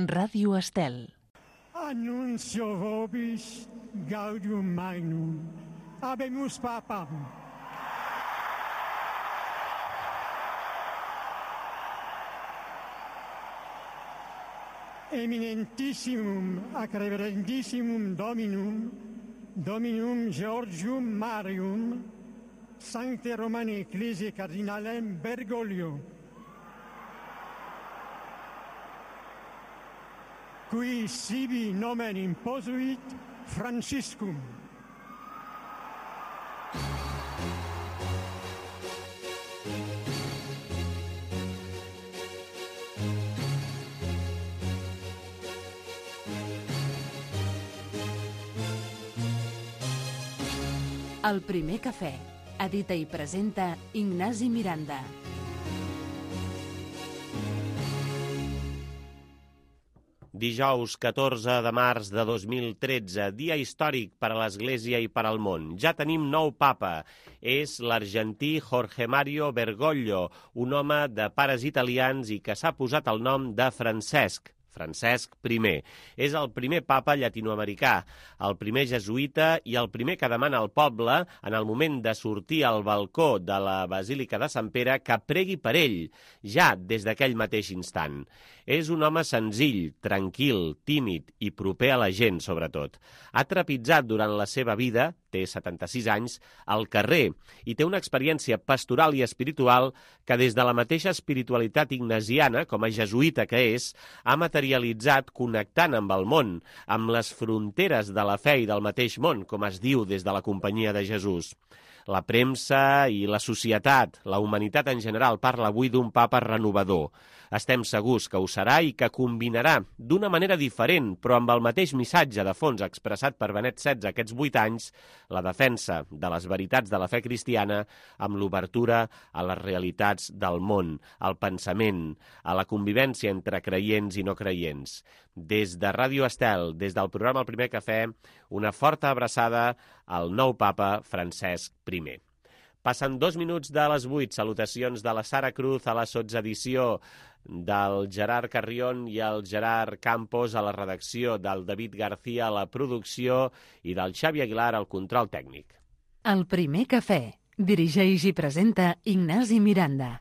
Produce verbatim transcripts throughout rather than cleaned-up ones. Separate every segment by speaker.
Speaker 1: Ràdio Estel.
Speaker 2: Annuncio vobis gaudium magnum. Habemus papam. Eminentissimum ac reverendissimum Dominum, Dominum Georgium Marium, Sancte Romani Ecclesiae Cardinalem Bergoglio, qui sibi nomen imposuit Franciscum.
Speaker 1: El primer cafè. Edita i presenta Ignasi Miranda.
Speaker 3: Dijous catorze de març de dos mil tretze, dia històric per a l'Església i per al món. Ja tenim nou papa. És l'argentí Jorge Mario Bergoglio, un home de pares italians i que s'ha posat el nom de Francesc. Francesc primer. És el primer papa llatinoamericà, el primer jesuïta i el primer que demana al poble, en el moment de sortir al balcó de la Basílica de Sant Pere, que pregui per ell, ja des d'aquell mateix instant. És un home senzill, tranquil, tímid i proper a la gent, sobretot. Ha trepitjat durant la seva vida, té setanta-sis anys, al carrer i té una experiència pastoral i espiritual que des de la mateixa espiritualitat ignasiana, com a jesuïta que és, ha materialitzat connectant amb el món, amb les fronteres de la fe i del mateix món, com es diu des de la Companyia de Jesús. La premsa i la societat, la humanitat en general, parla avui d'un papa renovador. Estem segurs que ho serà i que combinarà d'una manera diferent, però amb el mateix missatge de fons expressat per Benet setze aquests vuit anys, la defensa de les veritats de la fe cristiana amb l'obertura a les realitats del món, al pensament, a la convivència entre creients i no creients. Des de Ràdio Estel, des del programa El Primer Cafè, una forta abraçada al nou papa Francesc primer. Passen dos minuts de les vuit. Salutacions de la Sara Cruz a la sotsedició, del Gerard Carrion i el Gerard Campos a la redacció, del David García a la producció i del Xavi Aguilar al control tècnic.
Speaker 1: El Primer Cafè. Dirigeix i presenta Ignasi Miranda.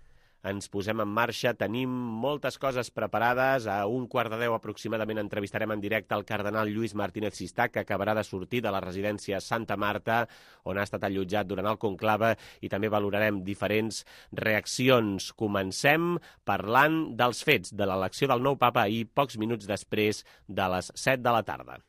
Speaker 3: Ens posem en marxa, tenim moltes coses preparades. A un quart de deu aproximadament entrevistarem en directe el cardenal Lluís Martínez Sistà, que acabarà de sortir de la residència Santa Marta, on ha estat allotjat durant el conclave, i també valorarem diferents reaccions. Comencem parlant dels fets de l'elecció del nou papa ahir, pocs minuts després de les set de la tarda.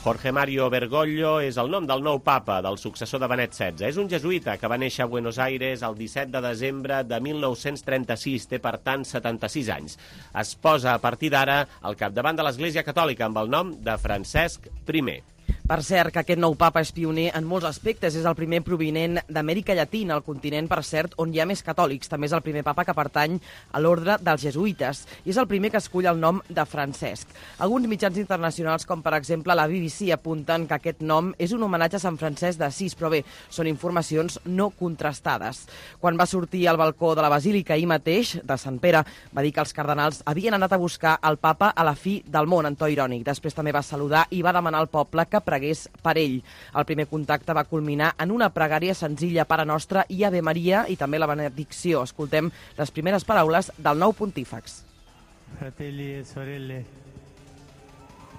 Speaker 3: Jorge Mario Bergoglio és el nom del nou papa, del successor de Benet setze. És un jesuïta que va néixer a Buenos Aires el disset de desembre de mil nou-cents trenta-sis, té per tant setanta-sis anys. Es posa a partir d'ara al capdavant de l'Església Catòlica amb el nom de Francesc primer.
Speaker 4: Per cert, que aquest nou papa és pioner en molts aspectes. És el primer provinent d'Amèrica Llatina, el continent, per cert, on hi ha més catòlics. També és el primer papa que pertany a l'ordre dels jesuïtes. I és el primer que escull el nom de Francesc. Alguns mitjans internacionals, com per exemple la B B C, apunten que aquest nom és un homenatge a Sant Francesc d'Assís, però bé, són informacions no contrastades. Quan va sortir al balcó de la Basílica ahir mateix, de Sant Pere, va dir que els cardenals havien anat a buscar el papa a la fi del món, en to irònic. Després també va saludar i va demanar al poble que pregués per ell. El primer contacte va culminar en una pregària senzilla, Pare Nostre i Ave Maria, i també la benedicció. Escoltem les primeres paraules del nou pontífex.
Speaker 5: Fratelli e sorelle,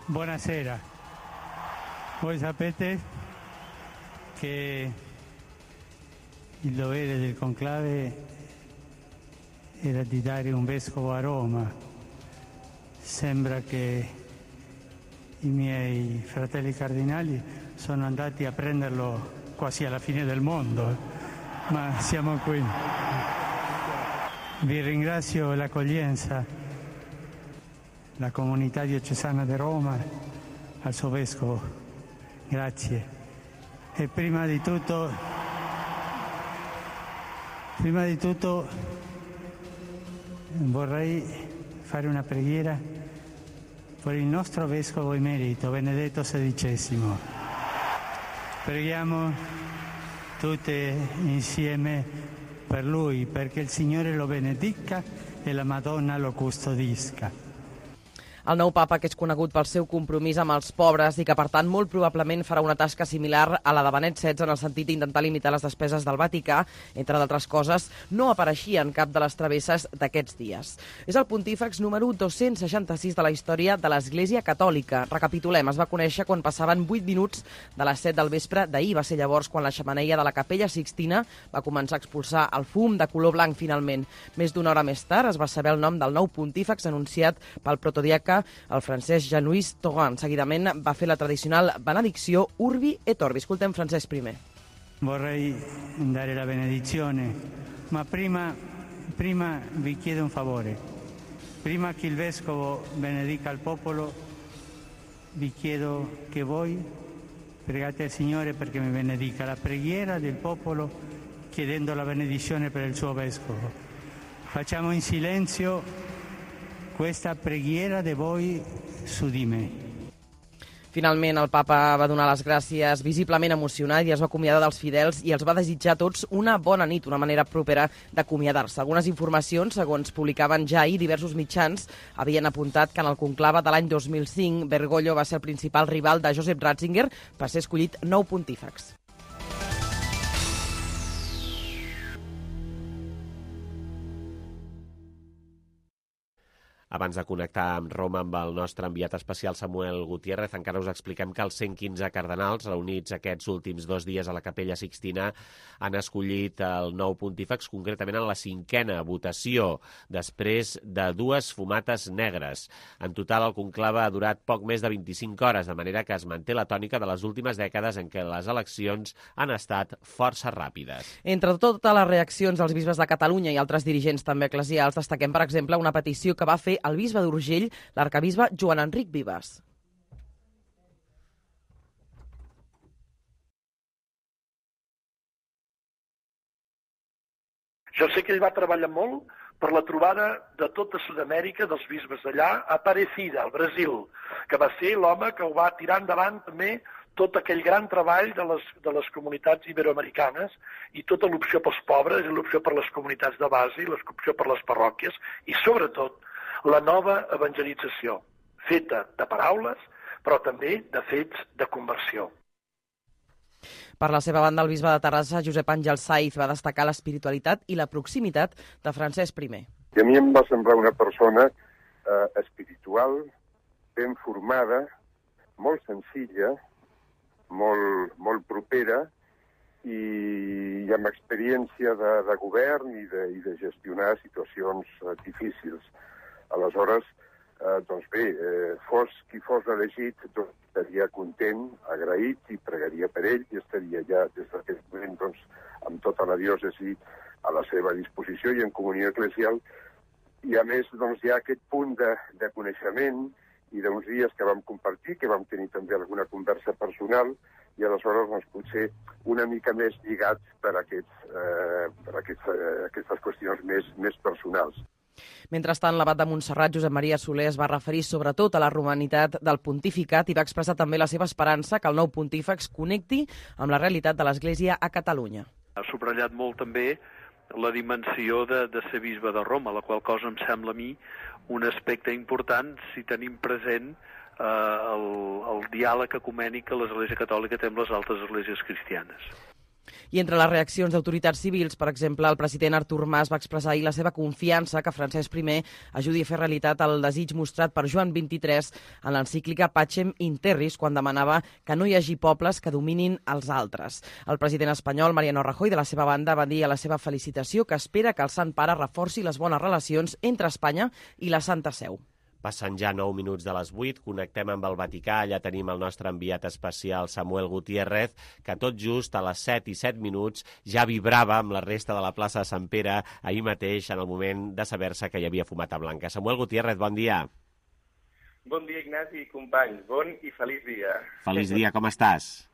Speaker 5: buonasera. Voi sapete che il dovere del conclave era di dare un vescovo a Roma. Sembra che i miei fratelli cardinali sono andati a prenderlo quasi alla fine del mondo, ma siamo qui. Vi ringrazio l'accoglienza, la comunità diocesana di Roma, al suo vescovo. Grazie. E prima di tutto Prima di tutto vorrei fare una preghiera per il nostro Vescovo emerito, Benedetto sedicesimo. Preghiamo tutte insieme per lui, perché il Signore lo benedica e la Madonna lo custodisca.
Speaker 4: El nou papa, que és conegut pel seu compromís amb els pobres i que, per tant, molt probablement farà una tasca similar a la de Benet setze en el sentit d'intentar limitar les despeses del Vaticà, entre d'altres coses, no apareixia en cap de les travesses d'aquests dies. És el pontífex número dos-cents seixanta-sis de la història de l'Església Catòlica. Recapitulem, es va conèixer quan passaven vuit minuts de les set del vespre d'ahir. Va ser llavors quan la xemeneia de la Capella Sixtina va començar a expulsar el fum de color blanc finalment. Més d'una hora més tard es va saber el nom del nou pontífex anunciat pel protodiaca el francès Jean-Louis Tauran. Seguidament va fer la tradicional benedicció Urbi et Orbi. Escoltem Francesc primer.
Speaker 5: Vorrei dare la benedizione, ma prima, prima vi chiedo un favore. Prima che il Vescovo benedica il popolo, vi chiedo che voi pregate al Signore perché mi benedica. La preghiera del popolo chiedendo la benedizione per il suo Vescovo. Facciamo in silenzio questa preghiera de voi su di me.
Speaker 4: Finalment, el papa va donar les gràcies visiblement emocionat i es va acomiadar dels fidels i els va desitjar a tots una bona nit, una manera propera d'acomiadar-se. Algunes informacions, segons publicaven ja ahir diversos mitjans, havien apuntat que en el conclave de l'any dos mil cinc Bergoglio va ser el principal rival de Joseph Ratzinger per ser escollit nou pontífex.
Speaker 3: Abans de connectar amb Roma amb el nostre enviat especial Samuel Gutiérrez, encara us expliquem que els cent quinze cardenals reunits aquests últims dos dies a la Capella Sixtina han escollit el nou pontífex, concretament en la cinquena votació, després de dues fumates negres. En total, el conclave ha durat poc més de vint-i-cinc hores, de manera que es manté la tònica de les últimes dècades en què les eleccions han estat força ràpides.
Speaker 4: Entre totes les reaccions dels bisbes de Catalunya i altres dirigents també eclesials, destaquem, per exemple, una petició que va fer el bisbe d'Urgell, l'arcabisbe Joan Enric Vives.
Speaker 6: Jo sé que ell va treballar molt per la trobada de tota Sud-amèrica, dels bisbes d'allà, a Aparecida, al Brasil, que va ser l'home que ho va tirar endavant també tot aquell gran treball de les, de les comunitats iberoamericanes i tota l'opció pels pobres i l'opció per les comunitats de base i l'opció per les parròquies i, sobretot, la nova evangelització, feta de paraules, però també de fets de conversió.
Speaker 4: Per la seva banda, el bisbe de Terrassa, Josep Àngel Saiz, va destacar l'espiritualitat i la proximitat de Francesc primer.
Speaker 7: I a mi em va semblar una persona eh, espiritual, ben formada, molt senzilla, molt, molt propera i, i amb experiència de, de govern i de, i de gestionar situacions eh, difícils. Aleshores, eh, doncs bé, eh, fos qui fos elegit, doncs estaria content, agraït i pregaria per ell i estaria ja des d'aquest moment doncs, amb tota la diòcesi a la seva disposició i en comunió eclesial. I a més doncs, hi ha aquest punt de, de coneixement i d'uns dies que vam compartir, que vam tenir també alguna conversa personal i aleshores doncs, potser una mica més lligats per, aquests, eh, per aquests, eh, aquestes qüestions més, més personals.
Speaker 4: Mentrestant, l'abat de Montserrat, Josep Maria Soler, es va referir sobretot a la romanitat del pontificat i va expressar també la seva esperança que el nou pontífex connecti amb la realitat de l'Església a Catalunya.
Speaker 8: Ha subratllat molt també la dimensió de, de ser bisbe de Roma, la qual cosa em sembla a mi un aspecte important si tenim present eh, el, el diàleg ecumènic que l'Església Catòlica té amb les altres esglésies cristianes.
Speaker 4: I entre les reaccions d'autoritats civils, per exemple, el president Artur Mas va expressar ahir la seva confiança que Francesc primer ajudi a fer realitat el desig mostrat per Joan vint-i-tres en l'encíclica Pacem in Terris, quan demanava que no hi hagi pobles que dominin els altres. El president espanyol, Mariano Rajoy, de la seva banda, va dir a la seva felicitació que espera que el Sant Pare reforci les bones relacions entre Espanya i la Santa Seu.
Speaker 3: Passen ja nou minuts de les vuit, connectem amb el Vaticà, allà tenim el nostre enviat especial Samuel Gutiérrez, que tot just a les set i set minuts ja vibrava amb la resta de la plaça de Sant Pere ahir mateix en el moment de saber-se que hi havia fumata blanca. Samuel Gutiérrez, bon dia.
Speaker 9: Bon dia, Ignasi i companys. Bon i feliç dia.
Speaker 3: Feliç dia, com estàs?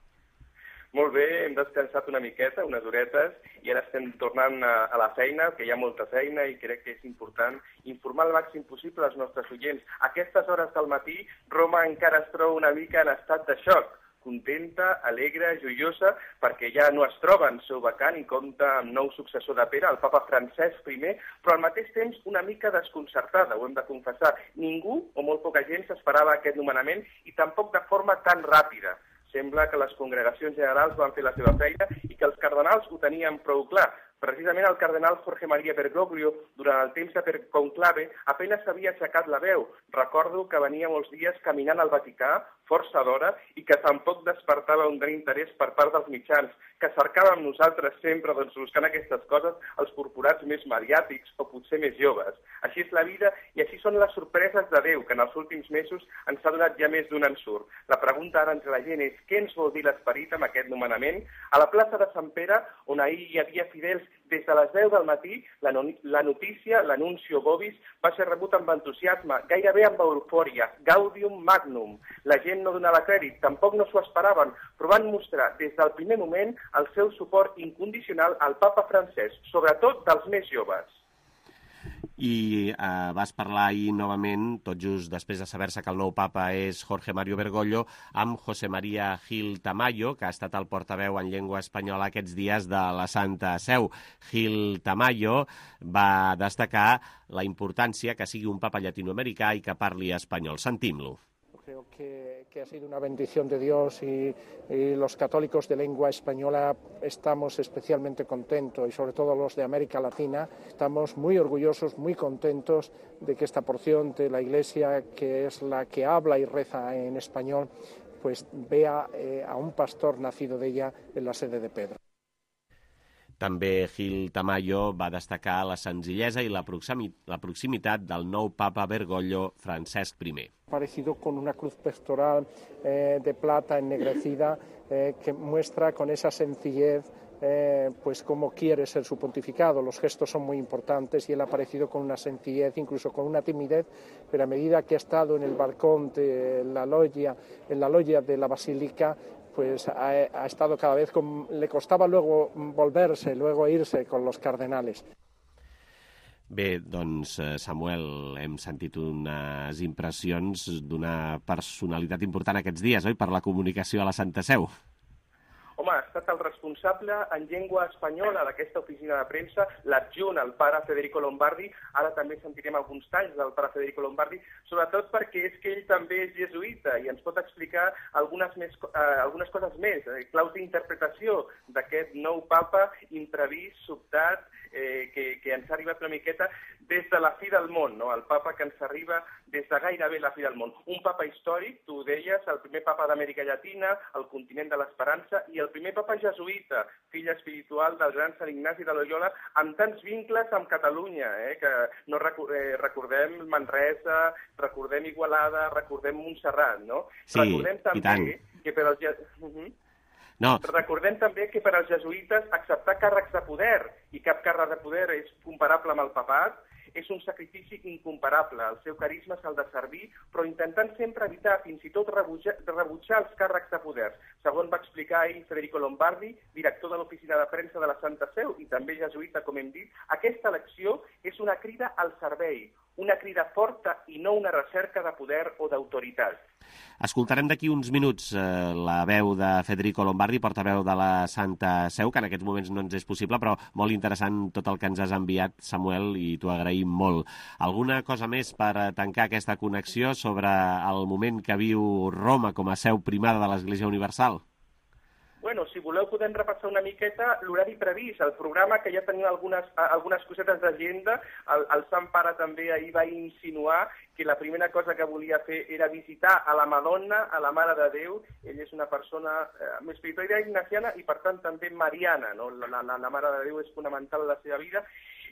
Speaker 9: Molt bé, hem descansat una miqueta, unes horetes, i ara estem tornant a, a la feina, que hi ha molta feina, i crec que és important informar el màxim possible als nostres oients. A aquestes hores del matí, Roma encara es troba una mica en estat de xoc, contenta, alegre, joiosa, perquè ja no es troba en seu vacant i compta amb nou successor de Pere, el papa Francesc primer, però al mateix temps una mica desconcertada, ho hem de confessar. Ningú, o molt poca gent, s'esperava aquest nomenament, i tampoc de forma tan ràpida. Sembla que les congregacions generals van fer la seva feina i que els cardenals ho tenien prou clar. Precisament el cardenal Jorge María Bergoglio, durant el temps de conclave, apenas s'havia aixecat la veu. Recordo que venia molts dies caminant al Vaticà, força d'hora, i que tampoc despertava un gran interès per part dels mitjans, que cercàvem nosaltres sempre, doncs, buscant aquestes coses, els corporats més mediàtics o potser més joves. Així és la vida i així són les sorpreses de Déu, que en els últims mesos ens ha donat ja més d'un ensurt. La pregunta ara entre la gent és què ens vol dir l'esperit amb aquest nomenament? A la plaça de Sant Pere, on ahir hi havia fidels des de les deu del matí, la, no la notícia, l'anuncio Bovis, va ser rebut amb entusiasme, gairebé amb eufòria, gaudium magnum. La gent no donava crèdit, tampoc no s'ho esperaven, però van mostrar des del primer moment el seu suport incondicional al papa Francesc, sobretot dels més joves.
Speaker 3: I eh, vas parlar ahir novament, tot just després de saber-se que el nou papa és Jorge Mario Bergoglio, amb José María Gil Tamayo, que ha estat el portaveu en llengua espanyola aquests dies de la Santa Seu. Gil Tamayo va destacar la importància que sigui un papa llatinoamericà i que parli espanyol. Sentim-lo.
Speaker 10: Creo que, que ha sido una bendición de Dios y, y los católicos de lengua española estamos especialmente contentos y sobre todo los de América Latina estamos muy orgullosos, muy contentos de que esta porción de la Iglesia, que es la que habla y reza en español, pues vea eh, a un pastor nacido de ella en la sede de Pedro.
Speaker 3: També Gil Tamayo va destacar la senzillesa i la, proximi la proximitat del nou papa Bergoglio Francesc primer.
Speaker 10: Parecido con una cruz pectoral eh, de plata ennegrecida eh, que muestra con esa sencillez eh, pues cómo quiere ser su pontificado. Los gestos son muy importantes y él ha aparecido con una sencillez, incluso con una timidez, pero a medida que ha estado en el balcón de la loggia, en la loggia de la basílica, pues ha, ha estado cada vez con, le costaba luego volverse, luego irse con los cardenales.
Speaker 3: Bé, doncs, Samuel, hem sentit unes impressions d'una personalitat important aquests dies, oi?, per la comunicació a la Santa Seu.
Speaker 9: Home, ha estat el responsable en llengua espanyola d'aquesta oficina de premsa, l'adjunt, el pare Federico Lombardi. Ara també sentirem alguns talls del pare Federico Lombardi, sobretot perquè és que ell també és jesuïta i ens pot explicar algunes, més, eh, algunes coses més, eh, claus d'interpretació d'aquest nou papa imprevist, sobtat, eh, que, que ens ha arribat una miqueta des de la fi del món, no? El papa que ens arriba des de gairebé la fi del món. Un papa històric, tu ho deies, el primer papa d'Amèrica Llatina, el continent de l'Esperança, i el primer papa jesuïta, fill espiritual del gran Sant Ignasi de Loyola, amb tants vincles amb Catalunya, eh? Que no recu eh, recordem Manresa, recordem Igualada, recordem Montserrat, no?
Speaker 3: Sí,
Speaker 9: recordem també que per als... Uh -huh. No. Recordem també que per als jesuïtes acceptar càrrecs de poder, i cap càrrec de poder és comparable amb el papat, és un sacrifici incomparable. El seu carisma s'ha de servir, però intentant sempre evitar fins i tot rebutjar, rebutjar els càrrecs de poder. Segons va explicar ahir Federico Lombardi, director de l'oficina de premsa de la Santa Seu i també jesuïta, com hem dit, aquesta elecció és una crida al servei, una crida forta i no una recerca de poder o d'autoritat.
Speaker 3: Escoltarem d'aquí uns minuts eh, la veu de Federico Lombardi, portaveu de la Santa Seu, que en aquests moments no ens és possible, però molt interessant tot el que ens has enviat, Samuel, i t'ho agraïm molt. Alguna cosa més per tancar aquesta connexió sobre el moment que viu Roma com a seu primada de l'Església Universal?
Speaker 9: Bueno, si voleu podem repassar una miqueta l'horari previst, el programa, que ja tenim algunes, algunes cosetes d'agenda. El, el Sant Pare també ahir va insinuar que la primera cosa que volia fer era visitar a la Madonna, a la Mare de Déu. Ell és una persona eh, espiritual ignaciana i, per tant, també mariana, no? La, la, la Mare de Déu és fonamental en la seva vida.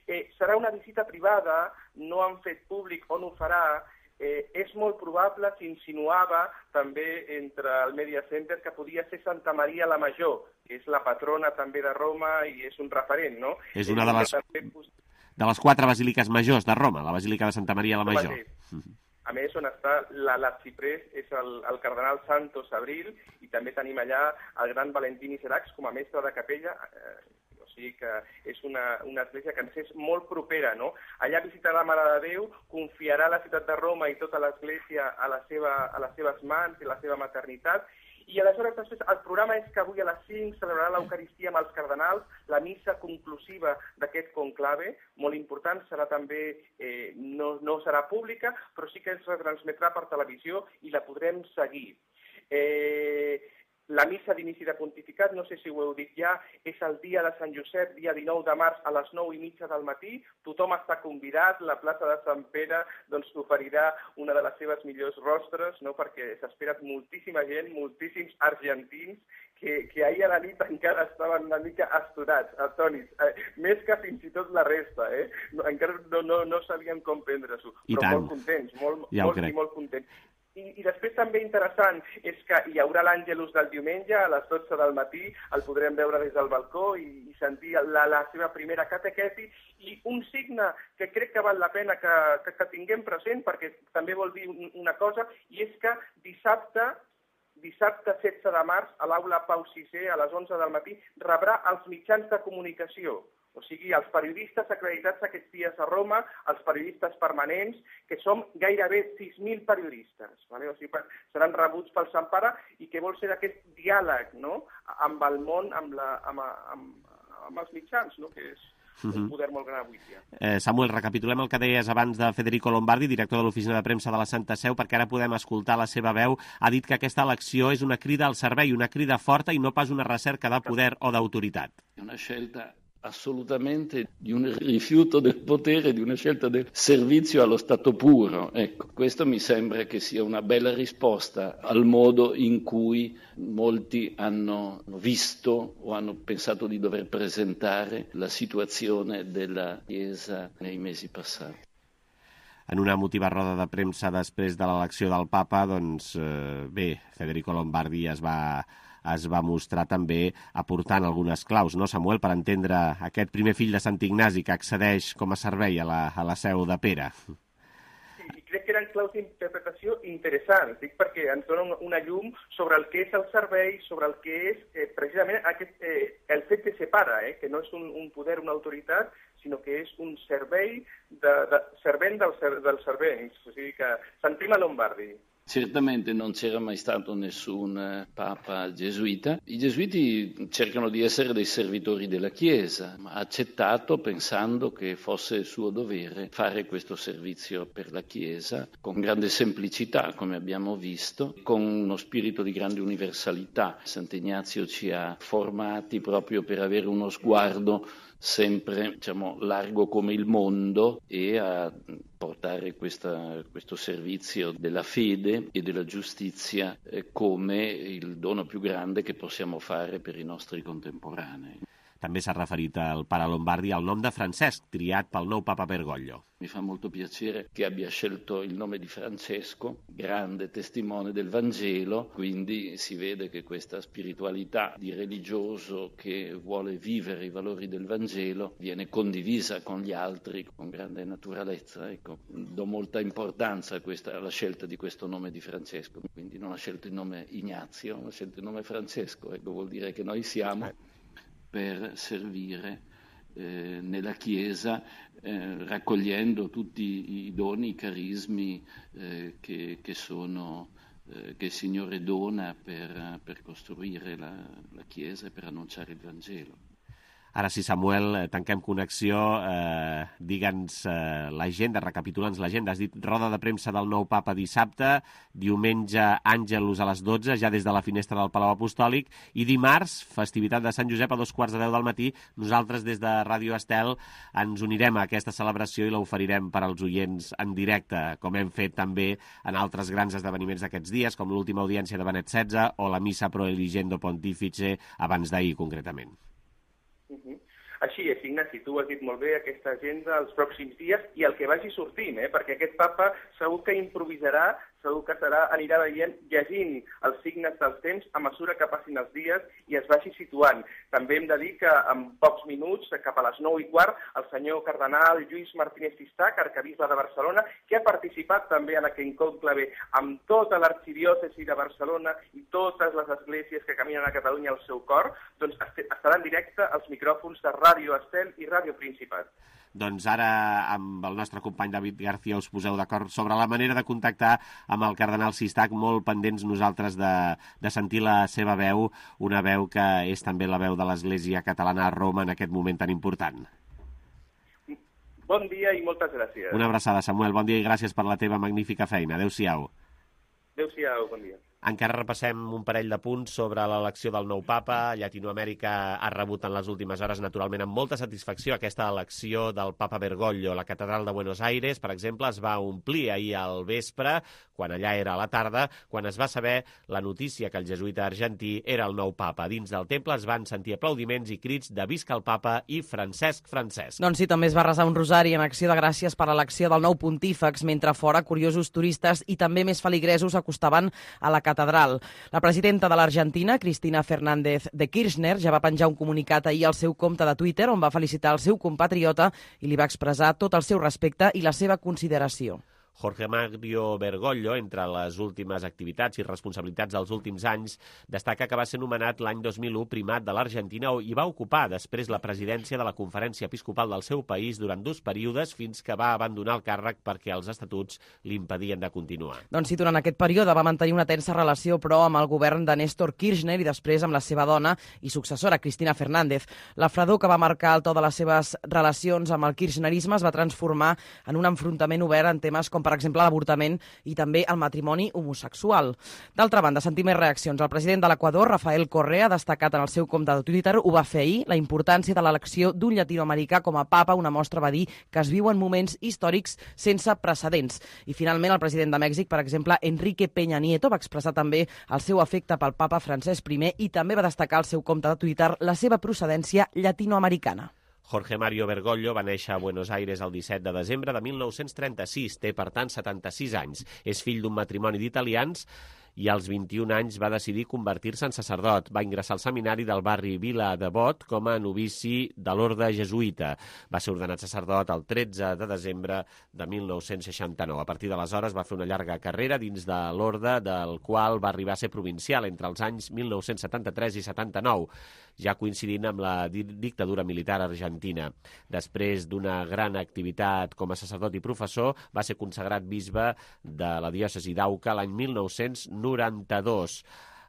Speaker 9: Eh, serà una visita privada, no han fet públic on ho farà. Eh, és molt probable, s'insinuava també entre el Media Center, que podia ser Santa Maria la Major, que és la patrona també de Roma i és un referent, no?
Speaker 3: És una de les, de les quatre basíliques majors de Roma, la Basílica de Santa Maria la Major.
Speaker 9: A més, on està l'arxiprés és el, el cardenal Santos Abril, i també tenim allà el gran Valentín Iseracs com a mestre de capella, eh, o sigui que és una, una església que ens és molt propera, no? Allà visitarà la Mare de Déu, confiarà la ciutat de Roma i tota l'església a, la seva, a les seves mans i la seva maternitat. I aleshores, després, el programa és que avui a les cinc celebrarà l'Eucaristia amb els cardenals, la missa conclusiva d'aquest conclave, molt important, serà també, eh, no, no serà pública, però sí que es retransmetrà per televisió i la podrem seguir. Eh, La missa d'inici de pontificat, no sé si ho heu dit ja, és el dia de Sant Josep, dia dinou de març, a les nou i mitja del matí. Tothom està convidat, la plaça de Sant Pere doncs, oferirà una de les seves millors rostres, no? Perquè s'espera moltíssima gent, moltíssims argentins, que, que ahir a la nit encara estaven una mica astorats, atònits, eh, més que fins i tot la resta, eh? No, encara no, no, no sabien com prendre-s'ho, però tant. Molt contents, molt, ja molt i molt contents. I, I després també interessant és que hi haurà l'Àngelus del diumenge a les dotze del matí, el podrem veure des del balcó i, i sentir la, la seva primera catequesi, i un signe que crec que val la pena que, que, que tinguem present, perquè també vol dir una cosa, i és que dissabte, dissabte setze de març, a l'aula Pau sisè, a les onze del matí, rebrà els mitjans de comunicació. O sigui, els periodistes acreditats aquests dies a Roma, els periodistes permanents, que som gairebé sis mil periodistes. Vale? O sigui, seran rebuts pel Sant Pare, i que vol ser aquest diàleg, no? Amb el món, amb, la, amb, amb, amb els mitjans, no? Que és un poder molt gran avui dia.
Speaker 3: Eh, Samuel, recapitulem el que deies abans de Federico Lombardi, director de l'Oficina de Premsa de la Santa Seu, perquè ara podem escoltar la seva veu. Ha dit que aquesta elecció és una crida al servei, una crida forta i no pas una recerca de poder o d'autoritat.
Speaker 11: Una scelta assolutamente di un rifiuto del potere, di una scelta del servizio allo Stato puro. Ecco, questo mi sembra che sia una bella risposta al modo in cui molti hanno visto o hanno pensato di dover presentare la situazione della Chiesa nei mesi passati.
Speaker 3: En una emotiva roda de premsa després de l'elecció del papa, doncs eh, bé, Federico Lombardi es va es va mostrar també aportant algunes claus, no, Samuel, per entendre aquest primer fill de Sant Ignasi que accedeix com a servei a la, a la seu de Pere.
Speaker 9: Sí, i crec que eren claus d'interpretació interessants, dic perquè ens donen una llum sobre el que és el servei, sobre el que és eh, precisament aquest, eh, el fet que separa, eh, que no és un, un poder, una autoritat, sinó que és un servei de, de, servent del, dels servents. O sigui que sentim a Lombardi.
Speaker 11: Certamente non c'era mai stato nessun papa gesuita. I gesuiti cercano di essere dei servitori della Chiesa, ma ha accettato pensando che fosse suo dovere fare questo servizio per la Chiesa con grande semplicità, come abbiamo visto, con uno spirito di grande universalità. Sant'Ignazio ci ha formati proprio per avere uno sguardo sempre, diciamo, largo come il mondo e a portare questa, questo servizio della fede e della giustizia eh, come il dono più grande che possiamo fare per i nostri contemporanei.
Speaker 3: També s'ha referit al pare Lombardi al nom de Francesc, triat pel nou papa Bergoglio.
Speaker 11: Mi fa molto piacere che abbia scelto il nome di Francesco, grande testimone del Vangelo, quindi si vede che questa spiritualità di religioso che vuole vivere i valori del Vangelo viene condivisa con gli altri con grande naturalezza. Ecco, do molta importanza a questa, alla scelta di questo nome di Francesco, quindi non ha scelto il nome Ignazio, ha scelto il nome Francesco, ecco, vuol dire che noi siamo per servire eh, nella Chiesa, eh, raccogliendo tutti i doni, i carismi eh, che, che, sono, eh, che il Signore dona per, per costruire la, la Chiesa e per annunciare il Vangelo.
Speaker 3: Ara sí, Samuel, tanquem connexió. Eh, Digue'ns eh, l'agenda, recapitula'ns l'agenda. Has dit roda de premsa del nou papa dissabte, diumenge Àngelus a les dotze, ja des de la finestra del Palau Apostòlic, i dimarts, festivitat de Sant Josep a dos quarts de deu del matí. Nosaltres des de Ràdio Estel ens unirem a aquesta celebració i l'oferirem per als oients en directe, com hem fet també en altres grans esdeveniments d'aquests dies, com l'última audiència de Benet setze o la Missa Pro Eligendo Pontifice abans d'ahir, concretament.
Speaker 9: Uh-huh. Així és, Ignasi, tu has dit molt bé aquesta agenda els pròxims dies i el que vagi sortint, eh? Perquè aquest papa segur que improvisarà segur que serà, anirà veient, llegint els signes dels temps a mesura que passin els dies i es vagi situant. També hem de dir que en pocs minuts, cap a les nou i quart, el senyor cardenal Lluís Martínez Sistac, arquebisbe de Barcelona, que ha participat també en aquest conclave amb tota l'arxidiòcesi de Barcelona i totes les esglésies que caminen a Catalunya al seu cor, doncs estarà en directe als micròfons de Ràdio Estel i Ràdio Principat.
Speaker 3: Doncs ara amb el nostre company David García us poseu d'acord sobre la manera de contactar amb el cardenal Sistac, molt pendents nosaltres de, de sentir la seva veu, una veu que és també la veu de l'Església Catalana a Roma en aquest moment tan important.
Speaker 9: Bon dia i moltes gràcies.
Speaker 3: Una abraçada, Samuel. Bon dia i gràcies per la teva magnífica feina. Adéu-siau.
Speaker 9: Adéu-siau, bon dia.
Speaker 3: Encara repassem un parell de punts sobre l'elecció del nou papa. Llatinoamèrica ha rebut en les últimes hores, naturalment, amb molta satisfacció aquesta elecció del papa Bergoglio. La catedral de Buenos Aires, per exemple, es va omplir ahir al vespre, quan allà era a la tarda, quan es va saber la notícia que el jesuïta argentí era el nou papa. Dins del temple es van sentir aplaudiments i crits de visca el papa i Francesc Francesc.
Speaker 4: Doncs sí, també es va resar un rosari en acció de gràcies per l'elecció del nou pontífex, mentre fora curiosos turistes i també més feligresos acostaven a la catedral. La presidenta de l'Argentina, Cristina Fernández de Kirchner, ja va penjar un comunicat ahir al seu compte de Twitter on va felicitar el seu compatriota i li va expressar tot el seu respecte i la seva consideració.
Speaker 3: Jorge Mario Bergoglio, entre les últimes activitats i responsabilitats dels últims anys, destaca que va ser nomenat l'any dos mil u primat de l'Argentina i va ocupar després la presidència de la Conferència Episcopal del seu país durant dos períodes fins que va abandonar el càrrec perquè els estatuts l'impedien de continuar.
Speaker 4: Doncs sí, durant aquest període va mantenir una tensa relació, però, amb el govern de Néstor Kirchner i després amb la seva dona i successora, Cristina Fernández. La fredor que va marcar el to de les seves relacions amb el kirchnerisme es va transformar en un enfrontament obert en temes com, per exemple, l'avortament i també el matrimoni homosexual. D'altra banda, sentim més reaccions. El president de l'Equador, Rafael Correa, ha destacat en el seu compte de Twitter, ho va fer ahir, la importància de l'elecció d'un llatinoamericà com a papa. Una mostra, va dir, que es viuen moments històrics sense precedents. I finalment, el president de Mèxic, per exemple, Enrique Peña Nieto, va expressar també el seu afecte pel papa Francesc I i també va destacar al seu compte de Twitter la seva procedència llatinoamericana.
Speaker 3: Jorge Mario Bergoglio va néixer a Buenos Aires el disset de desembre de mil nou-cents trenta-sis. Té, per tant, setanta-sis anys. És fill d'un matrimoni d'italians i als vint-i-un anys va decidir convertir-se en sacerdot. Va ingressar al seminari del barri Vila de Bot com a novici de l'orde jesuïta. Va ser ordenat sacerdot el tretze de desembre de mil nou-cents seixanta-nou. A partir d'aleshores va fer una llarga carrera dins de l'orde, del qual va arribar a ser provincial entre els anys mil nou-cents setanta-tres i setanta-nou, ja coincidint amb la dictadura militar argentina. Després d'una gran activitat com a sacerdot i professor, va ser consagrat bisbe de la diòcesi d'Auca l'any mil nou-cents noranta-dos.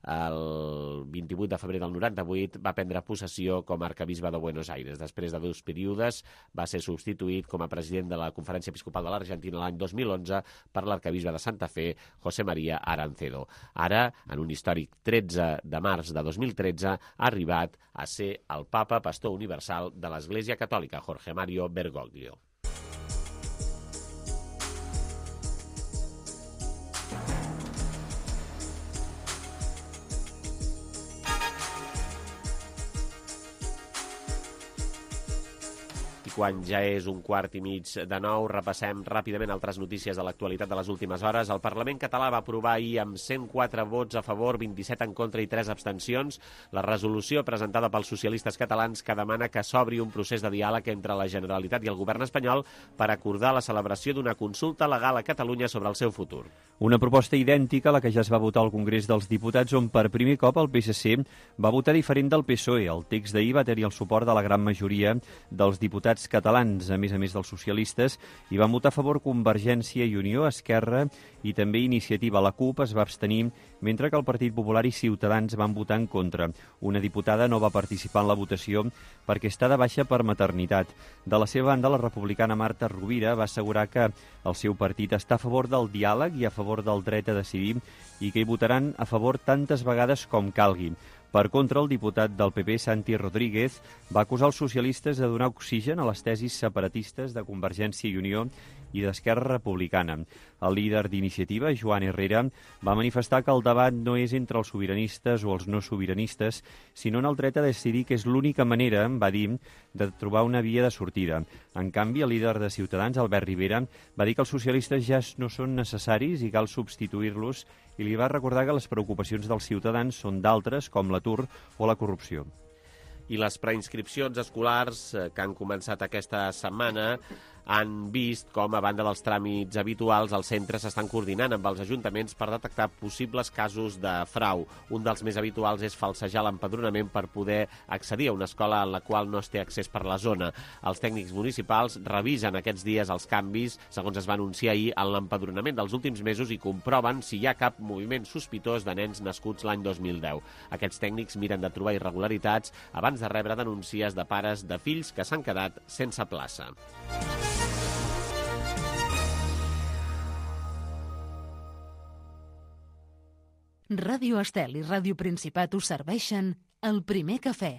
Speaker 3: El vint-i-vuit de febrer del noranta-vuit va prendre possessió com a arquebisbe de Buenos Aires. Després de dos períodes va ser substituït com a president de la Conferència Episcopal de l'Argentina l'any dos mil onze per l'arquebisbe de Santa Fe, José María Arancedo. Ara, en un històric tretze de març de dos mil tretze, ha arribat a ser el papa pastor universal de l'Església Catòlica, Jorge Mario Bergoglio. Quan ja és un quart i mig de nou, repassem ràpidament altres notícies de l'actualitat de les últimes hores. El Parlament català va aprovar ahir amb cent quatre vots a favor, vint-i-set en contra i tres abstencions la resolució presentada pels socialistes catalans que demana que s'obri un procés de diàleg entre la Generalitat i el govern espanyol per acordar la celebració d'una consulta legal a Catalunya sobre el seu futur.
Speaker 12: Una proposta idèntica a la que ja es va votar al Congrés dels Diputats, on per primer cop el P S C va votar diferent del P S O E. El text d'ahir va tenir el suport de la gran majoria dels diputats catalans, a més a més dels socialistes, i van votar a favor Convergència i Unió, Esquerra i també Iniciativa. La CUP es va abstenir, mentre que el Partit Popular i Ciutadans van votar en contra. Una diputada no va participar en la votació perquè està de baixa per maternitat. De la seva banda, la republicana Marta Rovira va assegurar que el seu partit està a favor del diàleg i a favor del dret a decidir i que hi votaran a favor tantes vegades com calgui. Per contra, el diputat del P P, Santi Rodríguez, va acusar els socialistes de donar oxigen a les tesis separatistes de Convergència i Unió i d'Esquerra Republicana. El líder d'Iniciativa, Joan Herrera, va manifestar que el debat no és entre els sobiranistes o els no sobiranistes, sinó en el dret a decidir, que és l'única manera, va dir, de trobar una via de sortida. En canvi, el líder de Ciutadans, Albert Rivera, va dir que els socialistes ja no són necessaris i cal substituir-los, i li va recordar que les preocupacions dels ciutadans són d'altres, com l'atur o la corrupció.
Speaker 3: I les preinscripcions escolars que han començat aquesta setmana han vist com, a banda dels tràmits habituals, els centres s'estan coordinant amb els ajuntaments per detectar possibles casos de frau. Un dels més habituals és falsejar l'empadronament per poder accedir a una escola en la qual no es té accés per la zona. Els tècnics municipals revisen aquests dies els canvis, segons es va anunciar ahir, en l'empadronament dels últims mesos i comproven si hi ha cap moviment sospitós de nens nascuts l'any dos mil deu. Aquests tècnics miren de trobar irregularitats abans de rebre denúncies de pares de fills que s'han quedat sense plaça.
Speaker 1: Ràdio Estel i Ràdio Principat us serveixen El Primer Cafè.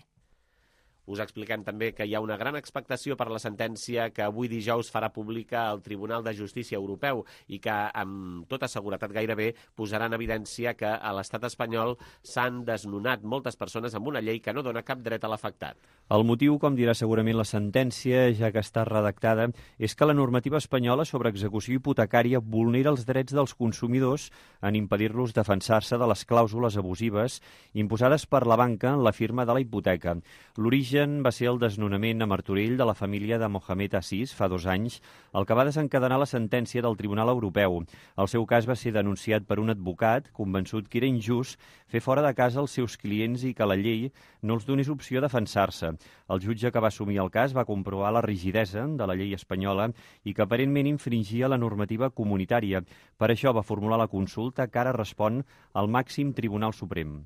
Speaker 3: Us expliquem també que hi ha una gran expectació per la sentència que avui dijous farà pública el Tribunal de Justícia Europeu i que, amb tota seguretat gairebé, posarà en evidència que a l'estat espanyol s'han desnonat moltes persones amb una llei que no dona cap dret a l'afectat.
Speaker 12: El motiu, com dirà segurament la sentència, ja que està redactada, és que la normativa espanyola sobre execució hipotecària vulnera els drets dels consumidors en impedir-los defensar-se de les clàusules abusives imposades per la banca en la firma de la hipoteca. L'origen va ser el desnonament a Martorell de la família de Mohamed Assis fa dos anys, el que va desencadenar la sentència del Tribunal Europeu. El seu cas va ser denunciat per un advocat convençut que era injust fer fora de casa els seus clients i que la llei no els donés opció a defensar-se. El jutge que va assumir el cas va comprovar la rigidesa de la llei espanyola i que aparentment infringia la normativa comunitària. Per això va formular la consulta que ara respon al màxim Tribunal Suprem.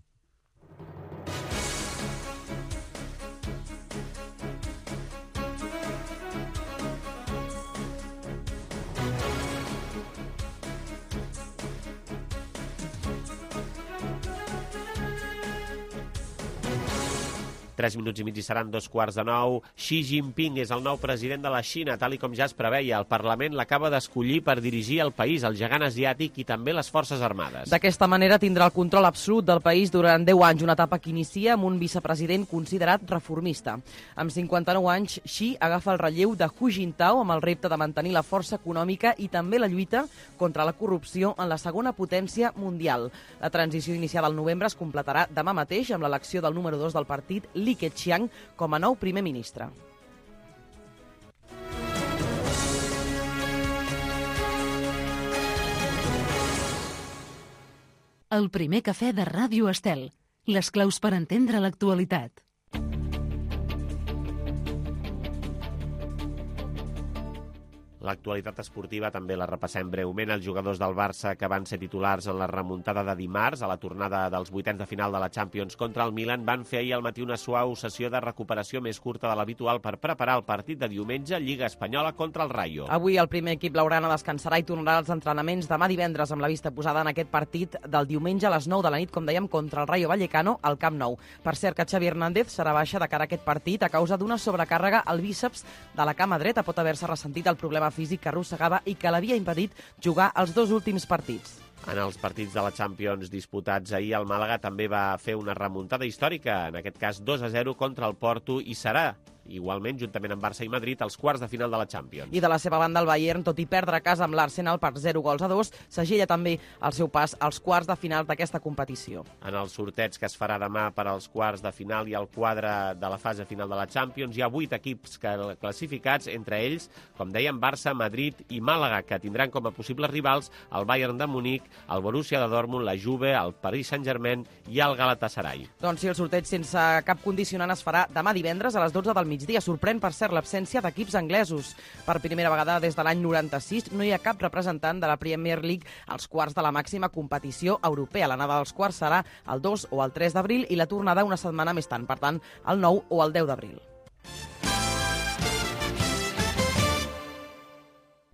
Speaker 3: Tres minuts i mig i seran dos quarts de nou. Xi Jinping és el nou president de la Xina, tal i com ja es preveia. El Parlament l'acaba d'escollir per dirigir el país, el gegant asiàtic i també les Forces Armades.
Speaker 4: D'aquesta manera tindrà el control absolut del país durant deu anys, una etapa que inicia amb un vicepresident considerat reformista. Amb cinquanta-nou anys, Xi agafa el relleu de Hu Jintao amb el repte de mantenir la força econòmica i també la lluita contra la corrupció en la segona potència mundial. La transició iniciada al novembre es completarà demà mateix amb l'elecció del número dos del partit, Li Keqiang, com a nou primer ministre.
Speaker 1: El primer cafè de Ràdio Estel. Les claus per entendre l'actualitat.
Speaker 3: L'actualitat esportiva també la repassem breument. Els jugadors del Barça que van ser titulars en la remuntada de dimarts a la tornada dels vuitens de final de la Champions contra el Milan van fer ahir al matí una suau sessió de recuperació més curta de l'habitual per preparar el partit de diumenge Lliga Espanyola contra el Rayo.
Speaker 4: Avui el primer equip blaugrana descansarà i tornarà als entrenaments demà divendres amb la vista posada en aquest partit del diumenge a les nou de la nit, com dèiem, contra el Rayo Vallecano al Camp Nou. Per cert que Xavi Hernández serà baixa de cara a aquest partit a causa d'una sobrecàrrega al bíceps de la cama dreta. Pot haver-se ressentit el problema físic que arrossegava i que l'havia impedit jugar els dos últims partits.
Speaker 3: En els partits de la Champions disputats ahir, el Màlaga també va fer una remuntada històrica, en aquest cas dos a zero contra el Porto, i serà igualment, juntament amb Barça i Madrid, als quarts de final de la Champions.
Speaker 4: I de la seva banda, el Bayern, tot i perdre a casa amb l'Arsenal per zero gols a dos, segella també el seu pas als quarts de final d'aquesta competició.
Speaker 3: En el sorteig que es farà demà per als quarts de final i al quadre de la fase final de la Champions, hi ha vuit equips classificats, entre ells, com dèiem, Barça, Madrid i Màlaga, que tindran com a possibles rivals el Bayern de Munic, el Borussia de Dortmund, la Juve, el Paris Saint-Germain i el Galatasaray.
Speaker 4: Doncs sí, el sorteig sense cap condicionant es farà demà divendres a les dotze del migdia. Sorprèn, per cert, l'absència d'equips anglesos. Per primera vegada des de l'any noranta-sis no hi ha cap representant de la Premier League als quarts de la màxima competició europea. L'anada dels quarts serà el dos o el tres d'abril i la tornada una setmana més tard, per tant, el nou o el deu d'abril.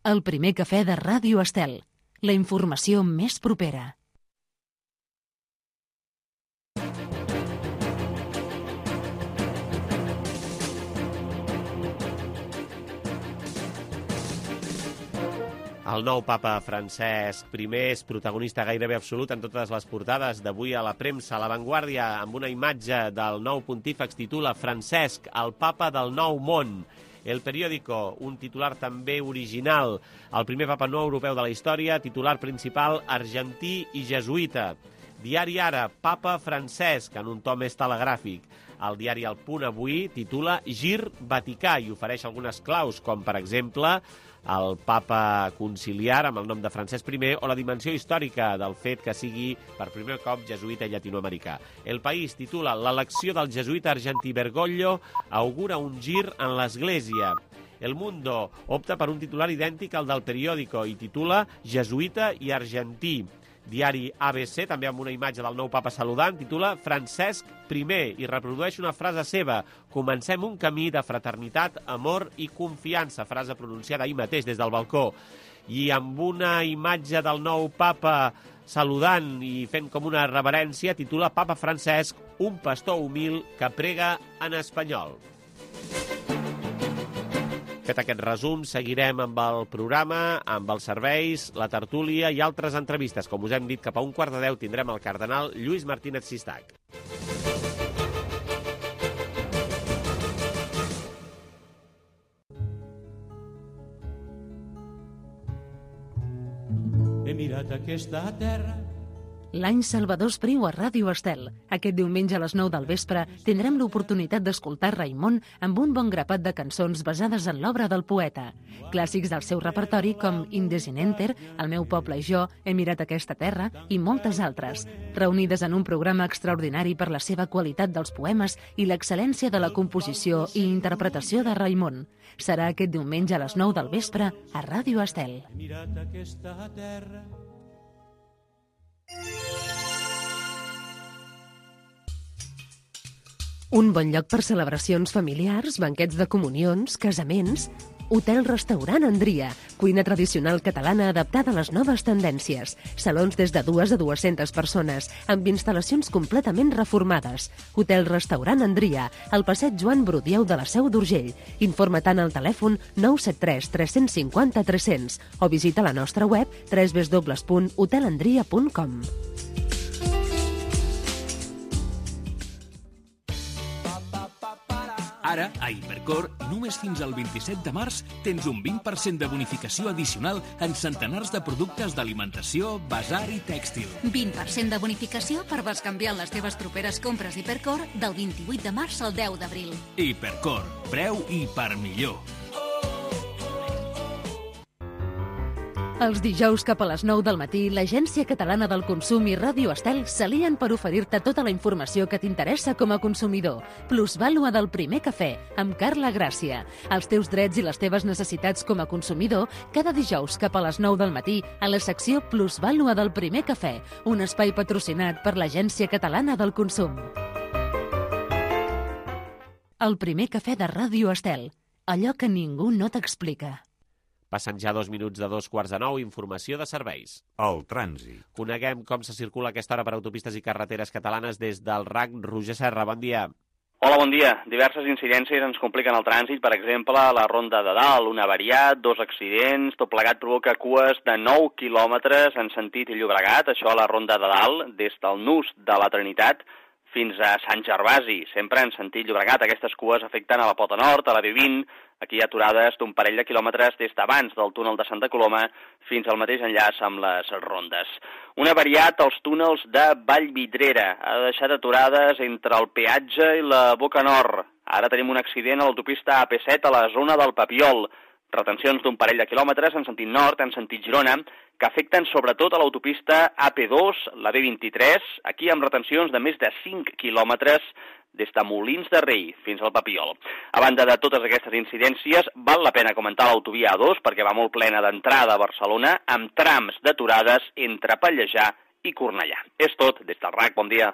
Speaker 1: El primer cafè de Ràdio Estel. La informació més propera.
Speaker 3: El nou papa Francesc primer és protagonista gairebé absolut en totes les portades d'avui a la premsa. A La Vanguardia, amb una imatge del nou pontífex, titula Francesc, el papa del nou món. El Periódico, un titular també original. El primer papa no europeu de la història, titular principal argentí i jesuïta. Diari Ara, papa Francesc, en un to més telegràfic. El diari El Punt avui titula Gir Vaticà i ofereix algunes claus, com per exemple el papa conciliar amb el nom de Francesc primer o la dimensió històrica del fet que sigui per primer cop jesuïta i llatinoamericà. El País titula l'elecció del jesuïta argentí Bergoglio augura un gir en l'Església. El Mundo opta per un titular idèntic al del Periódico i titula Jesuïta i argentí. Diari A B C, també amb una imatge del nou papa saludant, titula Francesc primer i reprodueix una frase seva. Comencem un camí de fraternitat, amor i confiança, frase pronunciada ahir mateix des del balcó. I amb una imatge del nou papa saludant i fent com una reverència, titula Papa Francesc, un pastor humil que prega en espanyol. Fet aquest resum, seguirem amb el programa, amb els serveis, la tertúlia i altres entrevistes. Com us hem dit, cap a un quart de deu tindrem el cardenal Lluís Martínez Sistac.
Speaker 13: He mirat aquesta terra.
Speaker 1: L'any Salvador Espriu a Ràdio Estel. Aquest diumenge a les nou del vespre tindrem l'oportunitat d'escoltar Raimon amb un bon grapat de cançons basades en l'obra del poeta. Clàssics del seu repertori com Indesinenter, El meu poble i jo, He mirat aquesta terra i moltes altres, reunides en un programa extraordinari per la seva qualitat dels poemes i l'excel·lència de la composició i interpretació de Raimon. Serà aquest diumenge a les nou del vespre a Ràdio Estel.
Speaker 13: He mirat aquesta terra.
Speaker 14: Un bon lloc per celebracions familiars, banquets de comunions, casaments. Hotel-restaurant Andria, cuina tradicional catalana adaptada a les noves tendències. Salons des de dues a dues-centes persones, amb instal·lacions completament reformades. Hotel-restaurant Andria, al passeig Joan Brudieu de la Seu d'Urgell. Informa tant al telèfon nou set tres tres cinc zero tres cents o visita la nostra web w w w punt hotel andria punt com.
Speaker 15: Ara, a Hipercor, només fins al vint-i-set de març, tens un vint per cent de bonificació addicional en centenars de productes d'alimentació, basar i tèxtil.
Speaker 16: vint per cent de bonificació per bescanviar les teves properes compres Hipercor del vint-i-vuit de març al deu d'abril.
Speaker 15: Hipercor, preu i per millor.
Speaker 1: Els dijous cap a les nou del matí, l'Agència Catalana del Consum i Ràdio Estel s'alien per oferir-te tota la informació que t'interessa com a consumidor. Plusvàlua del primer cafè, amb Carla Gràcia. Els teus drets i les teves necessitats com a consumidor, cada dijous cap a les nou del matí, a la secció Plusvàlua del primer cafè, un espai patrocinat per l'Agència Catalana del Consum. El primer cafè de Ràdio Estel, allò que ningú no t'explica.
Speaker 3: Passen ja dos minuts de dos quarts de nou, informació de serveis.
Speaker 17: El trànsit.
Speaker 3: Coneguem com se circula a aquesta hora per autopistes i carreteres catalanes des del R A C. Roger Serra, bon dia.
Speaker 18: Hola, bon dia. Diverses incidències ens compliquen el trànsit, per exemple, a la Ronda de Dalt, un avariat, dos accidents, tot plegat provoca cues de nou quilòmetres en sentit Llobregat, això a la Ronda de Dalt, des del nus de la Trinitat fins a Sant Gervasi, sempre en sentit Llobregat. Aquestes cues afecten a la Pota Nord, a la B vint, aquí hi ha aturades d'un parell de quilòmetres des d'abans del túnel de Santa Coloma fins al mateix enllaç amb les rondes. Un avariat als túnels de Vallvidrera ha deixat aturades entre el peatge i la Boca Nord. Ara tenim un accident a l'autopista A P set a la zona del Papiol. Retencions d'un parell de quilòmetres en sentit nord, en sentit Girona, que afecten sobretot a l'autopista A P dos, la B vint-i-tres, aquí amb retencions de més de cinc quilòmetres des de Molins de Rei fins al Papiol. A banda de totes aquestes incidències, val la pena comentar l'autovia A dos perquè va molt plena d'entrada a Barcelona amb trams d'aturades entre Pallejà i Cornellà. És tot, des del R A C, bon dia.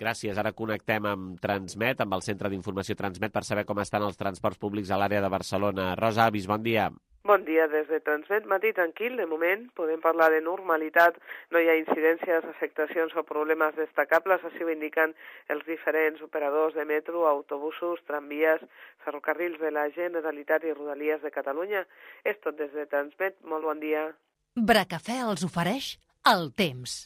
Speaker 3: Gràcies. Ara connectem amb Transmet, amb el Centre d'Informació Transmet, per saber com estan els transports públics a l'àrea de Barcelona. Rosa Avis, bon dia.
Speaker 17: Bon dia des de Transmet, matí tranquil, de moment podem parlar de normalitat, no hi ha incidències, afectacions o problemes destacables, així ho indiquen els diferents operadors de metro, autobusos, tramvies, ferrocarrils de la Generalitat i Rodalies de Catalunya. És tot des de Transmet, molt bon dia.
Speaker 1: Bracafè els ofereix el temps.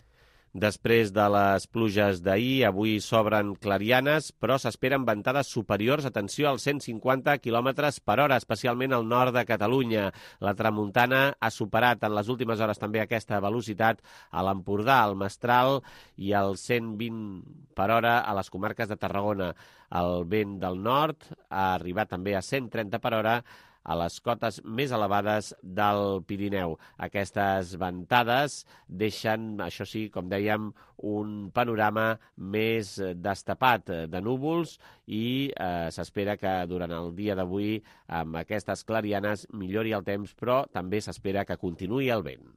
Speaker 3: Després de les pluges d'ahir, avui s'obren clarianes, però s'esperen ventades superiors, atenció, als cent cinquanta quilòmetres per hora, especialment al nord de Catalunya. La tramuntana ha superat en les últimes hores també aquesta velocitat a l'Empordà, al Mestral i al cent vint per hora a les comarques de Tarragona. El vent del nord ha arribat també a cent trenta per hora a les cotes més elevades del Pirineu. Aquestes ventades deixen, això sí, com dèiem, un panorama més destapat de núvols i eh, s'espera que durant el dia d'avui, amb aquestes clarianes, millori el temps, però també s'espera que continuï el vent.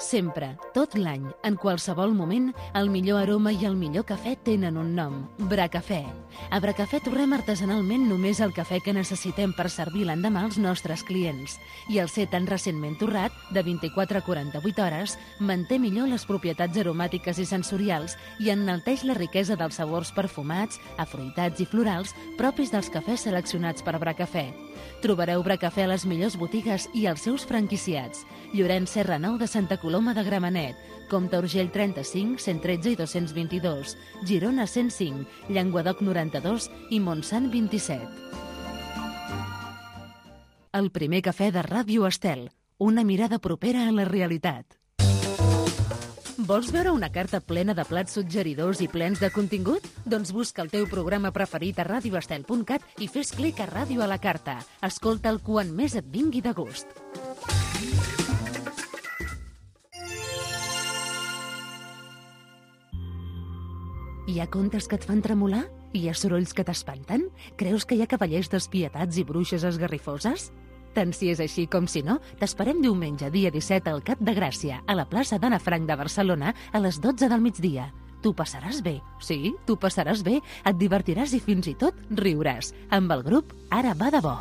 Speaker 1: Sempre, tot l'any, en qualsevol moment, el millor aroma i el millor cafè tenen un nom, Bracafè. A Bracafè torrem artesanalment només el cafè que necessitem per servir l'endemà als nostres clients. I el ser tan recentment torrat, de vint-i-quatre a quaranta-vuit hores, manté millor les propietats aromàtiques i sensorials i enalteix la riquesa dels sabors perfumats, afruitats i florals propis dels cafès seleccionats per Bracafè. Trobareu Bracafè a les millors botigues i als seus franquiciats. Llorenç Serra nou de Santa Coloma de Gramenet, Comte Urgell trenta-cinc, cent tretze i dos-cents vint-i-dos, Girona cent cinc, Llenguadoc noranta-dos i Montsant vint-i-set. El primer cafè de Ràdio Estel, una mirada propera a la realitat. Vols veure una carta plena de plats suggeridors i plens de contingut? Doncs busca el teu programa preferit a radio estel punt cat i fes clic a Ràdio a la carta. Escolta'l quan més et vingui de gust. Hi ha contes que et fan tremolar? Hi ha sorolls que t'espanten? Creus que hi ha cavallers despietats i bruixes esgarrifoses? Tant si és així com si no, t'esperem diumenge, dia disset, al Cap de Gràcia, a la plaça d'Anna Frank de Barcelona, a les dotze del migdia. Tu passaràs bé, sí, tu passaràs bé, et divertiràs i fins i tot riuràs. Amb el grup Ara va de bo.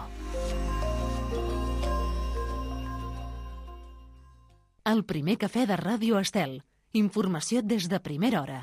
Speaker 1: El primer cafè de Ràdio Estel. Informació des de primera hora.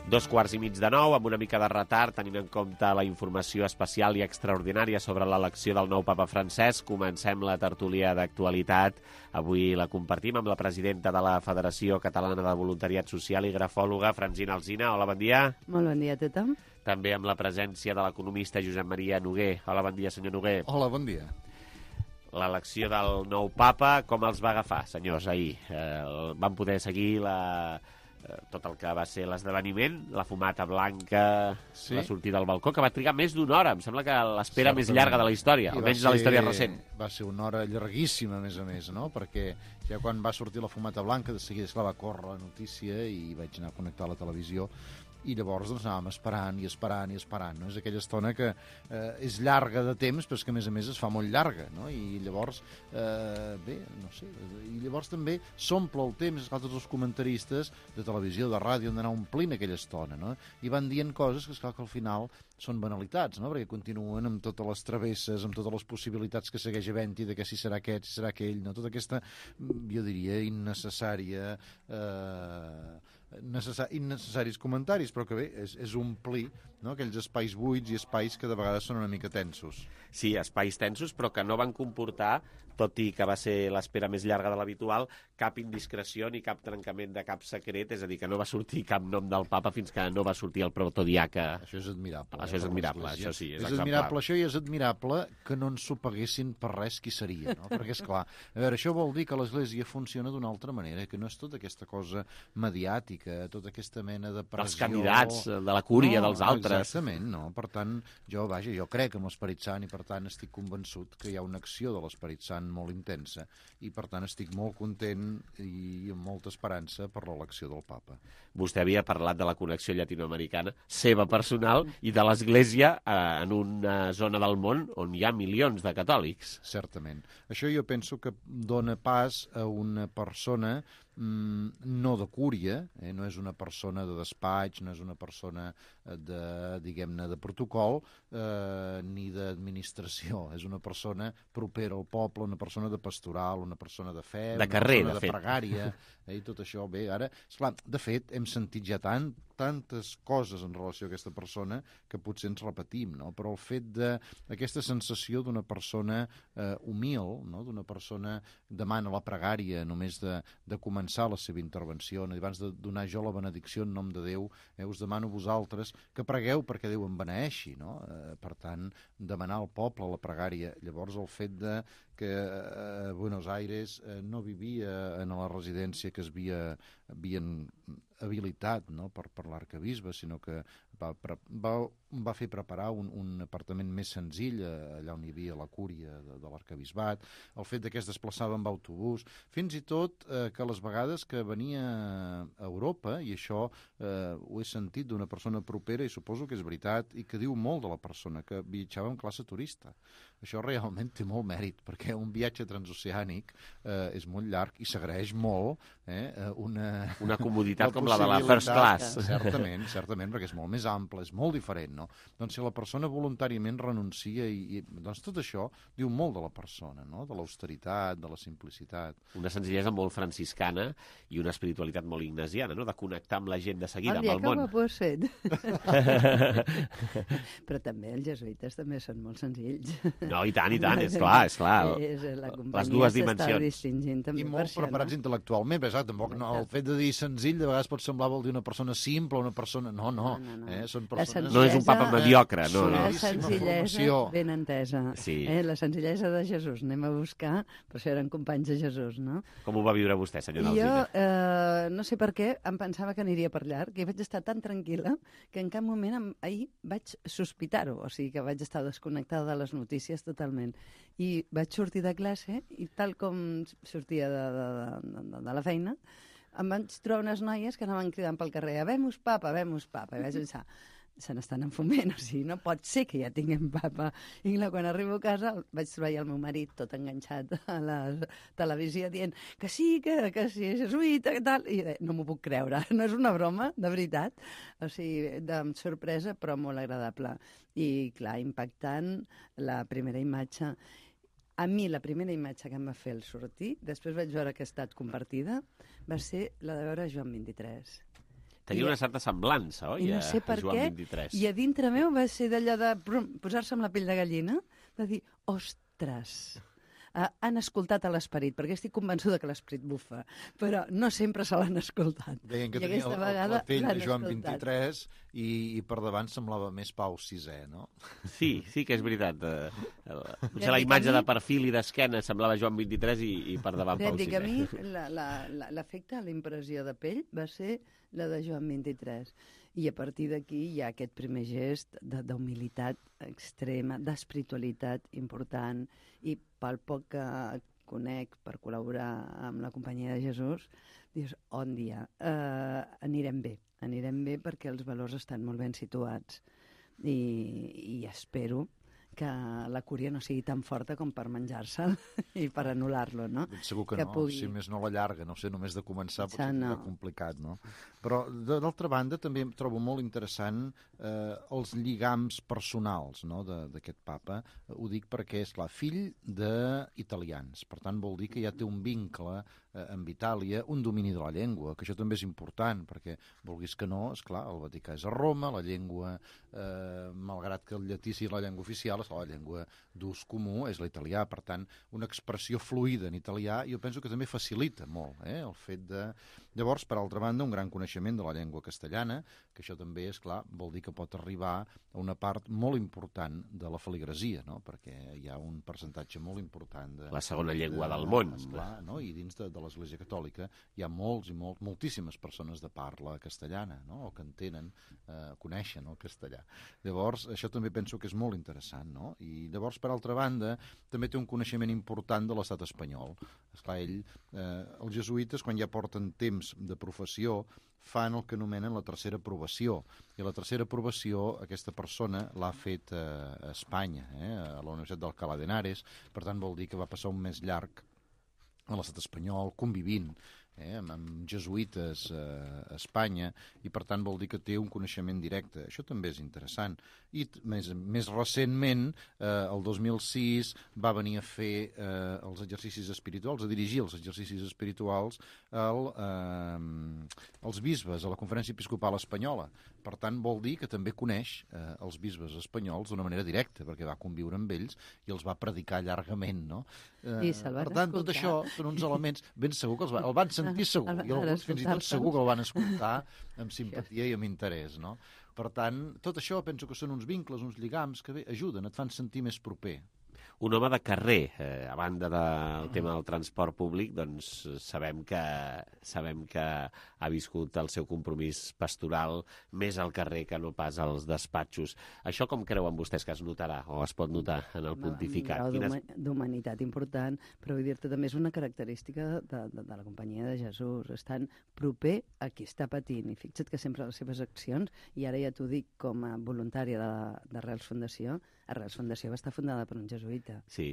Speaker 3: Dos quarts i mig de nou, amb una mica de retard, tenint en compte la informació especial i extraordinària sobre l'elecció del nou papa Francesc. Comencem la tertúlia d'actualitat. Avui la compartim amb la presidenta de la Federació Catalana de Voluntariat Social i grafòloga, Francina Alsina. Hola, bon dia.
Speaker 19: Molt bon dia a tothom.
Speaker 3: També amb la presència de l'economista Josep Maria Noguer. Hola, bon dia, senyor Noguer.
Speaker 20: Hola, bon dia.
Speaker 3: L'elecció del nou papa, com els va agafar, senyors, ahir? Eh, van poder seguir la... tot el que va ser l'esdeveniment, la fumata blanca, sí? La sortida al balcó, que va trigar més d'una hora. Em sembla que l'espera més llarga de la història, almenys de la història recent.
Speaker 20: Va ser una hora llarguíssima, a més a més, no? Perquè ja quan va sortir la fumata blanca, de seguida esclar, va córrer la notícia i vaig anar a connectar a la televisió i llavors doncs, anàvem esperant i esperant i esperant, no? És aquella estona que eh, és llarga de temps, però és que a més a més es fa molt llarga, no? I llavors, eh, bé, no sé, i llavors també s'omple el temps, esclar, tots els comentaristes de televisió, de ràdio, han d'anar omplint aquella estona, no? I van dient coses que, esclar, que al final són banalitats, no? Perquè continuen amb totes les travesses, amb totes les possibilitats que segueix havent-hi de que si serà aquest, si serà aquell, no? Tota aquesta, jo diria, innecessària... Eh, necessar, innecessaris comentaris, però que bé, és, és omplir, no? Aquells espais buits i espais que de vegades són una mica tensos.
Speaker 3: Sí, espais tensos, però que no van comportar, tot i que va ser l'espera més llarga de l'habitual, cap indiscreció ni cap trencament de cap secret, és a dir, que no va sortir cap nom del papa fins que no va sortir el protodiaca.
Speaker 20: Això és admirable.
Speaker 3: Això és admirable, això sí, és,
Speaker 20: és admirable això i és admirable que no ens ho paguessin per res qui seria, no? Perquè, esclar, a veure, això vol dir que l'Església funciona d'una altra manera, que no és tota aquesta cosa mediàtica, tota aquesta mena de pressió...
Speaker 3: Dels candidats, de la cúria,
Speaker 20: no,
Speaker 3: dels altres.
Speaker 20: Exactament, no. Per tant, jo, vaja, jo crec en l'Esperit Sant i, per tant, estic convençut que hi ha una acció de l'Esperit Sant molt intensa i, per tant, estic molt content i amb molta esperança per l'elecció del papa.
Speaker 3: Vostè havia parlat de la connexió llatinoamericana, seva personal, i de l'Església eh, en una zona del món on hi ha milions de catòlics.
Speaker 20: Certament. Això jo penso que dona pas a una persona mm, no de cúria, eh? No és una persona de despatx, no és una persona de, diguem-ne, de protocol, eh, ni d'administració. És una persona propera al poble, una persona de pastoral, una persona de fe,
Speaker 3: de
Speaker 20: una
Speaker 3: carrer,
Speaker 20: persona
Speaker 3: de
Speaker 20: de, de
Speaker 3: fet.
Speaker 20: pregària, eh? I tot això. Bé, ara, esclar, de fet, hem sentit ja tant, tantes coses en relació a aquesta persona que potser ens repetim, no? Però el fet d'aquesta sensació d'una persona eh, humil, no? D'una persona que demana la pregària només de, de començar la seva intervenció, no? Abans de donar jo la benedicció en nom de Déu, eh, us demano a vosaltres que pregueu perquè Déu em beneeixi, no? Eh, per tant, demanar al poble la pregària. Llavors, el fet de que a Buenos Aires eh, no vivia en la residència que es havia, havien habilitat, no? per, per l'arcabisbe, sinó que va, va, va fer preparar un, un apartament més senzill allà on hi havia la cúria de, de l'arcabisbat, el fet de que es desplaçava amb autobús, fins i tot eh, que les vegades que venia a Europa, i això eh, ho he sentit d'una persona propera i suposo que és veritat, i que diu molt de la persona, que viatjava en classe turista. Això realment té molt mèrit, perquè un viatge transoceànic eh, és molt llarg i s'agraeix molt eh, una...
Speaker 3: Una comoditat com la de la first class.
Speaker 20: Certament, certament, perquè és molt més ample, és molt diferent, no? Doncs si la persona voluntàriament renuncia i, i doncs tot això diu molt de la persona, no? De l'austeritat, de la simplicitat.
Speaker 3: Una senzillesa molt franciscana i una espiritualitat molt ignasiana, no? De connectar amb la gent de seguida,
Speaker 19: el
Speaker 3: amb el món.
Speaker 19: El dia que ho has fet. Però també els jesuïtes també són molt senzills.
Speaker 3: No, i tant, i tant, és clar, és clar.
Speaker 19: És, la
Speaker 3: les dues dimensions.
Speaker 19: I
Speaker 20: molt preparats no? intel·lectualment, però tampoc no, el fet de dir senzill de vegades pot semblar vol dir una persona simple, una persona... No, no,
Speaker 19: no, no.
Speaker 20: Eh? Són persones...
Speaker 3: No és un papa mediocre, no, no.
Speaker 19: La senzillesa ben entesa.
Speaker 3: Sí.
Speaker 19: Eh? La senzillesa de Jesús. Anem a buscar, per això eren companys de Jesús, no?
Speaker 3: Com ho va viure vostè, senyor Alsina?
Speaker 19: Jo, eh, no sé per què, em pensava que aniria per llarg, i vaig estar tan tranquil·la que en cap moment em, ahir vaig sospitar-ho, o sigui que vaig estar desconnectada de les notícies totalment. I vaig sortir de classe i tal com sortia de, de, de, de la feina, em vaig trobar unes noies que anaven cridant pel carrer «Habemus papa, habemus papa», i vaig pensar se n'estan enfumant, o sigui, no pot ser que ja tinguem papa. I clar, quan arribo a casa vaig trobar el meu marit tot enganxat a la televisió dient que sí, que, que sí, és jesuïta, que tal, i no m'ho puc creure, no és una broma, de veritat, o sigui, de sorpresa, però molt agradable. I clar, impactant la primera imatge. A mi la primera imatge que em va fer el sortir, després vaig veure que ha estat compartida, va ser la de veure Joan vint-i-tres.
Speaker 3: Tenia una certa semblança, oi,
Speaker 19: I no sé per
Speaker 3: a Joan
Speaker 19: què,
Speaker 3: vint-i-tres.
Speaker 19: I a dintre meu va ser d'allò de posar-se amb la pell de gallina, de dir, ostres, uh, han escoltat a l'esperit, perquè estic convençuda que l'esperit bufa, però no sempre se l'han escoltat.
Speaker 20: Deien que
Speaker 19: I
Speaker 20: tenia
Speaker 19: aquesta
Speaker 20: el,
Speaker 19: vegada
Speaker 20: la pell de Joan
Speaker 19: escoltat.
Speaker 20: vint-i-tres i, i per davant semblava més Pau sisè, no?
Speaker 3: Sí, sí que és veritat. Potser la imatge de perfil i d'esquena semblava Joan vint-i-tres i, i per davant Pau sisè.
Speaker 19: A mi l'efecte, la impressió de pell va ser la de Joan vint-i-tres. I a partir d'aquí hi ha aquest primer gest d'humilitat extrema, d'espiritualitat important, i pel poc que conec per col·laborar amb la Companyia de Jesús, dius, on dia, eh, anirem bé, anirem bé perquè els valors estan molt ben situats i, i espero que la cúria no sigui tan forta com per menjar-se'l i per anul·lar-lo, no?
Speaker 20: Segur que, que no, pugui... si més no la llarga, no sé, només de començar potser
Speaker 19: no.
Speaker 20: és complicat, no? Però, d'altra banda, també trobo molt interessant eh, els lligams personals, no?, d'aquest papa. Ho dic perquè és, clar, fill d'italians, per tant vol dir que ja té un vincle eh, amb Itàlia, un domini de la llengua, que això també és important, perquè, vulguis que no, esclar, el Vaticà és a Roma, la llengua, eh, malgrat que el llatí sigui la llengua oficial, esclar, la llengua d'ús comú és l'italià, per tant, una expressió fluida en italià, jo penso que també facilita molt, eh, el fet de... Llavors, per altra banda, un gran coneixement de la llengua castellana, que això també, és clar, vol dir que pot arribar a una part molt important de la feligresia, no? Perquè hi ha un percentatge molt important de...
Speaker 3: La segona llengua
Speaker 20: de,
Speaker 3: del món.
Speaker 20: Esclar, no? I dins de, de l'Església Catòlica hi ha molts i molt, moltíssimes persones de parla castellana, no? O que entenen, eh, coneixen el castellà. Llavors, això també penso que és molt interessant, no? I llavors, per altra banda, també té un coneixement important de l'estat espanyol. Esclar, ell, eh, els jesuïtes, quan ja porten temps de professió, fan el que anomenen la tercera aprovació. I la tercera aprovació, aquesta persona l'ha fet eh, a Espanya, eh, a la Universitat d'Alcalá de Henares, per tant vol dir que va passar un mes llarg a l'estat espanyol, convivint eh, amb, amb jesuïtes eh, a Espanya, i per tant vol dir que té un coneixement directe. Això també és interessant. I més, més recentment, eh, el dos mil sis, va venir a fer eh, els exercicis espirituals, a dirigir els exercicis espirituals al, eh, als bisbes, a la Conferència Episcopal Espanyola. Per tant, vol dir que també coneix eh, els bisbes espanyols d'una manera directa, perquè va conviure amb ells i els va predicar llargament, no? Eh,
Speaker 19: I se'l van
Speaker 20: per tant, tot
Speaker 19: escoltar.
Speaker 20: això són uns elements ben segur que els va, el van sentir segur, i alguns fins i tot segur que el van escoltar amb simpatia i amb interès, no? Per tant, tot això penso que són uns vincles, uns lligams que bé, ajuden, et fan sentir més proper.
Speaker 3: Un home de carrer, eh, a banda del tema del transport públic, doncs sabem que, sabem que ha viscut el seu compromís pastoral més al carrer que no pas als despatxos. Això com creuen vostès que es notarà o es pot notar en el pontificat?
Speaker 19: Un grau
Speaker 3: Quines...
Speaker 19: d'humanitat important, però vull dir-te també és una característica de, de, de la companyia de Jesús, estan proper a qui està patint, i fixa't que sempre les seves accions, i ara ja t'ho dic com a voluntària de, de Arrels Fundació, Arrels Fundació va estar fundada per un jesuïta,
Speaker 3: sí.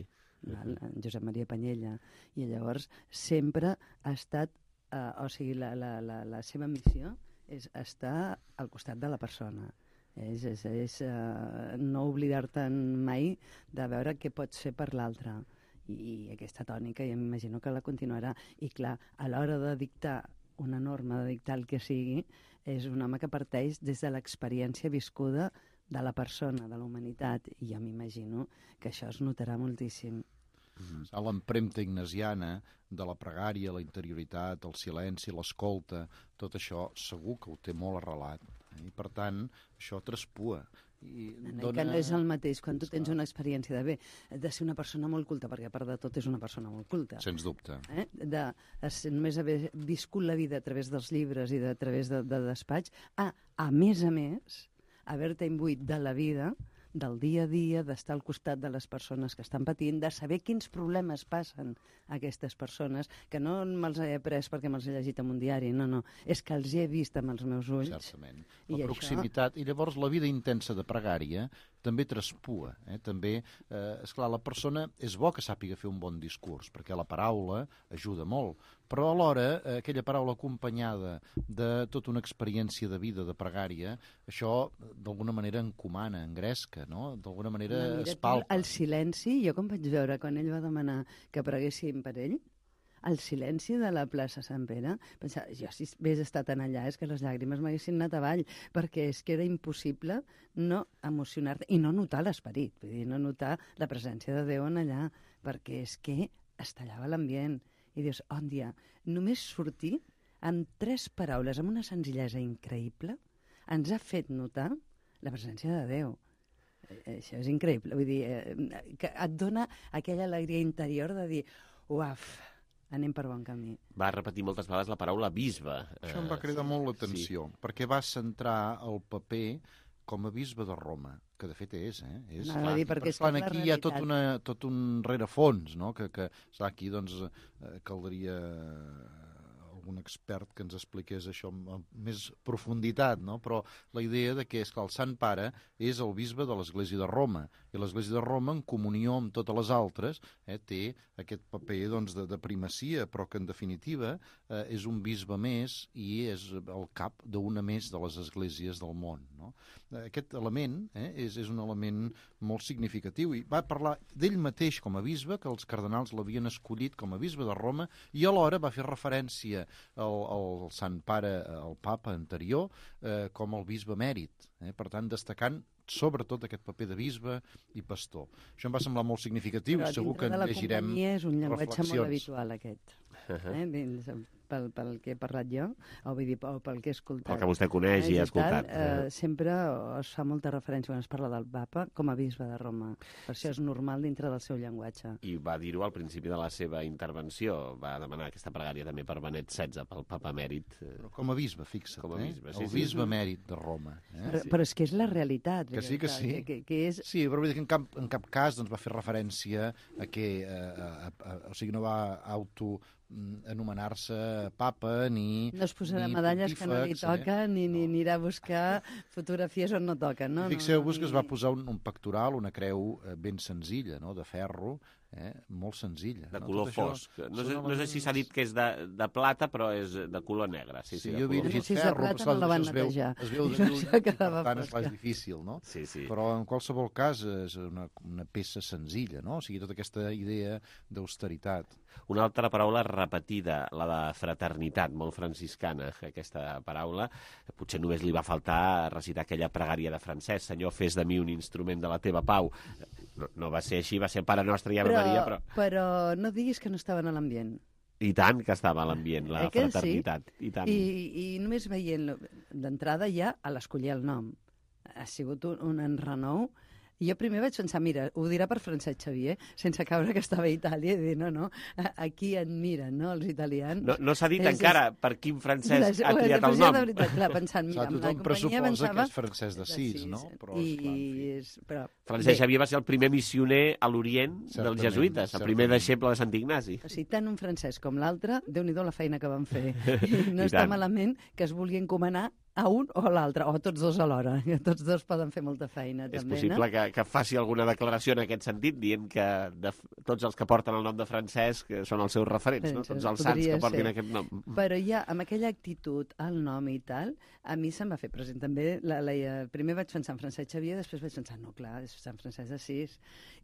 Speaker 19: el, el Josep Maria Panyella, i llavors sempre ha estat, eh, o sigui, la, la, la, la seva missió és estar al costat de la persona. És, és, és uh, no oblidar-te'n mai de veure què pots fer per l'altre. I, I aquesta tònica, ja m'imagino que la continuarà. I clar, a l'hora de dictar una norma, de dictar el que sigui, és un home que parteix des de l'experiència viscuda de la persona, de la humanitat, i ja m'imagino que això es notarà moltíssim.
Speaker 20: Mm-hmm. L'empremta ignasiana de la pregària, la interioritat, el silenci, l'escolta, tot això segur que ho té molt arrelat. I per tant, això traspua. I
Speaker 19: dona... Que no és el mateix quan tu tens una experiència de bé, de ser una persona molt culta, perquè a part de tot és una persona molt culta.
Speaker 20: Sens dubte.
Speaker 19: Eh? De, de només haver viscut la vida a través dels llibres i de, a través de, de despatx, a, a més a més, haver-te imbuït de la vida, del dia a dia, d'estar al costat de les persones que estan patint, de saber quins problemes passen a aquestes persones, que no me'ls he après perquè me'ls he llegit en un diari, no, no, és que els he vist amb els meus ulls.
Speaker 20: Certament. La I proximitat, això... i llavors la vida intensa de pregària també traspua. Eh? També, eh, esclar, la persona és bo que sàpiga fer un bon discurs, perquè la paraula ajuda molt, però alhora eh, aquella paraula acompanyada de tota una experiència de vida, de pregària, això d'alguna manera encomana, engresca, no? D'alguna manera no, es palpa.
Speaker 19: El silenci, jo com vaig veure quan ell va demanar que preguéssim per ell, el silenci de la plaça Sant Pere, pensava, jo si hagués estat en allà és que les llàgrimes m'haguessin anat avall, perquè és que era impossible no emocionar-te i no notar l'esperit, vull dir, no notar la presència de Déu en allà, perquè és que es tallava l'ambient. I dius, oh, dia, només sortir amb tres paraules, amb una senzillesa increïble, ens ha fet notar la presència de Déu. Això és increïble, vull dir, eh, que et dona aquella alegria interior de dir, uaf, anem per bon camí.
Speaker 3: Va repetir moltes vegades la paraula bisbe.
Speaker 20: Això em va cridar molt l'atenció, sí. perquè va centrar el paper com a bisbe de Roma, que de fet és, eh? És,
Speaker 19: no,
Speaker 20: clar,
Speaker 19: dir, perquè és
Speaker 20: clar, aquí hi ha tot, una, tot un rerefons, no? Que, que clar, aquí doncs, eh, caldria algun expert que ens expliqués això amb més profunditat, no? Però la idea de que, és que el Sant Pare és el bisbe de l'Església de Roma, i l'Església de Roma, en comunió amb totes les altres, eh, té aquest paper doncs, de, de primacia, però que en definitiva eh, és un bisbe més i és el cap d'una més de les esglésies del món, no? Aquest element eh, és, és un element molt significatiu, i va parlar d'ell mateix com a bisbe, que els cardenals l'havien escollit com a bisbe de Roma, i alhora va fer referència al, al Sant Pare, al papa anterior, eh, com el bisbe emèrit, eh, per tant destacant sobretot aquest paper de bisbe i pastor. Això em va semblar molt significatiu,
Speaker 19: però
Speaker 20: segur que en llegirem
Speaker 19: reflexions. Però dintre de la companyia és un llenguatge
Speaker 20: reflexions.
Speaker 19: molt habitual, aquest. Uh-huh. eh? Pel, pel que he parlat jo, o, vull dir, o pel que he escoltat.
Speaker 3: El que vostè coneix eh, i ha escoltat.
Speaker 19: Tal, eh, sempre es fa molta referència quan es parla del papa com a bisbe de Roma. Per això és normal dintre del seu llenguatge.
Speaker 3: I va dir-ho al principi de la seva intervenció. Va demanar aquesta pregària també per Benet setze, pel papa emèrit.
Speaker 20: Però com a bisbe, fixa't,
Speaker 3: com a bisbe,
Speaker 20: eh?
Speaker 3: sí,
Speaker 20: el
Speaker 3: sí,
Speaker 20: bisbe
Speaker 3: sí.
Speaker 20: emèrit de Roma. Eh?
Speaker 19: Però, però és que és la realitat.
Speaker 20: Que sí, que sí.
Speaker 19: Que, que, que és...
Speaker 20: Sí, però vull dir que en cap, en cap cas doncs, va fer referència a que, eh, a, a, o sigui, no va auto anomenar-se papa ni
Speaker 19: no es posarà
Speaker 20: ni
Speaker 19: medalles que no li toca eh? ni, ni anirà a buscar fotografies on no toquen, no?
Speaker 20: Fixeu-vos
Speaker 19: no, no,
Speaker 20: que es va posar un, un pectoral, una creu eh, ben senzilla, no? De ferro, eh? Molt senzilla.
Speaker 3: De
Speaker 20: no?
Speaker 3: color fosc. No sé, no sé si s'ha dit que és de, de plata, però és de color negre. Sí, sí,
Speaker 20: sí jo havia llegit
Speaker 19: si
Speaker 20: ferro,
Speaker 19: plata, no la van netejar.
Speaker 20: Es veu de lluny, per tant és més difícil, no?
Speaker 3: Sí, sí.
Speaker 20: Però en qualsevol cas és una, una peça senzilla, no? O sigui, tota aquesta idea d'austeritat.
Speaker 3: Una altra paraula repetida, la de fraternitat, molt franciscana, aquesta paraula. Potser només li va faltar recitar aquella pregària de Francesc: Senyor, fes de mi un instrument de la teva pau. No, no va ser així, va ser Pare Nostre i Ave
Speaker 19: però,
Speaker 3: Maria, però...
Speaker 19: Però no diguis que no estaven a l'ambient.
Speaker 3: I tant que estava a l'ambient, la
Speaker 19: eh que
Speaker 3: fraternitat.
Speaker 19: Sí?
Speaker 3: I, tant.
Speaker 19: I, I només veient d'entrada ja a l'escollir el nom. Ha sigut un, un enrenou. I jo primer vaig pensar, mira, ho dirà per Francesc Xavier, sense caure que estava a Itàlia, i dir, no, no, aquí et miren, no, els italians.
Speaker 3: No, no s'ha dit és, encara és... per quin Francesc
Speaker 19: la,
Speaker 3: ha triat el nom.
Speaker 19: De veritat, clar, pensant, mira,
Speaker 20: amb la companyia pensava... que és Francesc d'Assís, no?
Speaker 19: Però, I, clar, és, però...
Speaker 3: Francesc Xavier va ser el primer missioner a l'Orient dels jesuïtes, el primer deixeble de Sant Ignasi.
Speaker 19: O sigui, tant un francès com l'altre, Déu-n'hi-do la feina que van fer. I no I està tant. malament que es vulgui encomanar a un o a l'altre, o a tots dos alhora. Tots dos poden fer molta feina,
Speaker 3: és
Speaker 19: també,
Speaker 3: possible
Speaker 19: no?
Speaker 3: que, que faci alguna declaració en aquest sentit, dient que de, tots els que porten el nom de Francesc són els seus referents, no? Tots els sants que portin ser. Aquest nom.
Speaker 19: Però ja, amb aquella actitud, el nom i tal, a mi se'm va fer present també. La, la, primer vaig pensar en Francesc Xavier, després vaig pensar, no, clar, és Sant Francesc d'Assís.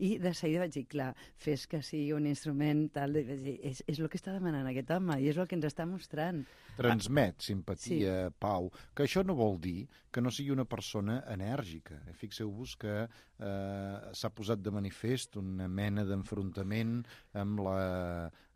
Speaker 19: I de seguida vaig dir, clar, fes que sigui un instrument tal, de, és, és el que està demanant aquest home, i és el que ens està mostrant.
Speaker 20: Transmet simpatia, sí. Pau, que això no vol dir que no sigui una persona enèrgica. Fixeu-vos que eh, s'ha posat de manifest una mena d'enfrontament amb la,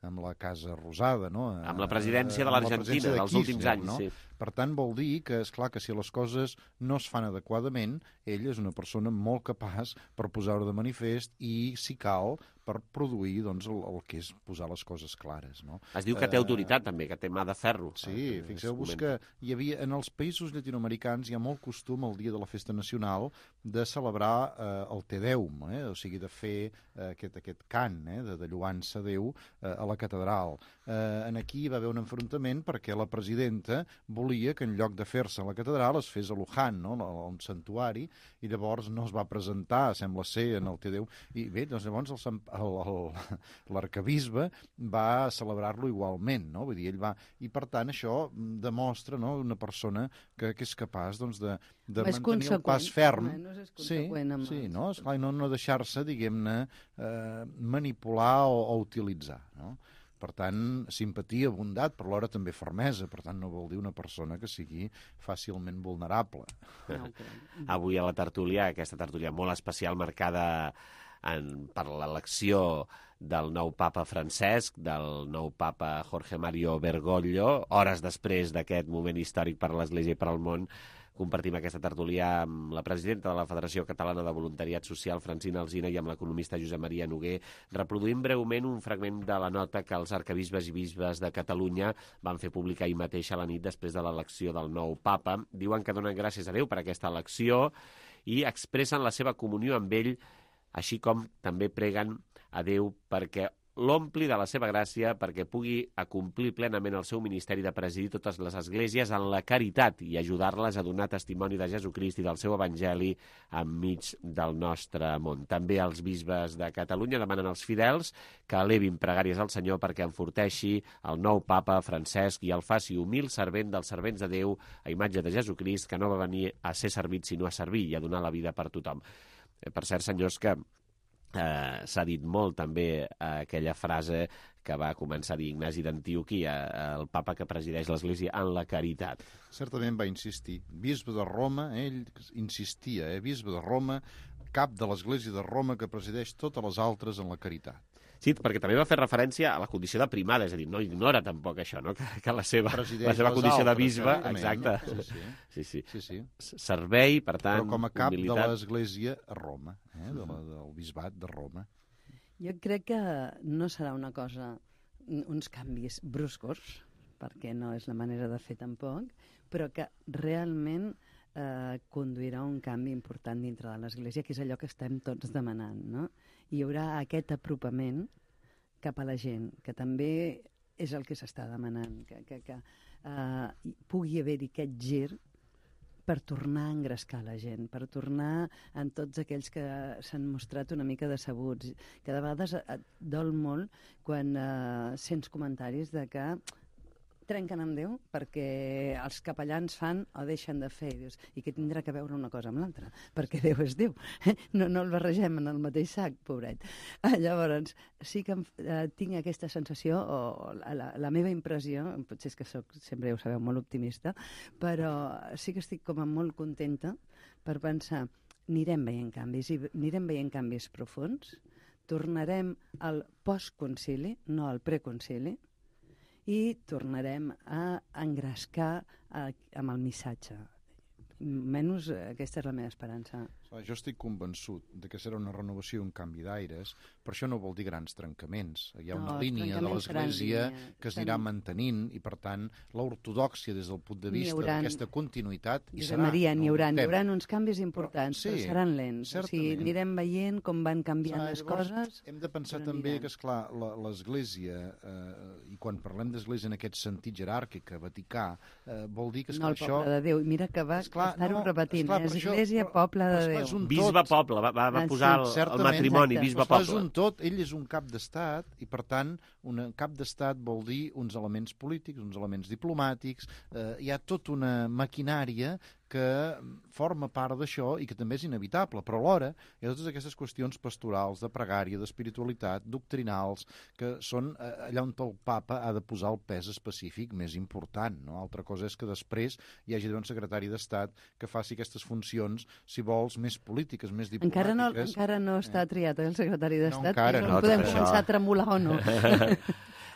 Speaker 20: amb la Casa Rosada, no?
Speaker 3: Amb la presidència de l'Argentina dels últims anys,
Speaker 20: no?
Speaker 3: Sí.
Speaker 20: Per tant, vol dir que, és clar que si les coses no es fan adequadament, ell és una persona molt capaç per posar-ho de manifest i, si cal, per produir doncs, el, el que és posar les coses clares. No?
Speaker 3: Es diu que té autoritat, uh, també, que té mà de ferro.
Speaker 20: Sí, fixeu-vos que hi havia, en els països llatinoamericans hi ha molt costum el dia de la festa nacional de celebrar eh, el Te Deum, eh? O sigui, de fer eh, aquest, aquest cant eh? de, de lluança a Déu eh, a la catedral. Eh, en aquí hi va haver un enfrontament perquè la presidenta volia que en lloc de fer-se a la catedral es fes a Luján, no? Un santuari, i llavors no es va presentar, sembla ser, en el Te Deum. I bé, doncs llavors l'arcabisbe va celebrar-lo igualment, no? Vull dir, ell va... I per tant això demostra, no?, una persona que, que és capaç doncs, de, de mantenir el pas ferm.
Speaker 19: És conseqüent amb
Speaker 20: sí, sí, no? Esclar, no, no deixar-se, diguem-ne, eh, manipular o, o utilitzar, no? Per tant, simpatia, bondat, però alhora també fermesa. Per tant, no vol dir una persona que sigui fàcilment vulnerable.
Speaker 19: No,
Speaker 3: avui a la tertúlia, aquesta tertúlia molt especial, marcada en, per l'elecció del nou papa Francesc, del nou papa Jorge Mario Bergoglio, hores després d'aquest moment històric per a l'Església i per al món. Compartim aquesta tertúlia amb la presidenta de la Federació Catalana de Voluntariat Social, Francina Alsina, i amb l'economista Josep Maria Noguer, reproduint breument un fragment de la nota que els arcabisbes i bisbes de Catalunya van fer pública ahir mateix a la nit després de l'elecció del nou papa. Diuen que donen gràcies a Déu per aquesta elecció i expressen la seva comunió amb ell, així com també preguen a Déu perquè l'ompli de la seva gràcia perquè pugui acomplir plenament el seu ministeri de presidir totes les esglésies en la caritat i ajudar-les a donar testimoni de Jesucrist i del seu evangeli enmig del nostre món. També els bisbes de Catalunya demanen als fidels que elevin pregàries al Senyor perquè enforteixi el nou papa Francesc i el faci humil servent dels servents de Déu a imatge de Jesucrist, que no va venir a ser servit sinó a servir i a donar la vida per tothom. Per cert, senyors, que eh, s'ha dit molt també eh, aquella frase que va començar a dir Ignasi d'Antioquia, el papa que presideix l'Església en la caritat.
Speaker 20: Certament va insistir. Bisbe de Roma, ell insistia, eh? Bisbe de Roma, cap de l'Església de Roma que presideix totes les altres en la caritat.
Speaker 3: Sí, perquè també va fer referència a la condició de primada, és a dir, no ignora tampoc això, no? que, que la seva, la seva condició altres, de bisbe, exacte,
Speaker 20: sí sí.
Speaker 3: Sí, sí.
Speaker 20: Sí, sí.
Speaker 3: Servei, per tant,
Speaker 20: però com a cap
Speaker 3: humilitat.
Speaker 20: de l'Església a Roma, eh? de la, del bisbat de Roma.
Speaker 19: Jo crec que no serà una cosa, uns canvis bruscos, perquè no és la manera de fer tampoc, però que realment eh, conduirà un canvi important dintre de l'Església, que és allò que estem tots demanant, no? Hi haurà aquest apropament cap a la gent, que també és el que s'està demanant, que, que, que eh, pugui haver-hi aquest gir per tornar a engrescar la gent, per tornar en tots aquells que s'han mostrat una mica decebuts, que de vegades et dol molt quan eh, sents comentaris de que trenquen amb Déu perquè els capellans fan o deixen de fer. I dius, i què tindrà que veure una cosa amb l'altra? Perquè Déu és Déu. No, no el barregem en el mateix sac, pobret. Llavors, sí que eh, tinc aquesta sensació, o la, la meva impressió, potser és que soc, sempre ja ho sabeu, molt optimista, però sí que estic com a molt contenta per pensar, anirem veient canvis, i anirem veient canvis profuns, tornarem al postconcili, no al preconcili, i tornarem a engrescar a, amb el missatge. Menys aquesta és la meva esperança.
Speaker 20: Jo estic convençut de que serà una renovació i un canvi d'aires, per això no vol dir grans trencaments. Hi ha una no, línia de l'Església que es anirà mantenint i, per tant, l'ortodòxia des del punt de vista d'aquesta continuïtat hi serà.
Speaker 19: Maria, n'hi haurà, n'hi haurà uns canvis importants, però, sí, però seran lents. O sigui, anirem veient com van canviant ah, les llavors, coses.
Speaker 20: Hem de pensar també que, esclar, l'Església, eh, i quan parlem d'Església en aquest sentit jeràrquic, Vaticà, eh, vol dir que esclar,
Speaker 19: no, el
Speaker 20: això...
Speaker 19: poble de Déu. Mira que va estar-ho no, repetint.
Speaker 20: Esclar,
Speaker 19: Església,
Speaker 20: això,
Speaker 19: poble de Déu.
Speaker 3: Bisbe poble, va, va posar el, el matrimoni, bisbe poble.
Speaker 20: És un tot, ell és un cap d'estat i, per tant, un cap d'estat vol dir uns elements polítics, uns elements diplomàtics, eh, hi ha tota una maquinària que forma part d'això i que també és inevitable, però alhora hi ha totes aquestes qüestions pastorals, de pregària, d'espiritualitat, doctrinals, que són allà on el papa ha de posar el pes específic més important. No? Altra cosa és que després hi hagi un secretari d'Estat que faci aquestes funcions, si vols, més polítiques, més diplomàtiques.
Speaker 19: Encara no, encara no està triat el secretari d'Estat,
Speaker 20: no, encara,
Speaker 19: no, podem començar a tremolar o no.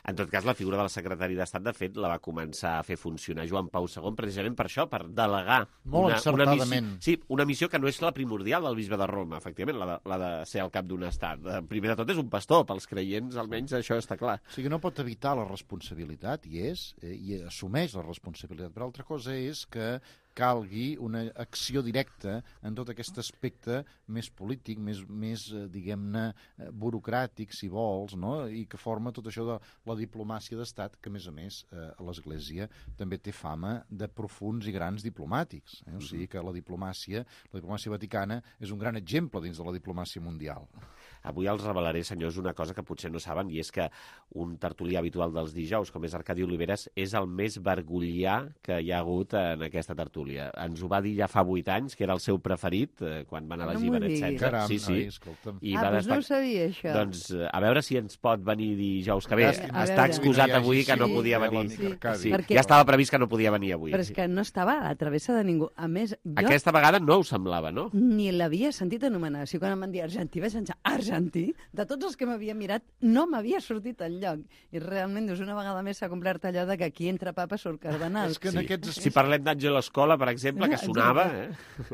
Speaker 3: En tot cas, la figura del secretari d'Estat, de fet, la va començar a fer funcionar Joan Pau segon, precisament per això, per delegar
Speaker 20: Molt
Speaker 3: una, una, missió,
Speaker 20: sí,
Speaker 3: una missió que no és la primordial del bisbe de Roma, efectivament, la de, la de ser el cap d'un estat. Primer de tot és un pastor, pels creients almenys això està clar.
Speaker 20: O sigui, no pot evitar la responsabilitat, i és, eh, i assumeix la responsabilitat, però altra cosa és que calgui una acció directa en tot aquest aspecte més polític, més, més diguem-ne, burocràtic, si vols, no? I que forma tot això de la diplomàcia d'estat, que, a més a més, eh, l'Església també té fama de profuns i grans diplomàtics. Eh? O sigui que la diplomàcia, la diplomàcia vaticana és un gran exemple dins de la diplomàcia mundial.
Speaker 3: Avui els revelaré, senyors, una cosa que potser no saben, i és que un tertulià habitual dels dijous, com és Arcadi Oliveres, és el més vergollià que hi ha hagut en aquesta tertúlia. Ens ho va dir ja fa vuit anys, que era el seu preferit, eh, quan van elegir
Speaker 19: no
Speaker 3: Benet setze.
Speaker 20: Caram,
Speaker 3: sí, sí.
Speaker 20: Ai, escolta'm.
Speaker 19: I ah, doncs destac... no ho sabia, això.
Speaker 3: Doncs a veure si ens pot venir dijous que ve.
Speaker 19: A
Speaker 3: Està
Speaker 19: veure.
Speaker 3: excusat avui que
Speaker 19: sí,
Speaker 3: no podia
Speaker 19: sí,
Speaker 3: venir.
Speaker 19: Sí,
Speaker 3: sí.
Speaker 19: Perquè...
Speaker 3: Ja estava previst que no podia venir avui.
Speaker 19: Però és que no estava a la travessa de ningú. A més, jo...
Speaker 3: Aquesta vegada no ho semblava, no?
Speaker 19: Ni l'havia sentit anomenar. O sigui, quan em van dir argentí, vaig pensar, argentí? De tots els que m'havia mirat, no m'havia sortit enlloc. I realment, dius, una vegada més s'ha complert allò de que aquí entre papa surt cardenal.
Speaker 20: És que en
Speaker 3: sí.
Speaker 20: aquests...
Speaker 3: Si parlem d'Àngel Escola, escola, per exemple, que sonava... Eh?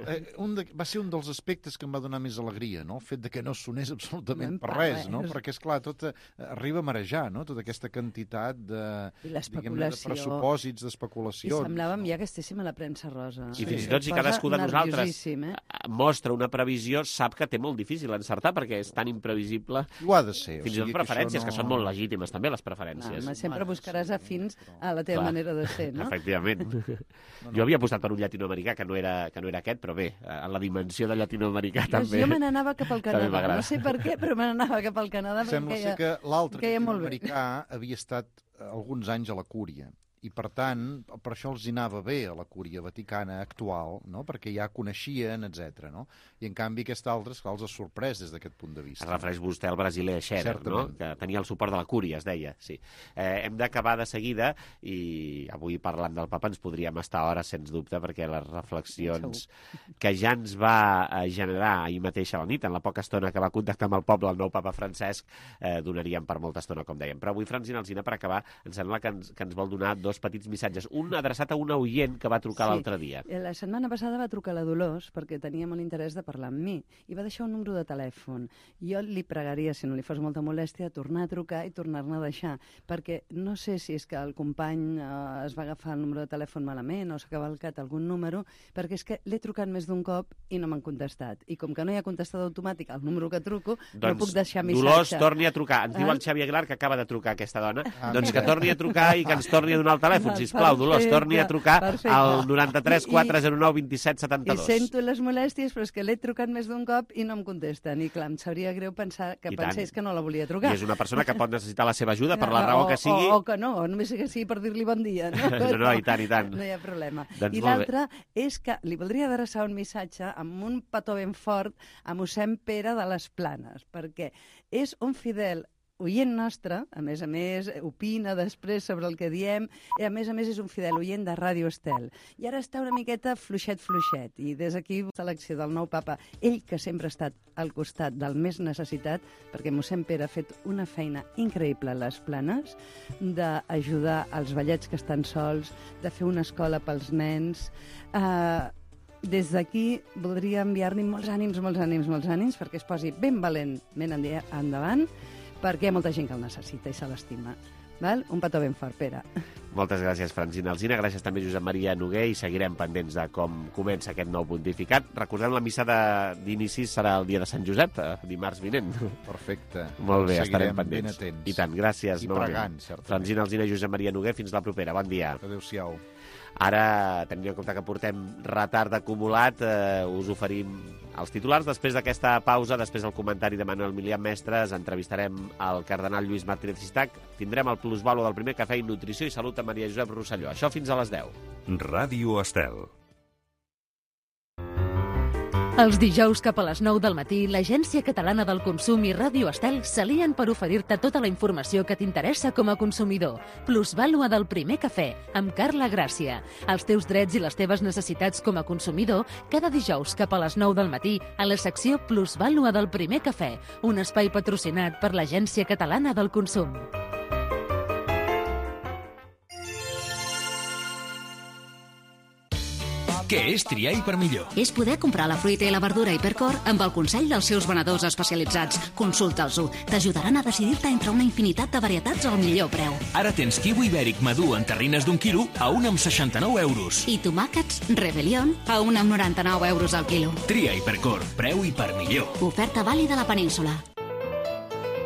Speaker 20: Eh, un de, va ser un dels aspectes que em va donar més alegria, no? El fet de que no sonés absolutament per res, no? Perquè, esclar, tot eh, arriba a marejar, no? Tota aquesta quantitat de, diguem-ne, de pressupòsits, d'especulacions.
Speaker 19: I semblàvem ja que estéssim a la premsa rosa.
Speaker 3: I fins i tot si cadascú de nosaltres eh? mostra una previsió, sap que té molt difícil encertar, perquè és tan imprevisible.
Speaker 20: Ho ha de ser.
Speaker 3: Fins i tot preferències, que, no... que són molt legítimes, també, les preferències.
Speaker 19: No, sempre buscaràs afins a la teva Clar. manera de ser, no?
Speaker 3: Efectivament. No, no. Jo havia apostat per un llatinoamericà, que no era, que no era aquest, però bé, en la dimensió de llatinoamericà també...
Speaker 19: Jo me n'anava cap al Canadà, no sé per què, però me n'anava cap al Canadà.
Speaker 20: Sembla ser que l'altre llatinoamericà havia estat alguns anys a la Cúria, i per tant, per això els hi anava bé a la Cúria Vaticana actual, no? Perquè ja coneixien, etcètera. No? I en canvi aquest altre, esclar, els ha sorprès des d'aquest punt de vista.
Speaker 3: Es refereix vostè al brasiler Scherer, no? Que tenia el suport de la Cúria, es deia. Sí. Eh, hem d'acabar de seguida, i avui parlant del papa ens podríem estar hores, sens dubte, perquè les reflexions que ja ens va generar ahir mateix a la nit, en la poca estona que va contactar amb el poble el nou papa Francesc, eh, donaríem per molta estona, com dèiem. Però avui, Francina Alsina, per acabar, em sembla que ens, que ens vol donar dos petits missatges. Un adreçat a una oient que va trucar sí. l'altre dia.
Speaker 19: La setmana passada va trucar la Dolors perquè tenia molt interès de parlar amb mi i va deixar un número de telèfon. Jo li pregaria, si no li fos molta molèstia, tornar a trucar i tornar-ne a deixar, perquè no sé si és que el company eh, es va agafar el número de telèfon malament o s'ha cavalcat algun número, perquè és que l'he trucat més d'un cop i no m'han contestat. I com que no hi ha contestat automàtic al número que truco, doncs, no puc deixar missatge.
Speaker 3: Dolors, torni a trucar. Ens diu el Xavi Aguilar que acaba de trucar aquesta dona. Ah, doncs mira. Que torni a trucar i que ens torni a donar el telèfon, sisplau, Dolors, torni a trucar perfecte. Al noranta-tres quatre zero nou vint set setanta-dos.
Speaker 19: I sento les molèsties, però és que l'he trucat més d'un cop i no em contesten. I clar, em sabria greu pensar que I pensés tant. Que no la volia trucar.
Speaker 3: I és una persona que pot necessitar la seva ajuda per la raó
Speaker 19: o,
Speaker 3: que sigui.
Speaker 19: O, o que no, només que sigui per dir-li bon dia. No,
Speaker 3: no, no, i tant, i tant.
Speaker 19: No hi ha problema.
Speaker 3: Doncs
Speaker 19: I l'altre és que li voldria adreçar un missatge amb un petó ben fort a mossèn Pere de les Planes, perquè és un fidel oient nostre, a més a més, opina després sobre el que diem, i a més a més és un fidel oient de Ràdio Estel. I ara està una miqueta fluixet, fluixet, i des d'aquí selecció del nou papa, ell que sempre ha estat al costat del més necessitat, perquè mossèn Pere ha fet una feina increïble a les Planes, d'ajudar els vellets que estan sols, de fer una escola pels nens. Uh, des d'aquí voldria enviar-li molts ànims, molts ànims, molts ànims, perquè es posi ben valentment endavant, perquè hi ha molta gent que el necessita i se l'estima. Val? Un petó ben fort, Pere.
Speaker 3: Moltes gràcies, Francina Alsina. Gràcies també a Josep Maria Noguer, i seguirem pendents de com comença aquest nou pontificat. Recordem, la missa d'inici serà el dia de Sant Josep, dimarts vinent.
Speaker 20: Perfecte.
Speaker 3: Molt bé,
Speaker 20: seguirem
Speaker 3: estarem pendents.
Speaker 20: Ben atents.
Speaker 3: I tant, gràcies.
Speaker 20: I pregant, certament.
Speaker 3: Francina Alsina i Josep Maria Noguer, fins la propera. Bon dia.
Speaker 20: Adéu-siau.
Speaker 3: Ara, tenint en compte que portem retard acumulat, eh, us oferim els titulars. Després d'aquesta pausa, després del comentari de Manuel Milián Mestres, entrevistarem el cardenal Lluís Martínez Sistac, tindrem el plusvalo del primer cafè i nutrició i salut a Maria Josep Rosselló. Això fins a les deu.
Speaker 21: Ràdio Estel.
Speaker 1: Els dijous cap a les nou del matí, l'Agència Catalana del Consum i Ràdio Estel s'alien per oferir-te tota la informació que t'interessa com a consumidor. Plusvàlua del primer cafè, amb Carla Gràcia. Els teus drets i les teves necessitats com a consumidor, cada dijous cap a les nou del matí, a la secció Plusvàlua del primer cafè, un espai patrocinat per l'Agència Catalana del Consum.
Speaker 15: Què és triar Hipermillor?
Speaker 16: És poder comprar la fruita i la verdura Hipercor amb el consell dels seus venedors especialitzats. Consulta'ls-ho. T'ajudaran a decidir-te entre una infinitat de varietats al millor preu.
Speaker 15: Ara tens kiwi ibèric madur en terrines d'un quilo a un amb seixanta-nou euros.
Speaker 16: I tomàquets Rebelión a un amb noranta-nou euros al quilo.
Speaker 15: Tria Hipercor. Preu Hipermillor.
Speaker 16: Oferta vàlida a la península.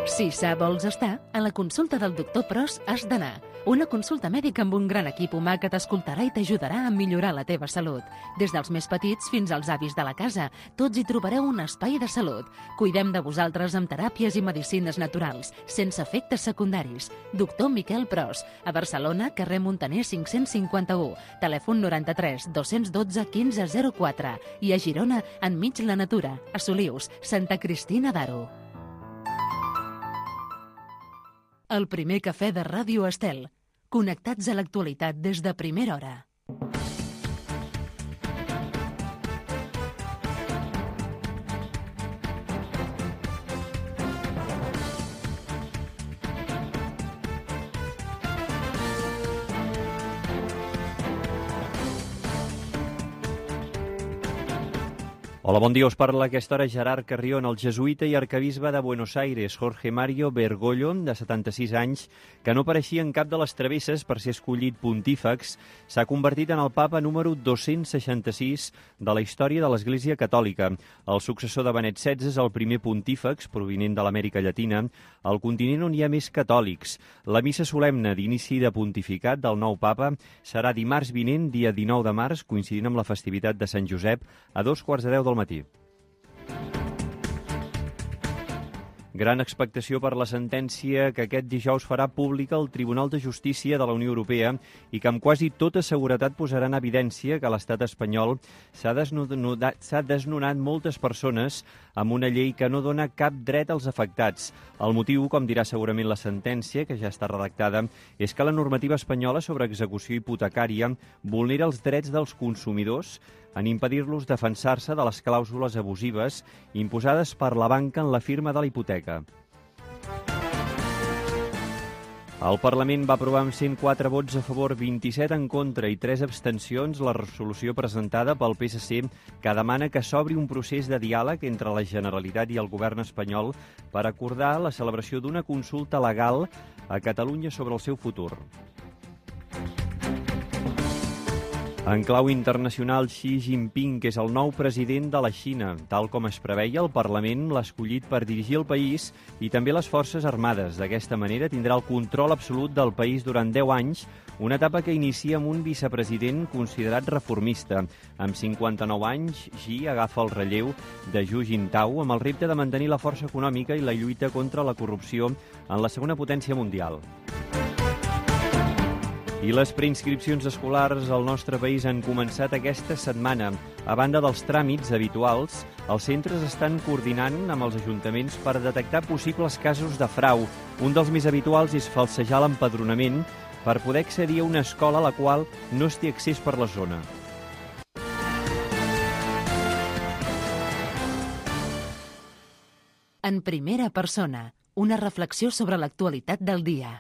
Speaker 1: Si sa vols estar, a la consulta del doctor Pros has d'anar. Una consulta mèdica amb un gran equip humà que t'escoltarà i t'ajudarà a millorar la teva salut. Des dels més petits fins als avis de la casa, tots hi trobareu un espai de salut. Cuidem de vosaltres amb teràpies i medicines naturals, sense efectes secundaris. Doctor Miquel Pros, a Barcelona, carrer Montaner cinc-cents cinquanta-u, telèfon noranta-tres dos-cents dotze quinze zero quatre, i a Girona, enmig la natura, a Solius, Santa Cristina d'Aro. El primer cafè de Ràdio Estel. Connectats a l'actualitat des de primera hora.
Speaker 12: Hola, bon dia. Us parla a aquesta hora Gerard Carrión, el jesuïta i arquebisbe de Buenos Aires, Jorge Mario Bergoglio, de setanta-sis anys, que no apareixia en cap de les travesses per ser escollit pontífex, s'ha convertit en el papa número dos-cents seixanta-sis de la història de l'Església Catòlica. El successor de Benet setze és el primer pontífex, provinent de l'Amèrica Llatina, al continent on hi ha més catòlics. La missa solemne d'inici de pontificat del nou papa serà dimarts vinent, dia dinou de març, coincidint amb la festivitat de Sant Josep, a dos quarts de deu del matí. Gran expectació per la sentència que aquest dijous farà pública el Tribunal de Justícia de la Unió Europea i que amb quasi tota seguretat posarà en evidència que l'estat espanyol s'ha desnonat, s'ha desnonat moltes persones amb una llei que no dona cap dret als afectats. El motiu, com dirà segurament la sentència, que ja està redactada, és que la normativa espanyola sobre execució hipotecària vulnera els drets dels consumidors en impedir-los defensar-se de les clàusules abusives imposades per la banca en la firma de la hipoteca. El Parlament va aprovar amb cent quatre vots a favor, vint-i-set en contra i tres abstencions la resolució presentada pel P S C que demana que s'obri un procés de diàleg entre la Generalitat i el govern espanyol per acordar la celebració d'una consulta legal a Catalunya sobre el seu futur. En clau internacional, Xi Jinping, que és el nou president de la Xina. Tal com es preveia, el Parlament l'ha escollit per dirigir el país i també les forces armades. D'aquesta manera tindrà el control absolut del país durant deu anys, una etapa que inicia amb un vicepresident considerat reformista. Amb cinquanta-nou anys, Xi agafa el relleu de Hu Jintao amb el repte de mantenir la força econòmica i la lluita contra la corrupció en la segona potència mundial. I les preinscripcions escolars al nostre país han començat aquesta setmana. A banda dels tràmits habituals, els centres estan coordinant amb els ajuntaments per detectar possibles casos de frau. Un dels més habituals és falsejar l'empadronament per poder accedir a una escola a la qual no es té accés per la zona.
Speaker 1: En primera persona, una reflexió sobre l'actualitat del dia.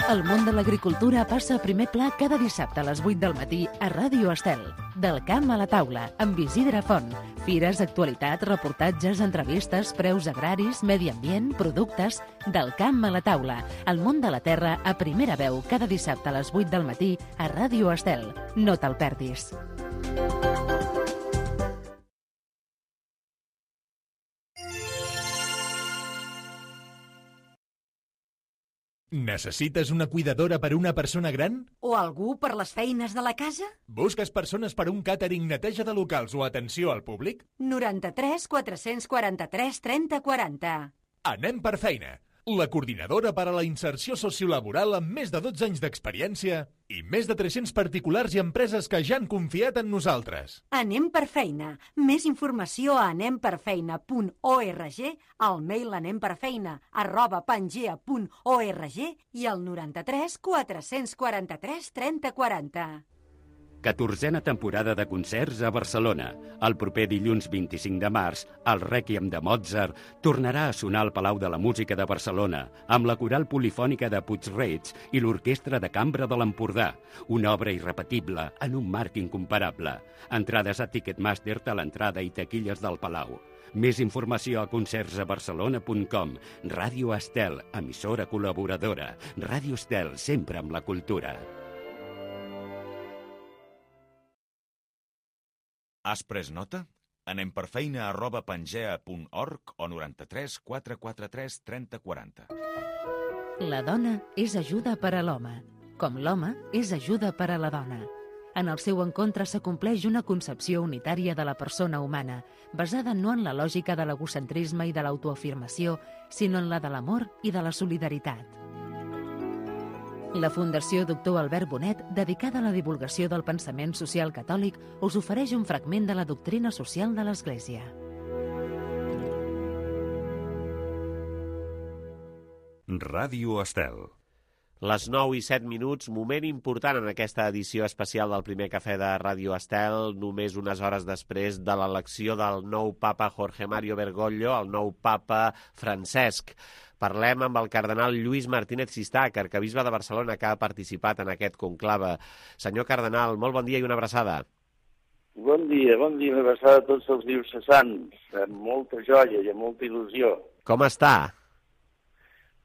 Speaker 1: El món de l'agricultura passa a primer pla cada dissabte a les vuit del matí a Ràdio Estel. Del camp a la taula, amb Isidre Font. Fires, actualitat, reportatges, entrevistes, preus agraris, medi ambient, productes... Del camp a la taula. El món de la terra a primera veu cada dissabte a les vuit del matí a Ràdio Estel. No te'l perdis.
Speaker 2: Necessites una cuidadora per a una persona gran?
Speaker 22: O algú per les feines de la casa?
Speaker 2: Busques persones per a un càtering, neteja de locals o atenció al públic?
Speaker 22: noranta-tres quatre-cents quaranta-tres trenta quaranta.
Speaker 2: Anem per feina. La coordinadora per a la inserció sociolaboral amb més de dotze anys d'experiència i més de tres-cents particulars i empreses que ja han confiat en nosaltres.
Speaker 22: Anem per feina. Més informació a anemperfeina punt org, al mail anemperfeina arroba pangea punt org i al noranta-tres quatre-cents quaranta-tres trenta quaranta.
Speaker 23: catorzena temporada de concerts a Barcelona. El proper dilluns vint-i-cinc de març, el Rèquiem de Mozart tornarà a sonar al Palau de la Música de Barcelona amb la coral polifònica de Puig-reig i l'Orquestra de Cambra de l'Empordà. Una obra irrepetible en un marc incomparable. Entrades a Ticketmaster a l'entrada i taquilles del Palau. Més informació a concerts a barcelona punt com. Ràdio Estel, emissora col·laboradora. Ràdio Estel, sempre amb la cultura.
Speaker 24: Has pres nota? Anem per feina arroba pangea punt org o noranta-tres quatre quaranta-tres trenta quaranta.
Speaker 1: La dona és ajuda per a l'home, com l'home és ajuda per a la dona. En el seu encontre s'acompleix una concepció unitària de la persona humana, basada no en la lògica de l'egocentrisme i de l'autoafirmació, sinó en la de l'amor i de la solidaritat. La Fundació Doctor Albert Bonet, dedicada a la divulgació del pensament social catòlic, us ofereix un fragment de la doctrina social de l'Església.
Speaker 21: Ràdio Estel.
Speaker 3: Les nou i set minuts, moment important en aquesta edició especial del primer cafè de Ràdio Estel, només unes hores després de l'elecció del nou papa Jorge Mario Bergoglio, el nou papa Francesc. Parlem amb el cardenal Lluís Martínez Sistach, arquebisbe de Barcelona, que ha participat en aquest conclave. Senyor cardenal, molt bon dia i una abraçada.
Speaker 5: Bon dia, bon dia, una abraçada a tots els diocesans, amb molta joia i amb molta il·lusió.
Speaker 3: Com està?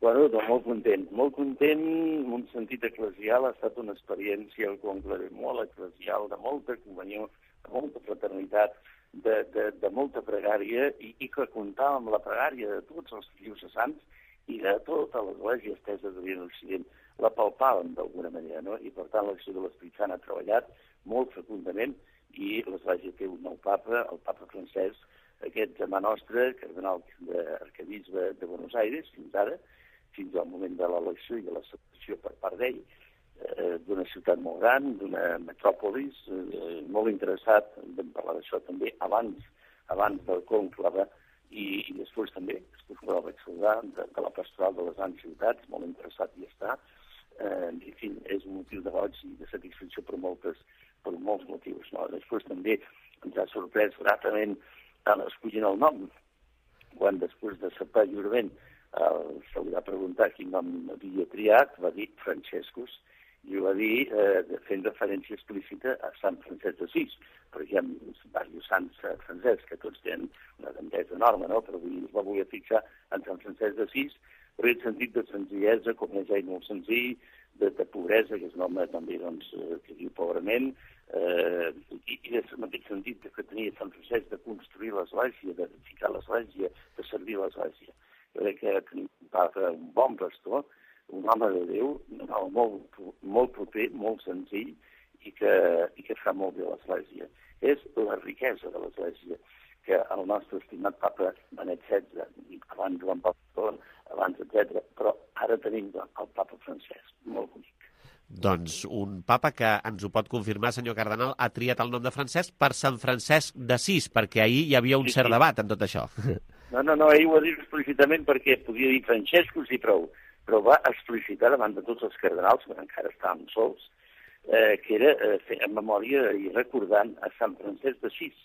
Speaker 5: Bueno, doncs molt content, molt content, en un sentit eclesial, ha estat una experiència, el conclave molt eclesial, de molta comunió, de molta fraternitat, de, de, de molta pregària, i, i que comptava amb la pregària de tots els diocesans i de tota l'església estesa d'Orient Occident. La palpàvem d'alguna manera, no? I per tant l'acció de l'Esperit Sant ha treballat molt fecundament i l'església té un nou papa, el papa Francesc, aquest germà nostre, cardenal d'arquebisbe de Buenos Aires, fins ara, fins al moment de l'elecció i de l'acceptació per part d'ell, eh, d'una ciutat molt gran, d'una metròpolis, eh, molt interessat, vam parlar d'això també abans, abans del conclave, i, i després també, després que el vaig saludar, de, de la pastoral de les grans ciutats, molt interessat hi està, eh, en fi, és un motiu de goig i de satisfacció per, moltes, per molts motius, no? Després també ens ha sorprès gratament escollint el nom, quan després de sopar lliurement Uh, se li va preguntar quin nom havia triat, va dir Francescus, i ho va dir eh, fent referència explícita a Sant Francesc d'Assís, perquè hi ha diversos sants uh, francescs que tots tenen una grandesa enorme, no? Però avui es va voler fixar en Sant Francesc d'Assís, per el sentit de senzillesa, com és ell molt senzill, de, de pobresa, que és un home també doncs, que viu pobrament, eh, i, i en aquest sentit que tenia Sant Francesc de construir l'església, de ficar l'església, de servir l'església. Jo crec que tenim un papa, un bon pastor, un home de Déu, un home molt, molt proper, molt senzill i que, i que fa molt bé l'església. És la riquesa de l'església que el nostre estimat papa Benet setze, abans Joan Pau segon, abans, etcètera, però ara tenim el papa Francesc, molt bonic.
Speaker 3: Doncs un papa que ens ho pot confirmar, senyor cardenal, ha triat el nom de Francesc per Sant Francesc d'Assís, perquè ahir hi havia un sí, cert sí. debat en tot això.
Speaker 5: No, no, no, ell ho ha dit explícitament perquè podia dir Francescus i prou, però va explicitar davant de tots els cardenals, que encara estàvem sols, eh, que era eh, fer en memòria i recordant a Sant Francesc d'Assís.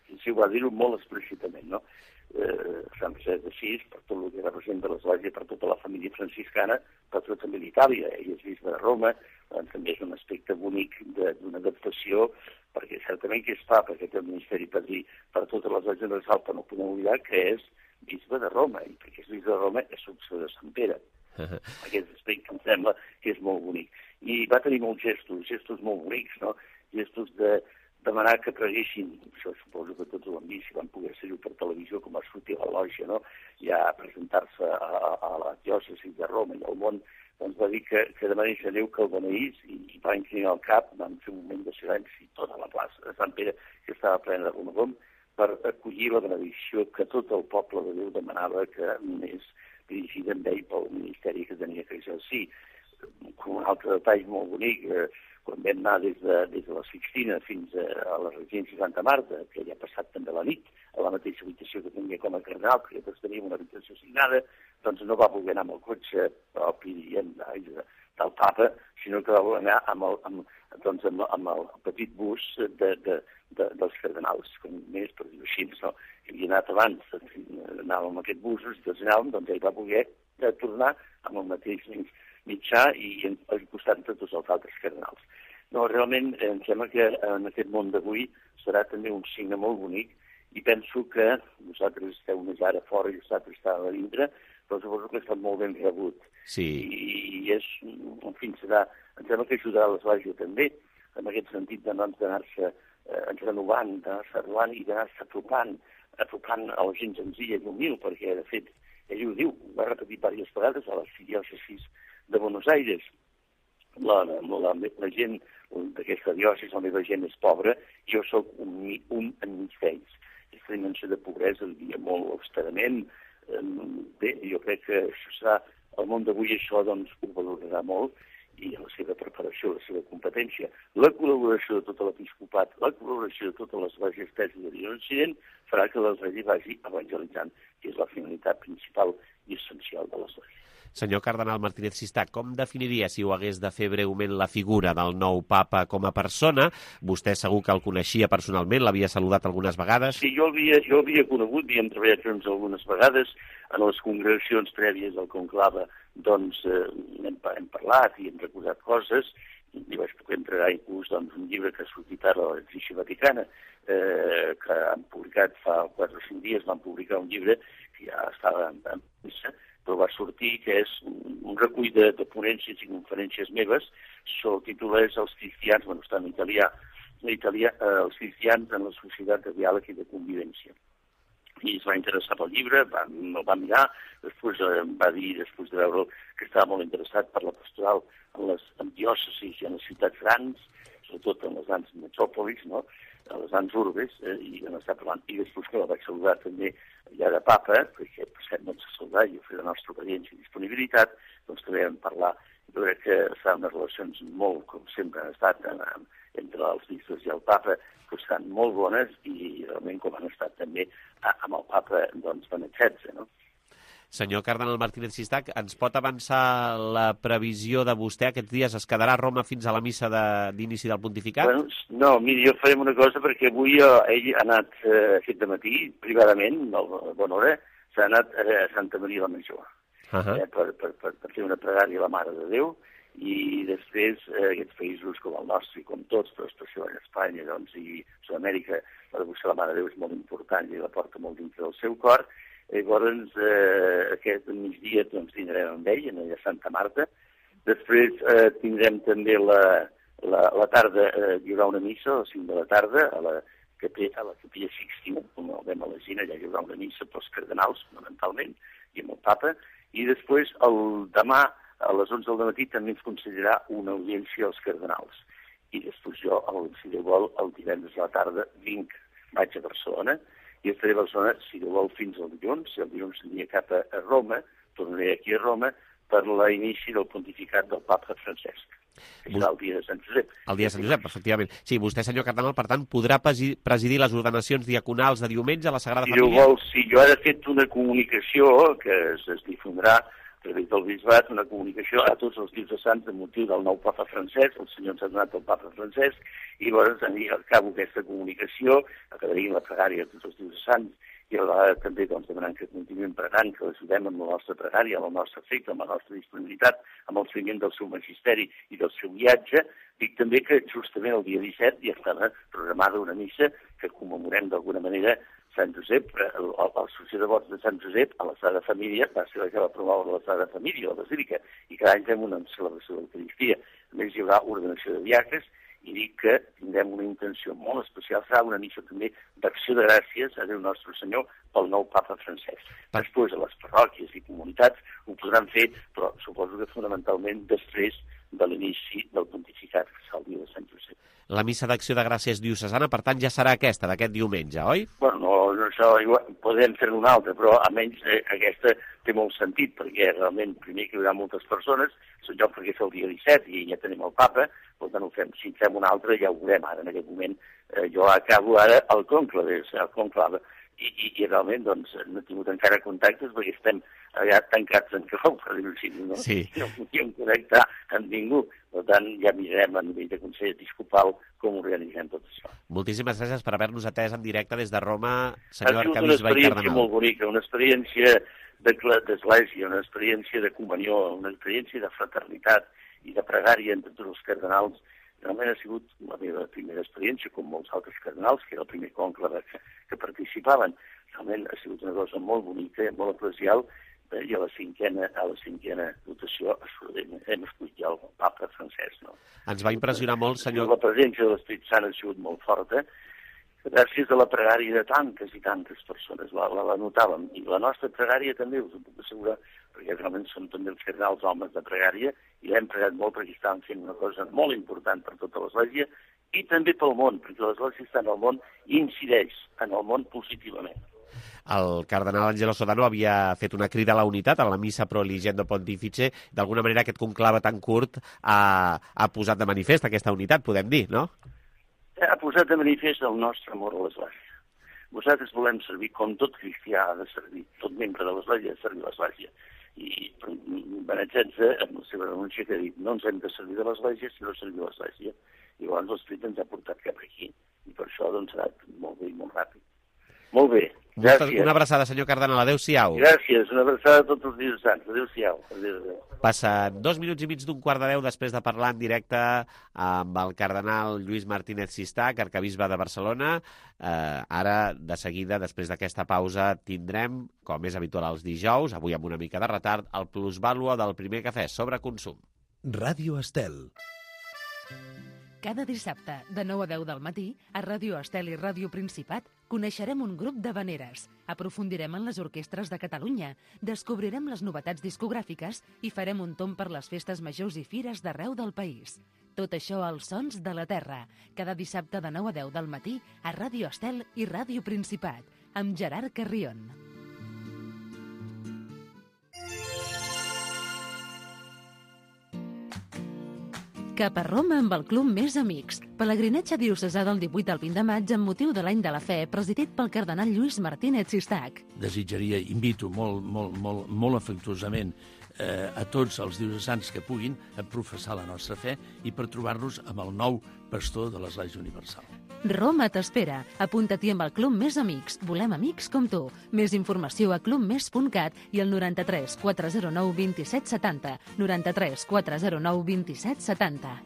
Speaker 5: I sí, ho va dir-ho molt explícitament, no? Eh, Sant Francesc d'Assís, per tot el que representa l'església, per tota la família franciscana, per tot també d'Itàlia. Ell és bisbe de Roma, doncs també és un aspecte bonic d'una adaptació, perquè certament que és papa, que té el ministeri padrí per totes les esglésies universals, però no podem oblidar que és bisbe de Roma, i perquè és bisbe de Roma és successor de Sant Pere. Uh-huh. Aquest aspecte em sembla que és molt bonic. I va tenir molts gestos, gestos molt bonics, no? Gestos de demanar que preguessin, això suposo que tots ho han vist, si van poder ser-ho per televisió, com va sortir a la lògia, no? Ja a presentar-se a, a la diòcesi de Roma i al món, doncs va dir que, que demanés a Déu que el beneís i, i va inclinar el cap, van fer un moment de silenci tota la plaça de Sant Pere, que estava plena de romagom, per acollir la benedicció que tot el poble de Déu demanava que anés dirigida amb ell pel ministeri que tenia que exercir. Com un altre detall molt bonic, eh, quan vam anar des de, des de la Sixtina fins a, a la residència Santa Marta, que ja ha passat també la nit, a la mateixa habitació que tenia com a cardenal, que tots teníem una habitació assignada, doncs no va voler anar amb el cotxe propi diguem, del papa, sinó que va voler anar amb el, amb, doncs, amb, amb el petit bus de, de, de, dels cardenals, com més per dir-ho així, no? Que havia anat abans, anàvem amb aquest bus, i tots anàvem, doncs ell va voler tornar amb el mateix mitjà i al costat de tots els altres cardenals. No, realment em sembla que en aquest món d'avui serà també un signe molt bonic i penso que vosaltres esteu més ara fora i vosaltres esteu a dintre, però suposo que ha estat molt ben rebut.
Speaker 3: Sí.
Speaker 5: I, i és, en fi, serà, em sembla que ajudarà l'església també, en aquest sentit d'anar-se eh, renovant, d'anar-se renovant i d'anar-se apropant, apropant a la gent senzilla i humil, perquè, de fet, ell ho diu, ho va repetir diverses vegades a les diòcesis de Buenos Aires. La, la, la, la gent d'aquesta diòcesi, la meva gent és pobra, jo sóc un, un enmig d'ells. Aquesta dimensió de pobresa el dia molt austerament. Bé, jo crec que això serà, el món d'avui això doncs ho valorarà molt i la seva preparació, la seva competència, la col·laboració de tot l'episcopat, la col·laboració de totes les esglésies teses de l'Occident farà que l'església vagi evangelitzant, que és la finalitat principal i essencial de l'església.
Speaker 3: Senyor cardenal Martínez Sistà, com definiria, si ho hagués de fer breument, la figura del nou papa com a persona? Vostè segur que el coneixia personalment, l'havia saludat algunes vegades.
Speaker 5: Sí, jo havia, jo havia conegut, havíem treballat junts algunes vegades, en les congregacions prèvies del conclave, doncs eh, hem, hem parlat i hem recordat coses, li vaig poder entregar inclús doncs, un llibre que ha sortit ara a l'Edició Vaticana, eh, que han publicat fa quatre o cinc dies, van publicar un llibre que ja estava en, en premsa, però va sortir que és un, un recull de, de ponències i conferències meves, el títol és Els cristians, bueno, està en italià, en italià eh, Els cristians en la societat de diàleg i de convivència. I es va interessar pel llibre, va, el va mirar, després eh, va dir, després de veure que estava molt interessat per la pastoral en les en diòcesis i en les ciutats grans, sobretot en les grans metròpolis, no?, a les grans urbes, eh, i en estar parlant. I després que la vaig saludar també ja de papa, perquè per cert no ens ha saludat i ho feia la nostra obediència i disponibilitat, doncs també vam parlar. Jo crec que estaven unes relacions molt, com sempre han estat, en, en, entre els bisbes i el papa, que estan molt bones i realment com han estat també amb el papa doncs, Benet setze, no?
Speaker 3: Senyor cardenal Martínez Sistac, ens pot avançar la previsió de vostè aquests dies? Es quedarà a Roma fins a la missa d'inici del pontificat?
Speaker 5: Bueno, no, miri, jo farem una cosa perquè avui eh, ell ha anat eh, aquest matí, privadament, a bona hora, s'ha anat a Santa Maria la Major, uh -huh. eh, per, per, per, per fer una pregària a la Mare de Déu, i després eh, aquests països com el nostre i com tots, però especialment Espanya doncs, i Sud-amèrica, la devoció a la Mare de Déu és molt important i la porta molt dintre del seu cor. Llavors, eh, aquest migdia doncs, tindrem amb ell, a Santa Marta. Després eh, tindrem també la, la, la tarda, eh, hi haurà una missa a les cinc de la tarda a la capella, a la capella Sixtina, com el vam elegir, allà hi haurà una missa pels cardenals, fonamentalment, i amb el papa. I després, el demà, a les onze del matí, també ens concedirà una audiència als cardenals. I després jo, el, si Déu vol, el divendres a la tarda vinc, vaig a Barcelona, i estaré a Barcelona, si Déu vol, fins al dilluns. Si el dilluns aniré cap a, a Roma, tornaré aquí a Roma, per l'inici del pontificat del papa Francesc, que serà el dia de Sant Josep.
Speaker 3: El dia de Sant Josep, efectivament. Sí, vostè, senyor cardenal, per tant, podrà presidir les ordenacions diaconals de diumenge a la Sagrada
Speaker 5: si
Speaker 3: Família?
Speaker 5: Vol, sí, jo ara he fet una comunicació que es, es difondrà a través del bisbat, una comunicació a tots els dies de sants de motiu del nou papa Francesc, el senyor ens ha donat el papa Francesc, i llavors acabo aquesta comunicació, acabaria la pregària de tots els dies de sants, i a vegada també doncs, demanant que continuïm pregant, que l'ajudem amb la nostra pregària, amb el nostre afecte, amb la nostra disponibilitat, amb el seguiment del seu magisteri i del seu viatge. Dic també que justament el dia disset ja estava programada una missa que commemorem d'alguna manera Sant Josep, l'Associació de Vots de Sant Josep a la Sagrada Família, va ser la que va promoure la Sagrada Família, la Basílica, i cada any fem una celebració de l'Eucaristia. A més, hi haurà ordenació de diacres, i dic que tindrem una intenció molt especial, serà una missa també d'acció de gràcies a Déu Nostre Senyor pel nou papa Francesc. Després, a les parròquies i comunitats ho podran fer, però suposo que fonamentalment després de l'inici del pontificat, que serà el dia de Sant Josep.
Speaker 3: La missa d'acció de gràcies diocesana, per tant, ja serà aquesta, d'aquest diumenge, oi?
Speaker 5: Bueno, no, no això igual, podem fer-ne una altra, però almenys eh, aquesta té molt sentit, perquè realment primer que hi haurà moltes persones, jo perquè és el dia disset i ja tenim el papa, per tant ho fem. Si fem una altra ja ho veurem ara, en aquest moment. Eh, jo acabo ara el conclave, el conclave, i, i, i realment doncs, no he tingut encara contactes perquè estem allà tancats en clau, per dir-ho així, no?
Speaker 3: Sí.
Speaker 5: No podíem connectar amb ningú. Per tant, ja mirarem a nivell de Consell Episcopal com organitzem tot això.
Speaker 3: Moltíssimes gràcies per haver-nos atès en directe des de Roma, senyor arcabisbe i cardenal.
Speaker 5: Ha sigut una experiència molt bonica, una experiència d'església, una experiència de comunió, una experiència de fraternitat i de pregària entre tots els cardenals. Realment ha sigut la meva primera experiència, com molts altres cardenals, que era el primer conclave que, que participaven. Realment ha sigut una cosa molt bonica, molt aprecial, eh, i a la cinquena, a la cinquena votació hem, hem escollit ja el papa Francesc. No?
Speaker 3: Ens va impressionar molt, senyor...
Speaker 5: La presència de l'Esperit Sant ha sigut molt forta, gràcies a la pregària de tantes i tantes persones, la, la, la notàvem. I la nostra pregària també, us ho puc assegurar, perquè realment som també els cardenals homes de pregària, i l'hem pregat molt perquè estàvem fent una cosa molt important per tota l'Església, i també pel món, perquè l'Església està en el món i incideix en el món positivament.
Speaker 3: El cardenal Angelo Sodano havia fet una crida a la unitat a la missa Pro Eligendo Pontifice. D'alguna manera aquest conclave tan curt ha, ha posat de manifest aquesta unitat, podem dir, no?
Speaker 5: Ha posat de manifest el nostre amor a l'Església. Vosaltres volem servir com tot cristià ha de servir, tot membre de l'Església ha de servir l'Església. I Benet setze, amb la seva renúncia, que ha dit no ens hem de servir de l'Església, sinó servir l'Església. I llavors l'Esperit ens ha portat cap aquí. I per això doncs, ha anat molt bé i molt ràpid. Molt bé. Gràcies.
Speaker 3: Una abraçada, senyor cardenal. Adéu-siau.
Speaker 5: Gràcies, una abraçada a tots els dies sants. Adéu-siau. Adéu-siau.
Speaker 3: Passen dos minuts i mig d'un quart de deu després de parlar en directe amb el cardenal Lluís Martínez Sistac, arcabisbe de Barcelona. Eh, ara, de seguida, després d'aquesta pausa, tindrem, com és habitual els dijous, avui amb una mica de retard, el plusvàlua del primer cafè sobre consum.
Speaker 2: Ràdio Estel.
Speaker 1: Cada dissabte, de nou a deu del matí, a Ràdio Estel i Ràdio Principat, coneixerem un grup d'havaneres, aprofundirem en les orquestres de Catalunya, descobrirem les novetats discogràfiques i farem un tomb per les festes majors i fires d'arreu del país. Tot això als Sons de la Terra, cada dissabte de nou a deu del matí, a Ràdio Estel i Ràdio Principat, amb Gerard Carrion. Cap a Roma amb el Club Més Amics. Pelegrinatge diocesà del divuit al vint de maig amb motiu de l'Any de la Fe, presidit pel cardenal Lluís Martínez Sistac.
Speaker 6: Desitjaria, invito molt, molt, molt, molt afectuosament eh, a tots els diocesans que puguin a professar la nostra fe i per trobar-nos amb el nou pastor de l'Església Universal.
Speaker 1: Roma t'espera. Apunta-t'hi amb el Club Més Amics. Volem amics com tu. Més informació a club més punt cat i al noranta-tres quatre zero nou vint set setanta. noranta-tres quatre zero nou vint set setanta.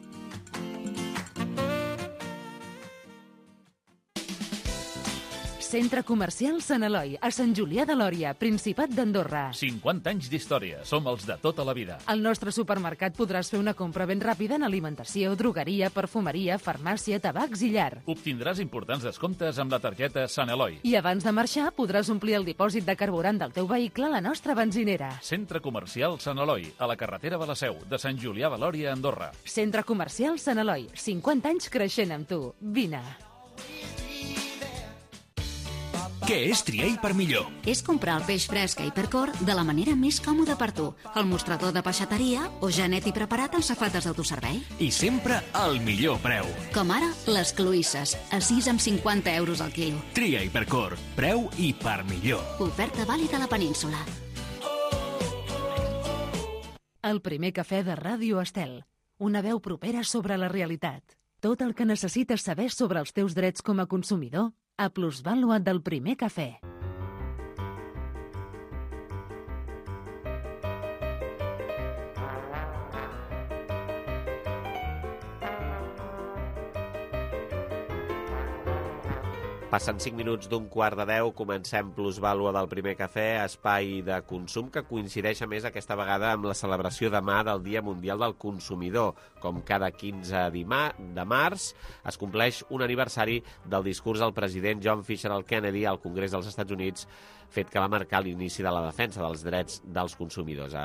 Speaker 1: Centre Comercial Sant Eloi, a Sant Julià de Lòria, Principat d'Andorra.
Speaker 2: cinquanta anys d'història. Som els de tota la vida.
Speaker 1: Al nostre supermercat podràs fer una compra ben ràpida en alimentació, drogueria, perfumeria, farmàcia, tabacs i llar.
Speaker 2: Obtindràs importants descomptes amb la targeta Sant Eloi.
Speaker 1: I abans de marxar podràs omplir el dipòsit de carburant del teu vehicle a la nostra benzinera.
Speaker 2: Centre Comercial Sant Eloi, a la carretera de la Seu, de Sant Julià de Lòria, Andorra.
Speaker 1: Centre Comercial Sant Eloi, cinquanta anys creixent amb tu. Vine.
Speaker 15: Què és triar i per millor?
Speaker 16: És comprar el peix fresc a Hipercor de la manera més còmoda per tu. El mostrador de peixateria o ja net i preparat en safates d'autoservei.
Speaker 15: I sempre al millor preu.
Speaker 16: Com ara, les cloïsses, a sis amb cinquanta euros al quilo.
Speaker 15: Tria Hipercor, preu i per millor.
Speaker 16: Oferta vàlida a la península.
Speaker 1: El primer cafè de Ràdio Estel. Una veu propera sobre la realitat. Tot el que necessites saber sobre els teus drets com a consumidor a plusvàlua del primer cafè.
Speaker 3: Passen cinc minuts d'un quart de deu, comencem plusvàlua del primer cafè, espai de consum que coincideix a més aquesta vegada amb la celebració demà del Dia Mundial del Consumidor. Com cada quinze de març es compleix un aniversari del discurs del president John Fitzgerald Kennedy al Congrés dels Estats Units, fet que va marcar l'inici de la defensa dels drets dels consumidors.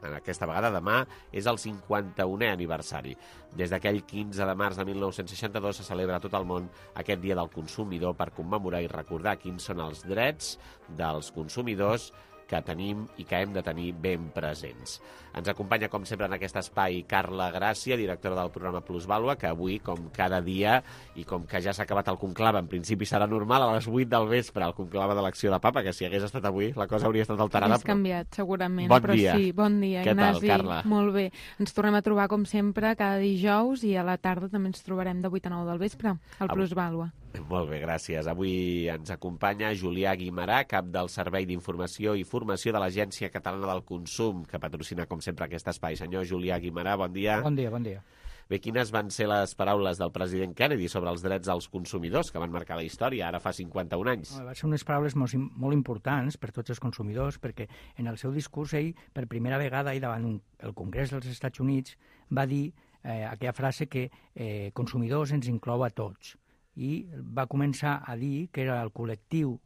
Speaker 3: En aquesta vegada, demà, és el cinquanta-unè aniversari. Des d'aquell quinze de març de mil nou-cents seixanta-dos se celebra a tot el món aquest Dia del Consumidor per commemorar i recordar quins són els drets dels consumidors que tenim i que hem de tenir ben presents. Ens acompanya, com sempre, en aquest espai Carla Gràcia, directora del programa Plusvàlua, que avui, com cada dia, i com que ja s'ha acabat el conclave, en principi serà normal, a les vuit del vespre, el conclave d'elecció de papa, que si hagués estat avui, la cosa hauria estat alterada.
Speaker 7: És canviat, segurament.
Speaker 3: Bon
Speaker 7: però
Speaker 3: dia.
Speaker 7: Sí, bon dia,
Speaker 3: Què
Speaker 7: Ignasi.
Speaker 3: tal, Carla?
Speaker 7: Molt bé. Ens tornem a trobar, com sempre, cada dijous, i a la tarda també ens trobarem de vuit a nou del vespre, al Plusvàlua.
Speaker 3: Molt bé, gràcies. Avui ens acompanya Julià Guimarà, cap del Servei d'Informació i Formació de l'Agència Catalana del Consum, que patrocina, com sempre, aquest espai. Senyor Julià Guimarà, bon dia.
Speaker 8: Bon dia, bon dia.
Speaker 3: Bé, quines van ser les paraules del president Kennedy sobre els drets dels consumidors, que van marcar la història ara fa cinquanta-un anys?
Speaker 8: Van ser unes paraules molt, molt importants per tots els consumidors, perquè en el seu discurs ell, per primera vegada, i davant un, el Congrés dels Estats Units, va dir eh, aquella frase que eh, consumidors ens inclou a tots. I va començar a dir que era el col·lectiu,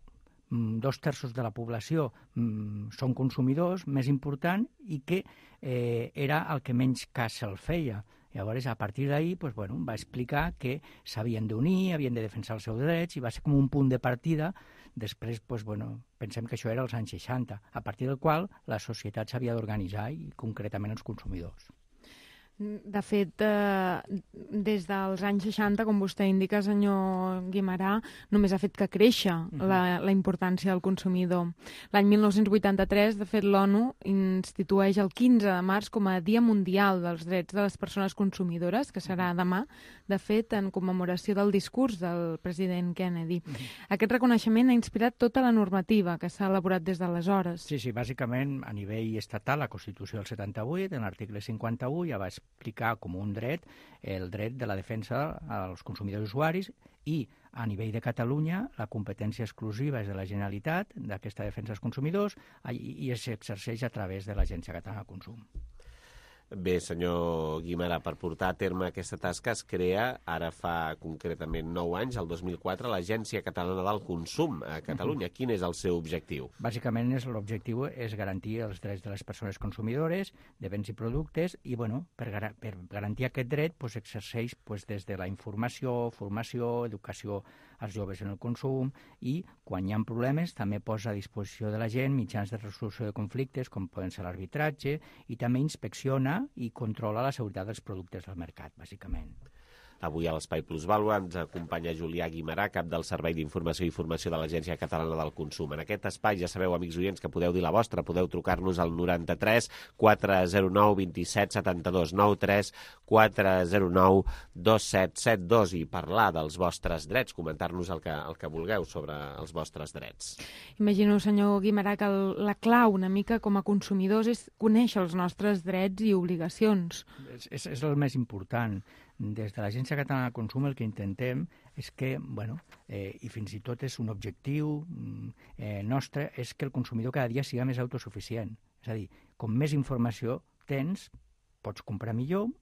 Speaker 8: dos terços de la població són consumidors, més important, i que eh, era el que menys cas se'l feia. Llavors, a partir d'ahir, pues, bueno, va explicar que s'havien d'unir, havien de defensar els seus drets, i va ser com un punt de partida. Després, pues, bueno, pensem que això era als anys seixanta, a partir del qual la societat s'havia d'organitzar, i concretament els consumidors.
Speaker 7: De fet, eh, des dels anys seixanta, com vostè indica, senyor Guimerà, només ha fet que créixer uh-huh. la, la importància del consumidor. L'any mil nou-cents vuitanta-tres, de fet, l'ONU institueix el quinze de març com a Dia Mundial dels Drets de les Persones Consumidores, que serà demà, de fet, en commemoració del discurs del president Kennedy. Uh-huh. Aquest reconeixement ha inspirat tota la normativa que s'ha elaborat des d'aleshores.
Speaker 8: Sí, sí, bàsicament, a nivell estatal, la Constitució del setanta-vuit, en l'article cinquanta-u, ja va explicar com un dret el dret de la defensa als consumidors usuaris i a nivell de Catalunya la competència exclusiva és de la Generalitat d'aquesta defensa als consumidors i s'exerceix a través de l'Agència Catalana de Consum.
Speaker 3: Bé, senyor Guimerà, per portar a terme aquesta tasca es crea, ara fa concretament nou anys, el dos mil quatre, l'Agència Catalana del Consum a Catalunya. Quin és el seu objectiu?
Speaker 8: Bàsicament l'objectiu és garantir els drets de les persones consumidores de béns i productes i, bueno, per, gar per garantir aquest dret pues, exerceix pues, des de la informació, formació, educació als joves en el consum i, quan hi ha problemes, també posa a disposició de la gent mitjans de resolució de conflictes, com poden ser l'arbitratge, i també inspecciona i controla la seguretat dels productes del mercat, bàsicament.
Speaker 3: Avui a l'Espai Plusvàlua ens acompanya Julià Guimerà, cap del Servei d'Informació i Formació de l'Agència Catalana del Consum. En aquest espai ja sabeu, amics oients, que podeu dir la vostra, podeu trucar-nos al noranta-tres quatre zero nou dos set set dos, nou tres quatre zero nou dos set set dos i parlar dels vostres drets, comentar-nos el que, el que vulgueu sobre els vostres drets.
Speaker 7: Imagino, senyor Guimerà, que el, la clau una mica com a consumidors és conèixer els nostres drets i obligacions.
Speaker 8: És, és, és el més important. Des de l'Agència Catalana de Consum el que intentem és que, bueno, eh, i fins i tot és un objectiu eh, nostre, és que el consumidor cada dia siga més autosuficient. És a dir, com més informació tens, pots comprar millor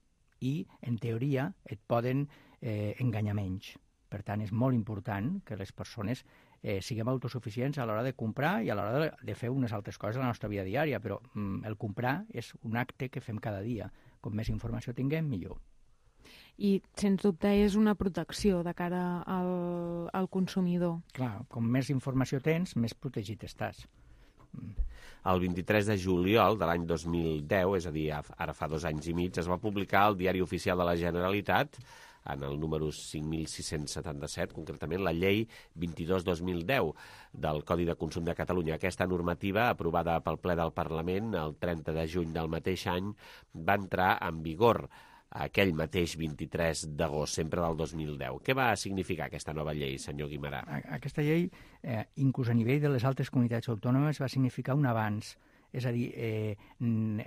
Speaker 8: i, en teoria, et poden eh, enganyar menys. Per tant, és molt important que les persones eh, siguem autosuficients a l'hora de comprar i a l'hora de, de fer unes altres coses a la nostra vida diària, però mm, el comprar és un acte que fem cada dia. Com més informació tinguem, millor.
Speaker 7: I, sens dubte, és una protecció de cara al, al consumidor.
Speaker 8: Clar, com més informació tens, més protegit estàs.
Speaker 3: El vint-i-tres de juliol de l'any dos mil deu, és a dir, ara fa dos anys i mig, es va publicar al Diari Oficial de la Generalitat, en el número cinc mil sis-cents setanta-set, concretament la llei vint-i-dos dos mil deu del Codi de Consum de Catalunya. Aquesta normativa, aprovada pel ple del Parlament el trenta de juny del mateix any, va entrar en vigor aquell mateix vint-i-tres d'agost, sempre del dos mil deu. Què va significar aquesta nova llei, senyor Guimerà?
Speaker 8: Aquesta llei, eh, inclús a nivell de les altres comunitats autònomes, va significar un avanç. És a dir, eh,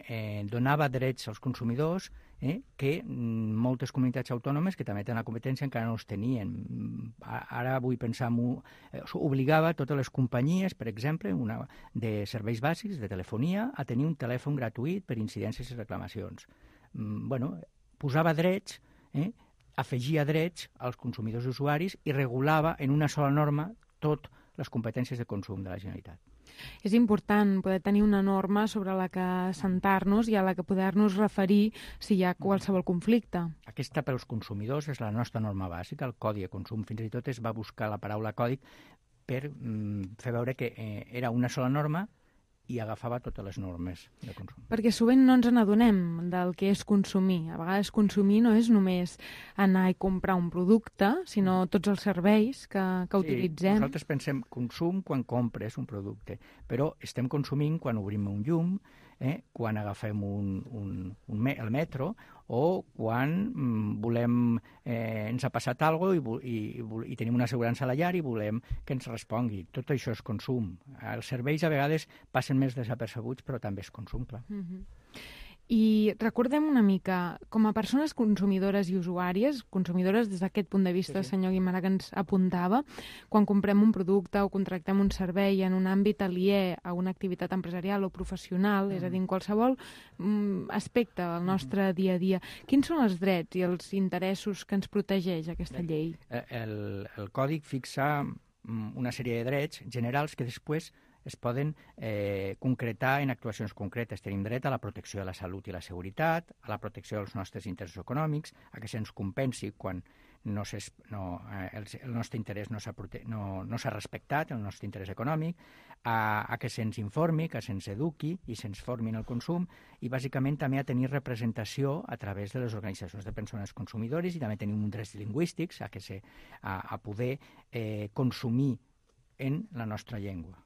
Speaker 8: eh, donava drets als consumidors eh, que moltes comunitats autònomes, que també tenen la competència, encara no els tenien. Ara vull pensar en... Eh, obligava totes les companyies, per exemple, una, de serveis bàsics, de telefonia, a tenir un telèfon gratuït per incidències i reclamacions. Mm, bueno, posava drets, eh, afegia drets als consumidors i usuaris i regulava en una sola norma totes les competències de consum de la Generalitat.
Speaker 7: És important poder tenir una norma sobre la que assentar-nos i a la que poder-nos referir si hi ha qualsevol conflicte.
Speaker 8: Aquesta pels consumidors és la nostra norma bàsica, el Codi de Consum. Fins i tot es va buscar la paraula còdic per mm, fer veure que eh, era una sola norma i agafava totes les normes de consum.
Speaker 7: Perquè sovint no ens n'adonem del que és consumir. A vegades consumir no és només anar i comprar un producte, sinó tots els serveis que, que
Speaker 8: sí,
Speaker 7: utilitzem.
Speaker 8: Nosaltres pensem consum quan compres un producte, però estem consumint quan obrim un llum, eh, quan agafem un, un, un me el metro o quan mm, volem, eh, ens ha passat alguna cosa i, i, i tenim una assegurança a la llar i volem que ens respongui. Tot això és consum. Els serveis a vegades passen més desapercebuts, però també és consum, clar.
Speaker 7: Mm-hmm. I recordem una mica, com a persones consumidores i usuàries, consumidores des d'aquest punt de vista, sí, sí. senyor Guimerà, que ens apuntava, quan comprem un producte o contractem un servei en un àmbit aliè a una activitat empresarial o professional, mm. és a dir, en qualsevol mm, aspecte del nostre mm. dia a dia, quins són els drets i els interessos que ens protegeix aquesta llei?
Speaker 8: El, el Còdic fixa una sèrie de drets generals que després es poden eh, concretar en actuacions concretes. Tenim dret a la protecció de la salut i la seguretat, a la protecció dels nostres interessos econòmics, a que se'ns compensi quan no, no, eh, el, el nostre interès no s'ha no, no respectat, el nostre interès econòmic, a, a que se'ns informi, que se'ns eduqui i se'ns formi en el consum, i bàsicament també a tenir representació a través de les organitzacions de persones consumidores, i també tenim uns drets lingüístics a, que se, a, a poder eh, consumir en la nostra llengua.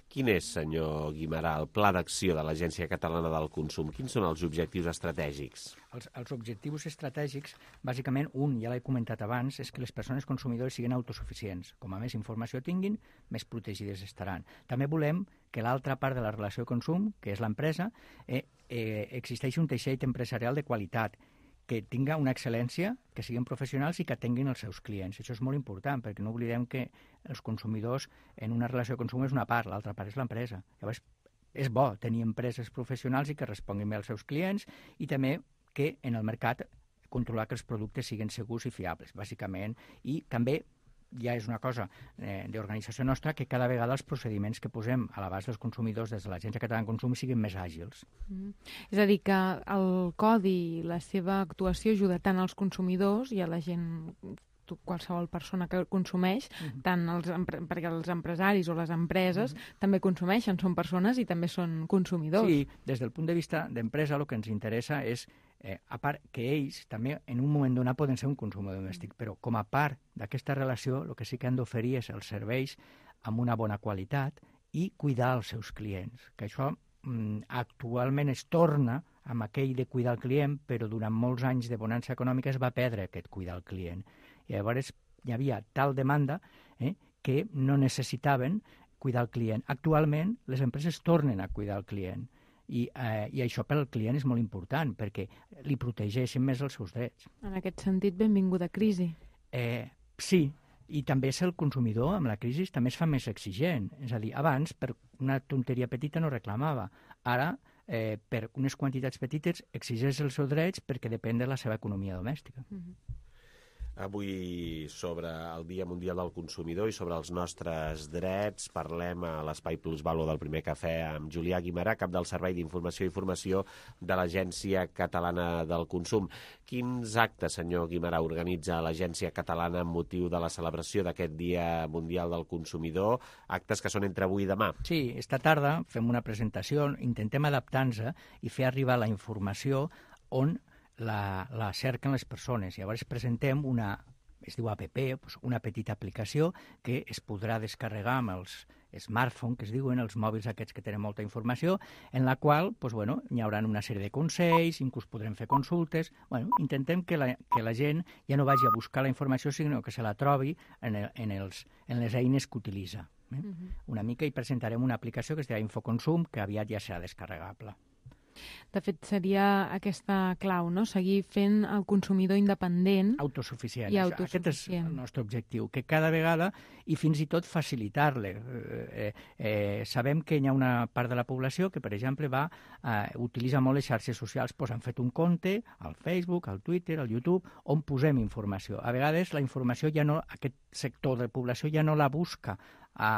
Speaker 3: Quin és, senyor Guimerà, el pla d'acció de l'Agència Catalana del Consum? Quins són els objectius estratègics?
Speaker 8: Els, els objectius estratègics, bàsicament, un, ja l'he comentat abans, és que les persones consumidores siguin autosuficients. Com a més informació tinguin, més protegides estaran. També volem que l'altra part de la relació de consum, que és l'empresa, eh, eh, existeixi un teixit empresarial de qualitat, que tinga una excel·lència, que siguin professionals i que atenguin els seus clients. Això és molt important, perquè no oblidem que els consumidors en una relació de consum és una part, l'altra part és l'empresa. Llavors, és bo tenir empreses professionals i que responguin bé als seus clients i també que en el mercat controlar que els productes siguin segurs i fiables, bàsicament, i també ja és una cosa eh, d'organització nostra que cada vegada els procediments que posem a l'abast dels consumidors des de l'Agència Catalana de Consum siguin més àgils.
Speaker 7: Mm. És a dir, que el codi i la seva actuació ajuda tant als consumidors i a la gent, qualsevol persona que consumeix, mm-hmm. tant els, perquè els empresaris o les empreses mm-hmm. també consumeixen, són persones i també són consumidors.
Speaker 8: Sí, des del punt de vista d'empresa el que ens interessa és Eh, a part que ells també en un moment donat poden ser un consumidor domèstic, però com a part d'aquesta relació el que sí que han d'oferir és els serveis amb una bona qualitat i cuidar els seus clients, que això mm, actualment es torna amb aquell de cuidar el client, però durant molts anys de bonança econòmica es va perdre aquest cuidar el client. I llavors hi havia tal demanda eh, que no necessitaven cuidar el client. Actualment les empreses tornen a cuidar el client. I, eh, i això per al client és molt important perquè li protegeixen més els seus drets.
Speaker 7: En aquest sentit, benvinguda crisi.
Speaker 8: Eh, sí, i també és el consumidor, amb la crisi, també es fa més exigent. És a dir, abans, per una tonteria petita no reclamava. Ara, eh, per unes quantitats petites, exigeix els seus drets perquè depèn de la seva economia domèstica.
Speaker 7: Mm-hmm.
Speaker 3: Avui, sobre el Dia Mundial del Consumidor i sobre els nostres drets, parlem a l'Espai Plusvalor del Primer Cafè amb Julià Guimerà, cap del Servei d'Informació i Formació de l'Agència Catalana del Consum. Quins actes, senyor Guimerà, organitza l'Agència Catalana amb motiu de la celebració d'aquest Dia Mundial del Consumidor? Actes que són entre avui i demà.
Speaker 8: Sí, esta tarda fem una presentació, intentem adaptar-nos i fer arribar la informació on La, la cerquen les persones. Llavors presentem una, es diu app, una petita aplicació que es podrà descarregar amb els smartphones, que es diuen, els mòbils aquests que tenen molta informació, en la qual pues, bueno, hi haurà una sèrie de consells, inclús podrem fer consultes. Bueno, intentem que la, que la gent ja no vagi a buscar la informació, sinó que se la trobi en, el, en, els, en les eines que utilitza. Eh? Uh-huh. Una mica i presentarem una aplicació que es dirà Infoconsum, que aviat ja serà descarregable.
Speaker 7: De fet, seria aquesta clau, no? Seguir fent el consumidor independent.
Speaker 8: Autosuficient.
Speaker 7: I autosuficient.
Speaker 8: Aquest és el nostre objectiu, que cada vegada, i fins i tot facilitar-le. Eh, eh, sabem que hi ha una part de la població que, per exemple, va eh, utilitza molt les xarxes socials. Pues han fet un compte al Facebook, al Twitter, al YouTube, on posem informació. A vegades la informació ja no, aquest sector de població ja no la busca a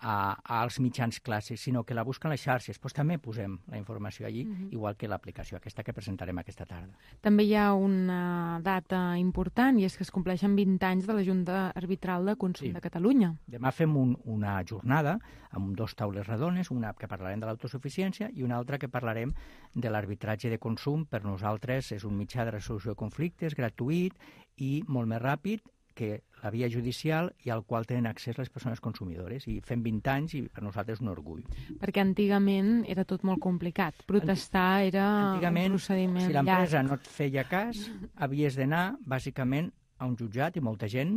Speaker 8: A, als mitjans clàssics, sinó que la busquen les xarxes. Pues també posem la informació allí, uh-huh. igual que l'aplicació, aquesta que presentarem aquesta tarda.
Speaker 7: També hi ha una data important, i és que es compleixen vint anys de la Junta Arbitral de Consum sí. de Catalunya.
Speaker 8: Demà fem un, una jornada amb dos taules redones, una que parlarem de l'autosuficiència i una altra que parlarem de l'arbitratge de consum. Per nosaltres és un mitjà de resolució de conflictes, gratuït i molt més ràpid que la via judicial i al qual tenen accés les persones consumidores. I fem vint anys i per nosaltres és un orgull.
Speaker 7: Perquè antigament era tot molt complicat. Protestar era
Speaker 8: antigament,
Speaker 7: un procediment
Speaker 8: si l'empresa
Speaker 7: llarg.
Speaker 8: no et feia cas, havies d'anar bàsicament a un jutjat, i molta gent,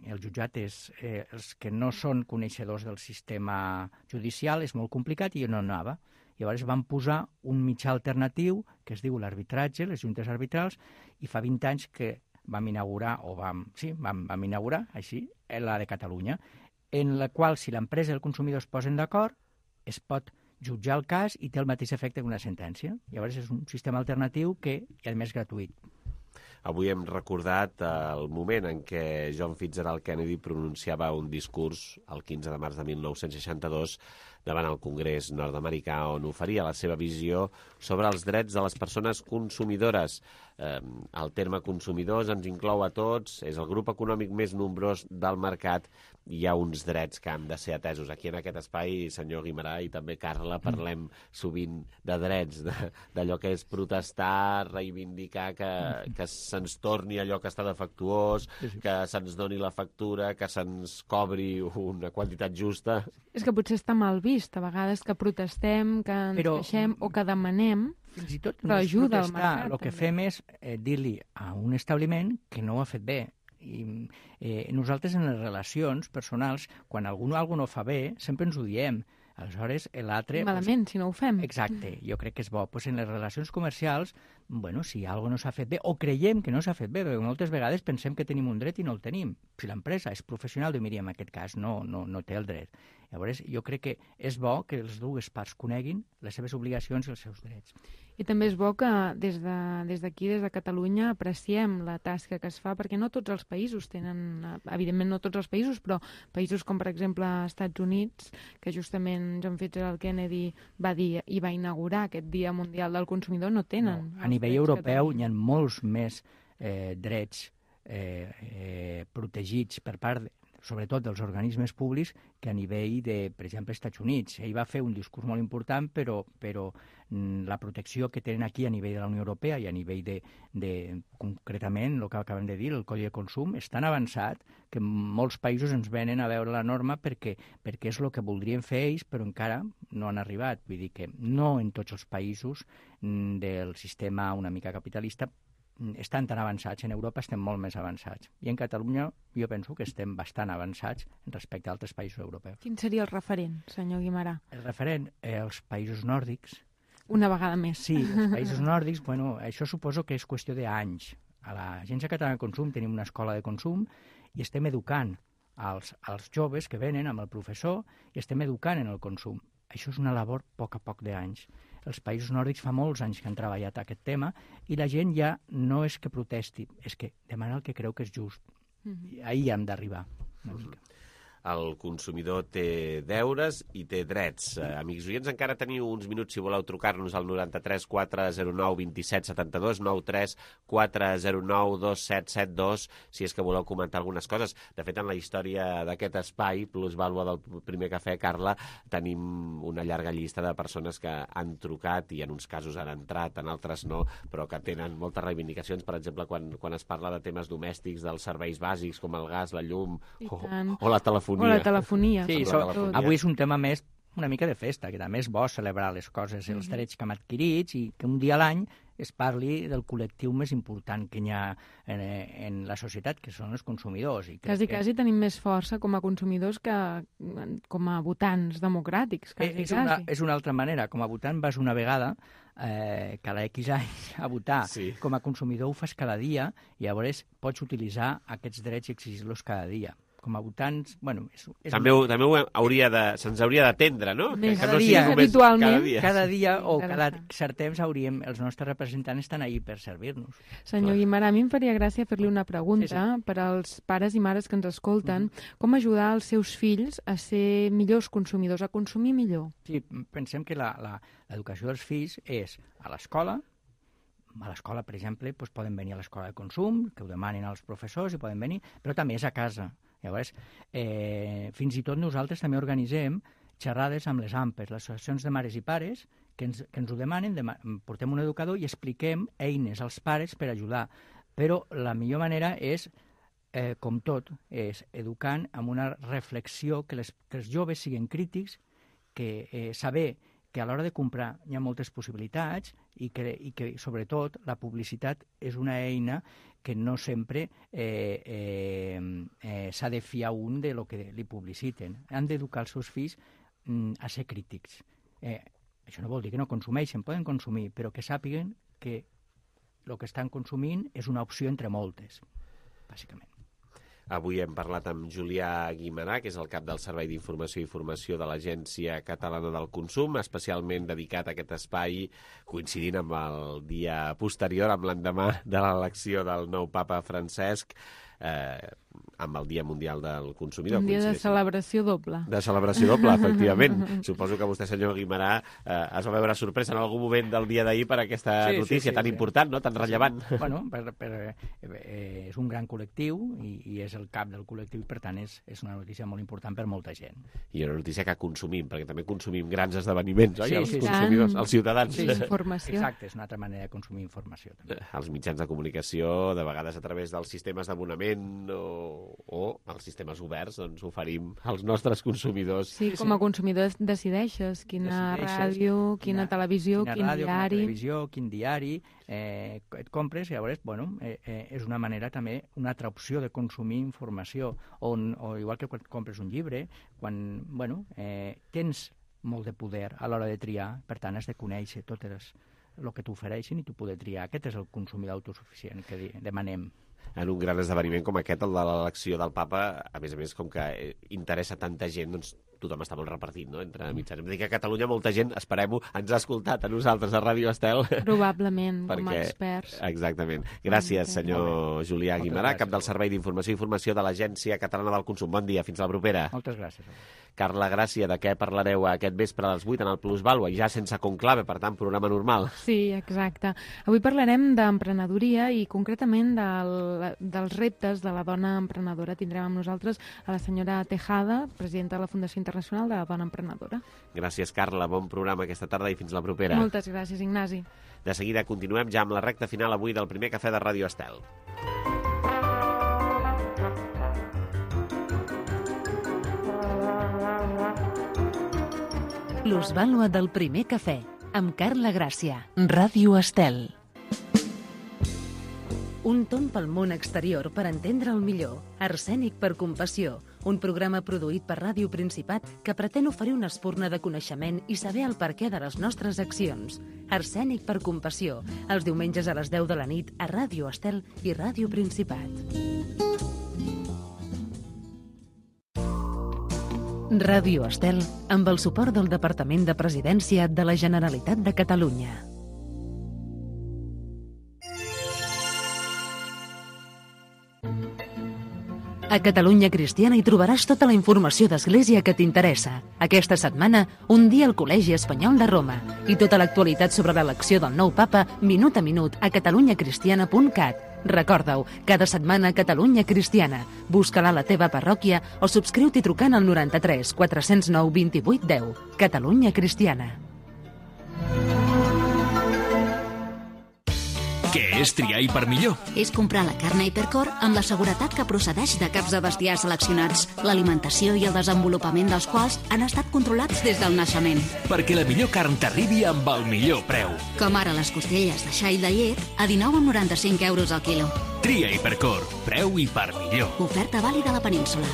Speaker 8: el jutjat és, eh, els que no són coneixedors del sistema judicial, és molt complicat i jo no anava. Llavors van posar un mitjà alternatiu que es diu l'arbitratge, les juntes arbitrals, i fa vint anys que vam inaugurar, o vam, sí, vam, vam inaugurar, així, la de Catalunya, en la qual, si l'empresa i el consumidor es posen d'acord, es pot jutjar el cas i té el mateix efecte que una sentència. Llavors és un sistema alternatiu que, i a més, gratuït.
Speaker 3: Avui hem recordat el moment en què John Fitzgerald Kennedy pronunciava un discurs el quinze de març de mil nou-cents seixanta-dos davant el Congrés nord-americà, on oferia la seva visió sobre els drets de les persones consumidores. Eh, el terme consumidors ens inclou a tots, és el grup econòmic més nombrós del mercat i hi ha uns drets que han de ser atesos. Aquí en aquest espai, senyor Guimarà i també Carla, parlem sovint de drets, d'allò que és protestar, reivindicar que, que se'ns torni allò que està defectuós, que se'ns doni la factura, que se'ns cobri una quantitat justa.
Speaker 7: És que potser està mal vist, a vegades que protestem, que ens
Speaker 8: Però,
Speaker 7: queixem o que demanem,
Speaker 8: fins i tot
Speaker 7: però ajuda al
Speaker 8: protestar,
Speaker 7: mercat.
Speaker 8: el que
Speaker 7: també.
Speaker 8: fem és eh, dir-li a un establiment que no ho ha fet bé. I eh, nosaltres en les relacions personals, quan algú algú no fa bé, sempre ens ho diem. Aleshores, l'altre...
Speaker 7: Malament, si no ho fem.
Speaker 8: Exacte, jo crec que és bo. Pues en les relacions comercials, bueno, si alguna cosa no s'ha fet bé, o creiem que no s'ha fet bé, perquè moltes vegades pensem que tenim un dret i no el tenim. Si l'empresa és professional, diu, mira, en aquest cas no, no, no té el dret. Llavors, jo crec que és bo que les dues parts coneguin les seves obligacions i els seus drets.
Speaker 7: I també és bo que des de, des d'aquí, des de Catalunya, apreciem la tasca que es fa, perquè no tots els països tenen, evidentment no tots els països, però països com, per exemple, Estats Units, que justament John Fitzgerald Kennedy va dir i va inaugurar aquest Dia Mundial del Consumidor, no tenen.
Speaker 8: No, a nivell europeu hi ha molts més eh, drets eh, eh, protegits per part de, sobretot dels organismes públics, que a nivell de, per exemple, Estats Units. Ell va fer un discurs molt important, però, però mm, la protecció que tenen aquí a nivell de la Unió Europea i a nivell de, de concretament, el que acabem de dir, el Codi de Consum, és tan avançat que molts països ens venen a veure la norma perquè, perquè és el que voldrien fer ells, però encara no han arribat. Vull dir que no en tots els països mm, del sistema una mica capitalista estan tan avançats. En Europa estem molt més avançats. I en Catalunya jo penso que estem bastant avançats respecte a altres països europeus.
Speaker 7: Quin seria el referent, senyor Guimarà?
Speaker 8: El referent, eh, els països nòrdics.
Speaker 7: Una vegada més.
Speaker 8: Sí, els països nòrdics, bueno, això suposo que és qüestió d'anys. A l'Agència Catalana de Consum tenim una escola de consum i estem educant als, als joves que venen amb el professor i estem educant en el consum. Això és una labor a poc a poc d'anys. Els països nòrdics fa molts anys que han treballat aquest tema i la gent ja no és que protesti, és que demana el que creu que és just. Mm-hmm. Ahir hem d'arribar una mica.
Speaker 3: El consumidor té deures i té drets. Eh, amics oients, encara teniu uns minuts si voleu trucar-nos al noranta-tres quatre zero nou dos set set dos, nou tres quatre zero nou dos set set dos, si és que voleu comentar algunes coses. De fet, en la història d'aquest espai, Plus Vàlua del primer cafè, Carla, tenim una llarga llista de persones que han trucat i en uns casos han entrat, en altres no, però que tenen moltes reivindicacions, per exemple, quan, quan es parla de temes domèstics, dels serveis bàsics com el gas, la llum o, o la telefonia.
Speaker 7: O la telefonia.
Speaker 8: Sí, so, avui és un tema més una mica de festa, que també és bo celebrar les coses, els
Speaker 7: Mm-hmm.
Speaker 8: drets que hem adquirits i que un dia a l'any es parli del col·lectiu més important que hi ha en, en la societat, que són els consumidors. I
Speaker 7: Quasi,
Speaker 8: que...
Speaker 7: quasi tenim més força com a consumidors que com a votants democràtics. Quasi,
Speaker 8: és, una,
Speaker 7: quasi.
Speaker 8: és una altra manera. Com a votant vas una vegada, eh, cada X anys a votar. Sí. Com a consumidor ho fas cada dia i llavors pots utilitzar aquests drets i exigir-los cada dia. Com a votants, bueno... És, és
Speaker 3: també ho, també ho hauria de, se'ns hauria d'atendre, no?
Speaker 8: Més
Speaker 3: que
Speaker 8: cada
Speaker 3: no
Speaker 8: dia,
Speaker 7: habitualment.
Speaker 3: Cada dia.
Speaker 8: Cada dia o cada cert temps hauríem, els nostres representants estan ahí per servir-nos.
Speaker 7: Senyor Guimarà, a mi em faria gràcia fer-li una pregunta sí, sí. per als pares i mares que ens escolten. Mm-hmm. Com ajudar els seus fills a ser millors consumidors, a consumir millor?
Speaker 8: Sí, pensem que l'educació dels fills és a l'escola. A l'escola, per exemple, doncs poden venir a l'escola de consum, que ho demanin als professors i poden venir, però també és a casa. Llavors, eh, fins i tot nosaltres també organitzem xerrades amb les A M P Es, les associacions de mares i pares, que ens, que ens ho demanen, dema portem un educador i expliquem eines als pares per ajudar. Però la millor manera és, eh, com tot, és educant amb una reflexió, que, les, que els joves siguin crítics, que eh, saber que a l'hora de comprar hi ha moltes possibilitats i que, i que sobretot, la publicitat és una eina que no sempre eh, eh, eh, s'ha de fiar un de lo que li publiciten. Han d'educar els seus fills mm, a ser crítics. Eh, això no vol dir que no consumeixen, poden consumir, però que sàpiguen que el que estan consumint és una opció entre moltes, bàsicament.
Speaker 3: Avui hem parlat amb Julià Guimarà, que és el cap del Servei d'Informació i Formació de l'Agència Catalana del Consum, especialment dedicat a aquest espai, coincidint amb el dia posterior, amb l'endemà de l'elecció del nou papa Francesc, eh, amb el Dia Mundial del Consumidor.
Speaker 7: Un dia de celebració doble.
Speaker 3: De celebració doble, efectivament. Suposo que vostè, senyor Guimarà, eh, es va veure sorpresa en algun moment del dia d'ahir per aquesta
Speaker 8: sí,
Speaker 3: notícia
Speaker 8: sí, sí,
Speaker 3: tan
Speaker 8: sí.
Speaker 3: important, no? Tan rellevant.
Speaker 8: Bueno, per, per, eh, és un gran col·lectiu i, i és el cap del col·lectiu i, per tant, és, és una notícia molt important per molta gent.
Speaker 3: I una notícia que consumim, perquè també consumim grans esdeveniments, oi?
Speaker 8: Sí,
Speaker 3: els
Speaker 8: sí,
Speaker 3: consumidors,
Speaker 8: sí.
Speaker 3: els ciutadans.
Speaker 8: Sí, informació. Exacte, és una altra manera de consumir informació. També.
Speaker 3: Els mitjans de comunicació, de vegades a través dels sistemes d'abonament o, o els sistemes oberts, doncs oferim als nostres consumidors.
Speaker 7: Sí, com a consumidor decideixes quina decideixes, ràdio, quina, quina televisió,
Speaker 8: quina
Speaker 7: quin
Speaker 8: ràdio,
Speaker 7: diari...
Speaker 8: Quina televisió, quin diari eh, et compres, i llavors, bueno, eh, eh, és una manera també, una altra opció de consumir informació, on, o igual que quan compres un llibre, quan, bueno, eh, tens molt de poder a l'hora de triar, per tant has de conèixer totes el que t'ofereixen i tu poder triar. Aquest és el consumidor autosuficient que demanem.
Speaker 3: En un gran esdeveniment com aquest, el de l'elecció del papa, a més a més, com que interessa tanta gent, doncs tothom està molt repartit, no?, entre mitjans. Hem de dir que a Catalunya molta gent, esperem-ho, ens ha escoltat a nosaltres, a Ràdio Estel.
Speaker 7: Probablement,
Speaker 3: perquè...
Speaker 7: com a experts.
Speaker 3: Exactament. Gràcies, senyor Julià Guimarà, cap del Servei d'Informació i Formació de l'Agència Catalana del Consum. Bon dia, fins la propera.
Speaker 8: Moltes gràcies.
Speaker 3: Carla Gràcia, de què parlareu aquest vespre a les vuit en el Plusvàlua, ja sense conclave, per tant, programa normal.
Speaker 7: Sí, exacte. Avui parlarem d'emprenedoria i concretament del, dels reptes de la dona emprenedora. Tindrem amb nosaltres a la senyora Tejada, presidenta de la Fundació Internacional de la Dona Emprenedora.
Speaker 3: Gràcies, Carla. Bon programa aquesta tarda i fins la propera.
Speaker 7: Moltes gràcies, Ignasi.
Speaker 3: De seguida continuem ja amb la recta final avui del primer cafè de Ràdio Estel.
Speaker 1: Plusvàlua del primer cafè, amb Carla Gràcia, Ràdio Estel. Un tomb pel món exterior per entendre'l millor. Arsènic per compassió, un programa produït per Ràdio Principat que pretén oferir una espurna de coneixement i saber el perquè de les nostres accions. Arsènic per compassió, els diumenges a les deu de la nit a Ràdio Estel i Ràdio Principat. Ràdio Estel, amb el suport del Departament de Presidència de la Generalitat de Catalunya. A Catalunya Cristiana hi trobaràs tota la informació d'Església que t'interessa. Aquesta setmana, un dia al Col·legi Espanyol de Roma i tota l'actualitat sobre l'elecció del nou papa minut a minut a catalunya cristiana punt cat. Recorda-ho, cada setmana Catalunya Cristiana. Busca-la a la teva parròquia o subscriu-t'hi trucant al noranta-tres quatre zero nou vint vuit deu. Catalunya Cristiana.
Speaker 15: Què és triar per millor?
Speaker 16: És comprar la carn Hipercor amb la seguretat que procedeix de caps de bestiar seleccionats, l'alimentació i el desenvolupament dels quals han estat controlats des del naixement.
Speaker 15: Perquè la millor carn t'arribi amb el millor preu.
Speaker 16: Com ara les costelles de xai de llet a dinou coma noranta-cinc euros al quilo.
Speaker 15: Tria Hipercor, preu i per millor.
Speaker 16: Oferta vàlida a la península.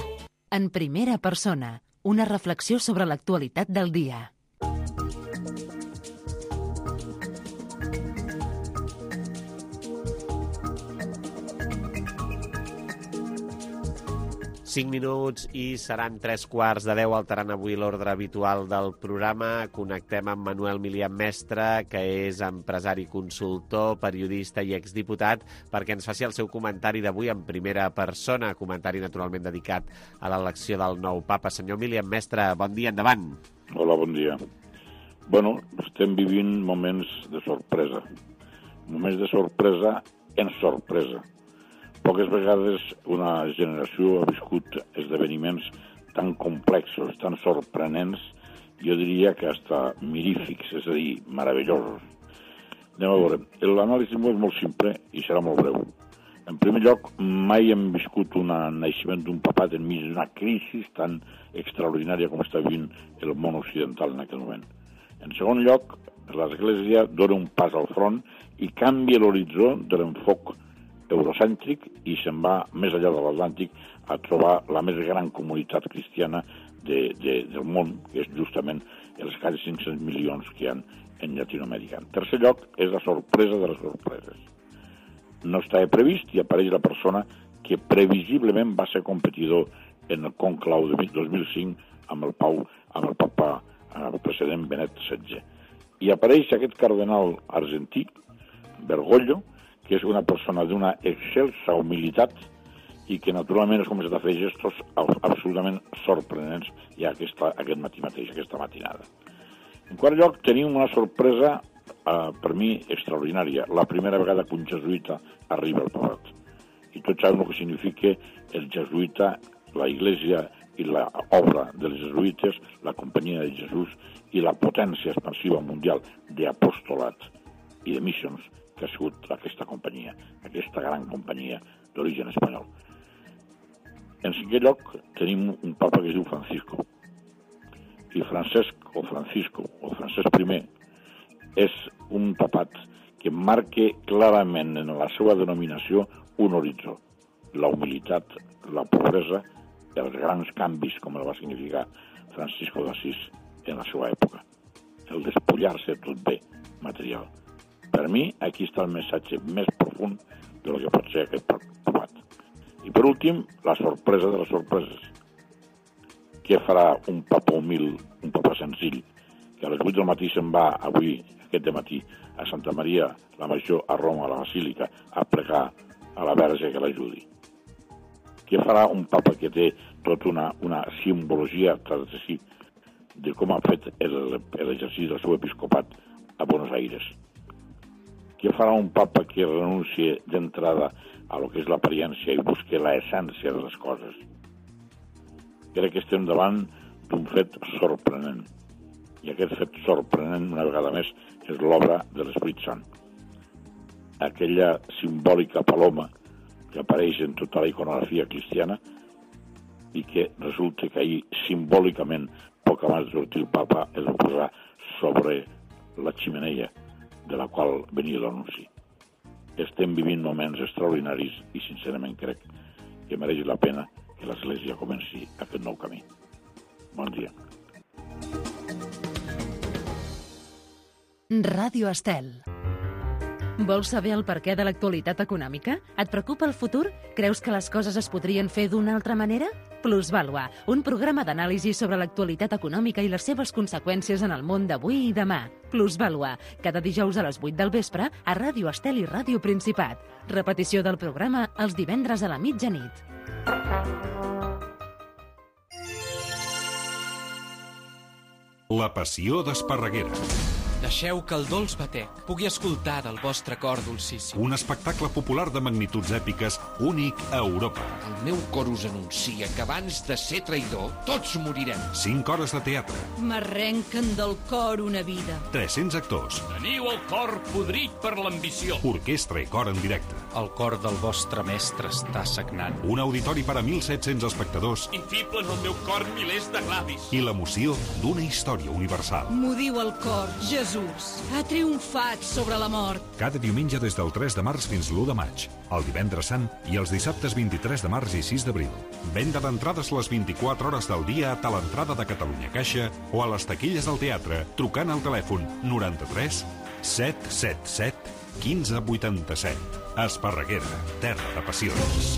Speaker 1: En primera persona, una reflexió sobre l'actualitat del dia.
Speaker 3: cinc minuts i seran tres quarts de deu, alterant avui l'ordre habitual del programa. Connectem amb Manuel Milian Mestre, que és empresari, consultor, periodista i exdiputat, perquè ens faci el seu comentari d'avui en primera persona, comentari naturalment dedicat a l'elecció del nou papa. Senyor Milian Mestre, bon dia, endavant.
Speaker 4: Hola, bon dia. Bueno, estem vivint moments de sorpresa. Moments de sorpresa en sorpresa. Poques vegades una generació ha viscut esdeveniments tan complexos, tan sorprenents, jo diria que hasta mirífics, és a dir, meravellosos. Anem a veure, l'anàlisi és molt simple i serà molt breu. En primer lloc, mai hem viscut un naixement d'un papat enmig d'una crisi tan extraordinària com està vivint el món occidental en aquest moment. En segon lloc, l'Església dona un pas al front i canvia l'horitzó de l'enfoc eurocèntric i se'n va més enllà de l'Atlàntic a trobar la més gran comunitat cristiana de, de, del món, que és justament els quasi cinc-cents milions que hi ha en Llatinoamèrica. En tercer lloc, és la sorpresa de les sorpreses. No estava previst i apareix la persona que previsiblement va ser competidor en el conclau de dos mil cinc amb el Pau, amb el papa el precedent Benet setze. I apareix aquest cardenal argentí, Bergoglio, que és una persona d'una excelsa humilitat i que naturalment és començat a fer gestos absolutament sorprenents ja aquesta, aquest matí mateix, aquesta matinada. En quart lloc, tenim una sorpresa eh, per mi extraordinària. La primera vegada que un jesuïta arriba al papat. I tots sabem el que significa el jesuïta, la Iglesia i l'obra dels jesuïtes, la companyia de Jesús i la potència expansiva mundial d'apostolat i de missions que ha sigut aquesta companyia, aquesta gran companyia d'origen espanyol. En cinquè lloc, tenim un papa que es diu Francisco. I Francesc o Francisco o Francesc primer és un papat que marca clarament en la seva denominació un horitzó. La humilitat, la pobresa, els grans canvis, com el va significar Francisco d'Assís en la seva època. El despullar-se tot bé material. Per mi, aquí està el missatge més profund del que pot ser aquest papat. I per últim, la sorpresa de les sorpreses. Què farà un papa humil, un papa senzill, que a les vuit del matí se'n va avui, aquest dematí, a Santa Maria, la Major, a Roma, a la Basílica, a pregar a la Verge que l'ajudi? Què farà un papa que té tota una, una simbologia tras de si de com ha fet l'exercici del seu episcopat a Buenos Aires? Què farà un papa que renuncie d'entrada a lo que és l'apariència i busque l'essència de les coses? Crec que estem davant d'un fet sorprenent. I aquest fet sorprenent, una vegada més, és l'obra de l'Esperit Sant. Aquella simbòlica paloma que apareix en tota la iconografia cristiana i que resulta que ahir, simbòlicament, poc abans de sortir el papa, es va posar sobre la ximeneia de la qual venia l'anunci. Estem vivint moments extraordinaris i, sincerament, crec que mereix la pena que l'Església comenci aquest nou camí. Bon dia.
Speaker 1: Ràdio Estel. Vols saber el perquè de l'actualitat econòmica? Et preocupa el futur? Creus que les coses es podrien fer d'una altra manera? Plusvàlua, un programa d'anàlisi sobre l'actualitat econòmica i les seves conseqüències en el món d'avui i demà. Plusvàlua, cada dijous a les vuit del vespre a Ràdio Estel i Ràdio Principat. Repetició del programa els divendres a la mitjanit.
Speaker 21: La passió d'Esparreguera.
Speaker 9: Deixeu que el dolç batec pugui escoltar del vostre cor dolcíssim.
Speaker 21: Un espectacle popular de magnituds èpiques únic a Europa.
Speaker 10: El meu cor us anuncia que abans de ser traïdor, tots morirem.
Speaker 21: Cinc hores de teatre.
Speaker 11: M'arrenquen del cor una vida.
Speaker 21: tres-cents actors.
Speaker 15: Teniu el cor podrit per l'ambició.
Speaker 21: Orquestra i cor en directe.
Speaker 9: El cor del vostre mestre està sagnant.
Speaker 21: Un auditori per a mil set-cents espectadors.
Speaker 15: Infiblen el meu cor milers de glavis.
Speaker 21: I l'emoció d'una història universal.
Speaker 11: M'ho diu el cor, Jesús. Ha triomfat sobre la mort.
Speaker 21: Cada diumenge des del tres de març fins l'u de maig, el divendres sant i els dissabtes vint-i-tres de març i sis d'abril. Venda d'entrades les vint-i-quatre hores del dia a Talentrada de Catalunya Caixa o a les taquilles del teatre trucant al telèfon noranta-tres set set set quinze vuitanta-set. Esparreguera, terra de passions.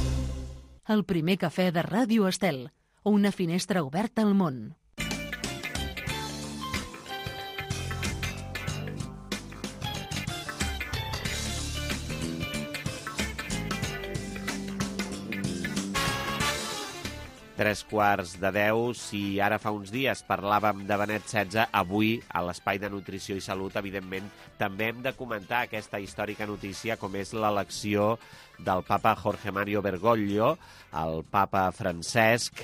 Speaker 1: El primer cafè de Ràdio Estel, una finestra oberta al món.
Speaker 3: Tres quarts de deu, si ara fa uns dies parlàvem de Benet setze, avui a l'Espai de Nutrició i Salut, evidentment, també hem de comentar aquesta històrica notícia com és l'elecció del papa Jorge Mario Bergoglio, el papa Francesc,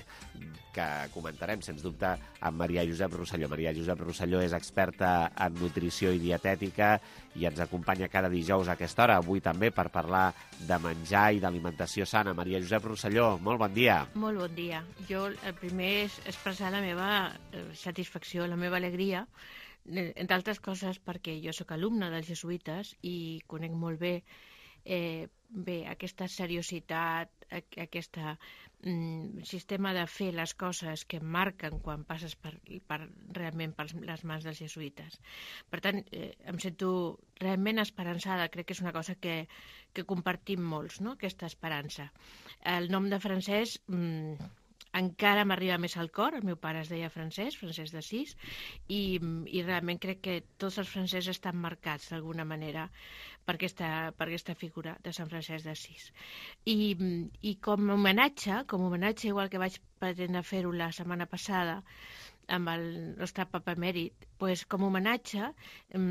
Speaker 3: que comentarem, sens dubte, amb Maria Josep Rosselló. Maria Josep Rosselló és experta en nutrició i dietètica i ens acompanya cada dijous a aquesta hora, avui també, per parlar de menjar i d'alimentació sana. Maria Josep Rosselló, molt bon dia.
Speaker 13: Molt bon dia. Jo el primer és expressar la meva satisfacció, la meva alegria, entre altres coses perquè jo sóc alumna dels jesuïtes i conec molt bé eh, bé, aquesta seriositat, aquest mm, sistema de fer les coses que marquen quan passes per, per, realment per les mans dels jesuïtes. Per tant, eh, em sento realment esperançada, crec que és una cosa que, que compartim molts, no?, aquesta esperança. El nom de Francesc... Mm, encara m'arriba més al cor, el meu pare es deia Francesc, Francesc d'Assís, i, i realment crec que tots els francesos estan marcats d'alguna manera per aquesta, per aquesta figura de Sant Francesc d'Assís. I, I com a homenatge, com a homenatge, igual que vaig pretendre fer-ho la setmana passada, amb el nostre papa emèrit, pues, com a homenatge eh,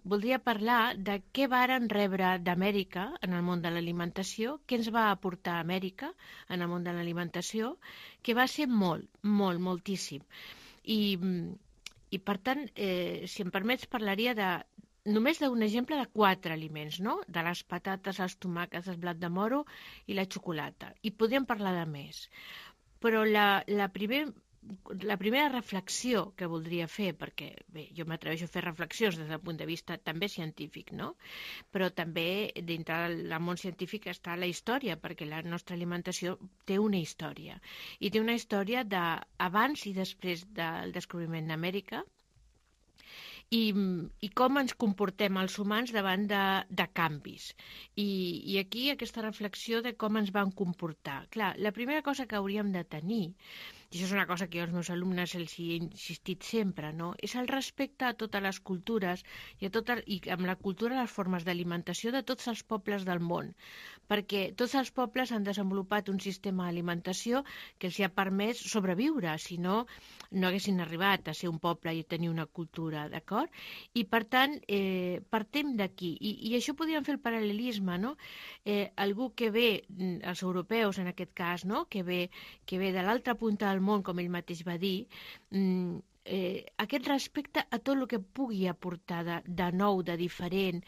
Speaker 13: voldria parlar de què varen rebre d'Amèrica en el món de l'alimentació, què ens va aportar Amèrica en el món de l'alimentació, que va ser molt, molt, moltíssim. I, i per tant, eh, si em permets, parlaria de només d'un exemple de quatre aliments, no?, de les patates, els tomàquets, el blat de moro i la xocolata. I podríem parlar de més. Però la, la primera... La primera reflexió que voldria fer, perquè bé, jo m'atreveixo a fer reflexions des del punt de vista també científic, no? Però també dintre del món científic està la història, perquè la nostra alimentació té una història. I té una història d'abans i després del descobriment d'Amèrica, i, i com ens comportem els humans davant de, de canvis. I, I aquí aquesta reflexió de com ens van comportar. Clar, la primera cosa que hauríem de tenir, i això és una cosa que jo als meus alumnes els he insistit sempre, no?, és el respecte a totes les cultures i, a tota, i amb la cultura les formes d'alimentació de tots els pobles del món, perquè tots els pobles han desenvolupat un sistema d'alimentació que els ha permès sobreviure, si no, no haguessin arribat a ser un poble i tenir una cultura, d'acord? I per tant, eh, partim d'aquí, I, i això podríem fer el paral·lelisme, no?, eh, algú que ve, els europeus en aquest cas, no?, que ve, que ve de l'altra punta del món, com ell mateix va dir, eh, aquest respecte a tot el que pugui aportar de, de nou, de diferent.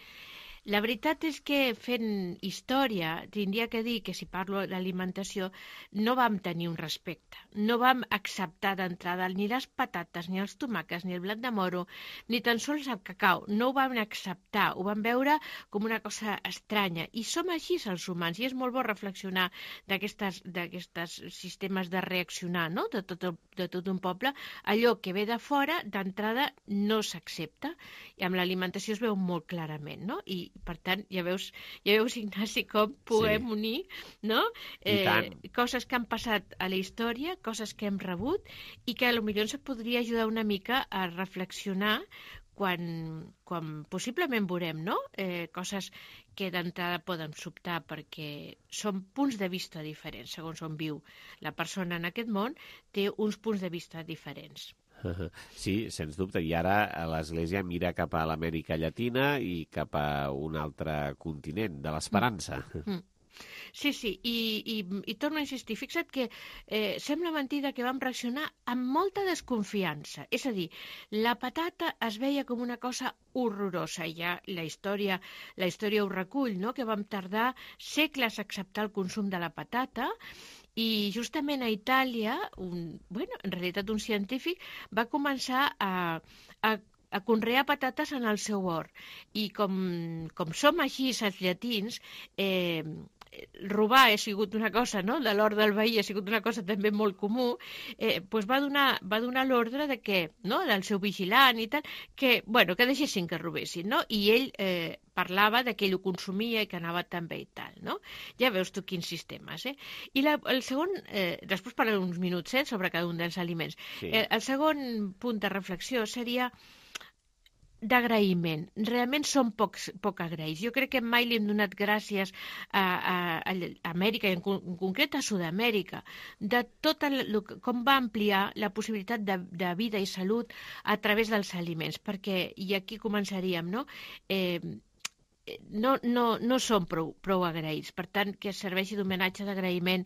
Speaker 13: La veritat és que fent història, tindria que dir que si parlo d'alimentació, no vam tenir un respecte. No vam acceptar d'entrada ni les patates, ni els tomàquets, ni el blat de moro, ni tan sols el cacau. No ho vam acceptar, ho vam veure com una cosa estranya. I som així els humans, i és molt bo reflexionar d'aquestes sistemes de reaccionar, no?, de tot, de tot un poble. Allò que ve de fora, d'entrada, no s'accepta. I amb l'alimentació es veu molt clarament, no? I per tant, ja veus, ja veus Ignasi, com podem sí. unir, no? Eh, coses que han passat a la història, coses que hem rebut i que potser ens podria ajudar una mica a reflexionar quan, quan possiblement veurem, no?, eh, coses que d'entrada poden sobtar perquè són punts de vista diferents, segons on viu la persona en aquest món, té uns punts de vista diferents.
Speaker 3: Sí, sens dubte. I ara l'Església mira cap a l'Amèrica Llatina i cap a un altre continent, de l'esperança.
Speaker 13: Mm. Sí, sí, i, i, i torno a insistir, fixa't que eh, sembla mentida que vam reaccionar amb molta desconfiança. És a dir, la patata es veia com una cosa horrorosa, i ja la història, la història ho recull, no?, que vam tardar segles a acceptar el consum de la patata. I justament a Itàlia, un, bueno, en realitat un científic, va començar a, a, a conrear patates en el seu hort. I com, com som així els llatins, eh, robar ha sigut una cosa, no?, de l'hort del veí ha sigut una cosa també molt comú, eh, doncs va donar, va donar l'ordre de que, no?, del seu vigilant i tal, que, bueno, que deixessin que robessin, no?, i ell eh, parlava de que ell ho consumia i que anava també i tal, no? Ja veus tu quins sistemes, eh? I la, el segon, eh, després parlaré uns minuts eh, sobre cada un dels aliments. Sí. Eh, el segon punt de reflexió seria d'agraïment. Realment som pocs, poc agraïts. Jo crec que mai li hem donat gràcies a, a, a Amèrica, i en, en concret a Sud-amèrica, de tot el, com va ampliar la possibilitat de, de vida i salut a través dels aliments, perquè, i aquí començaríem, no?, eh, no, no, no som prou, prou agraïts. Per tant, que serveixi d'homenatge d'agraïment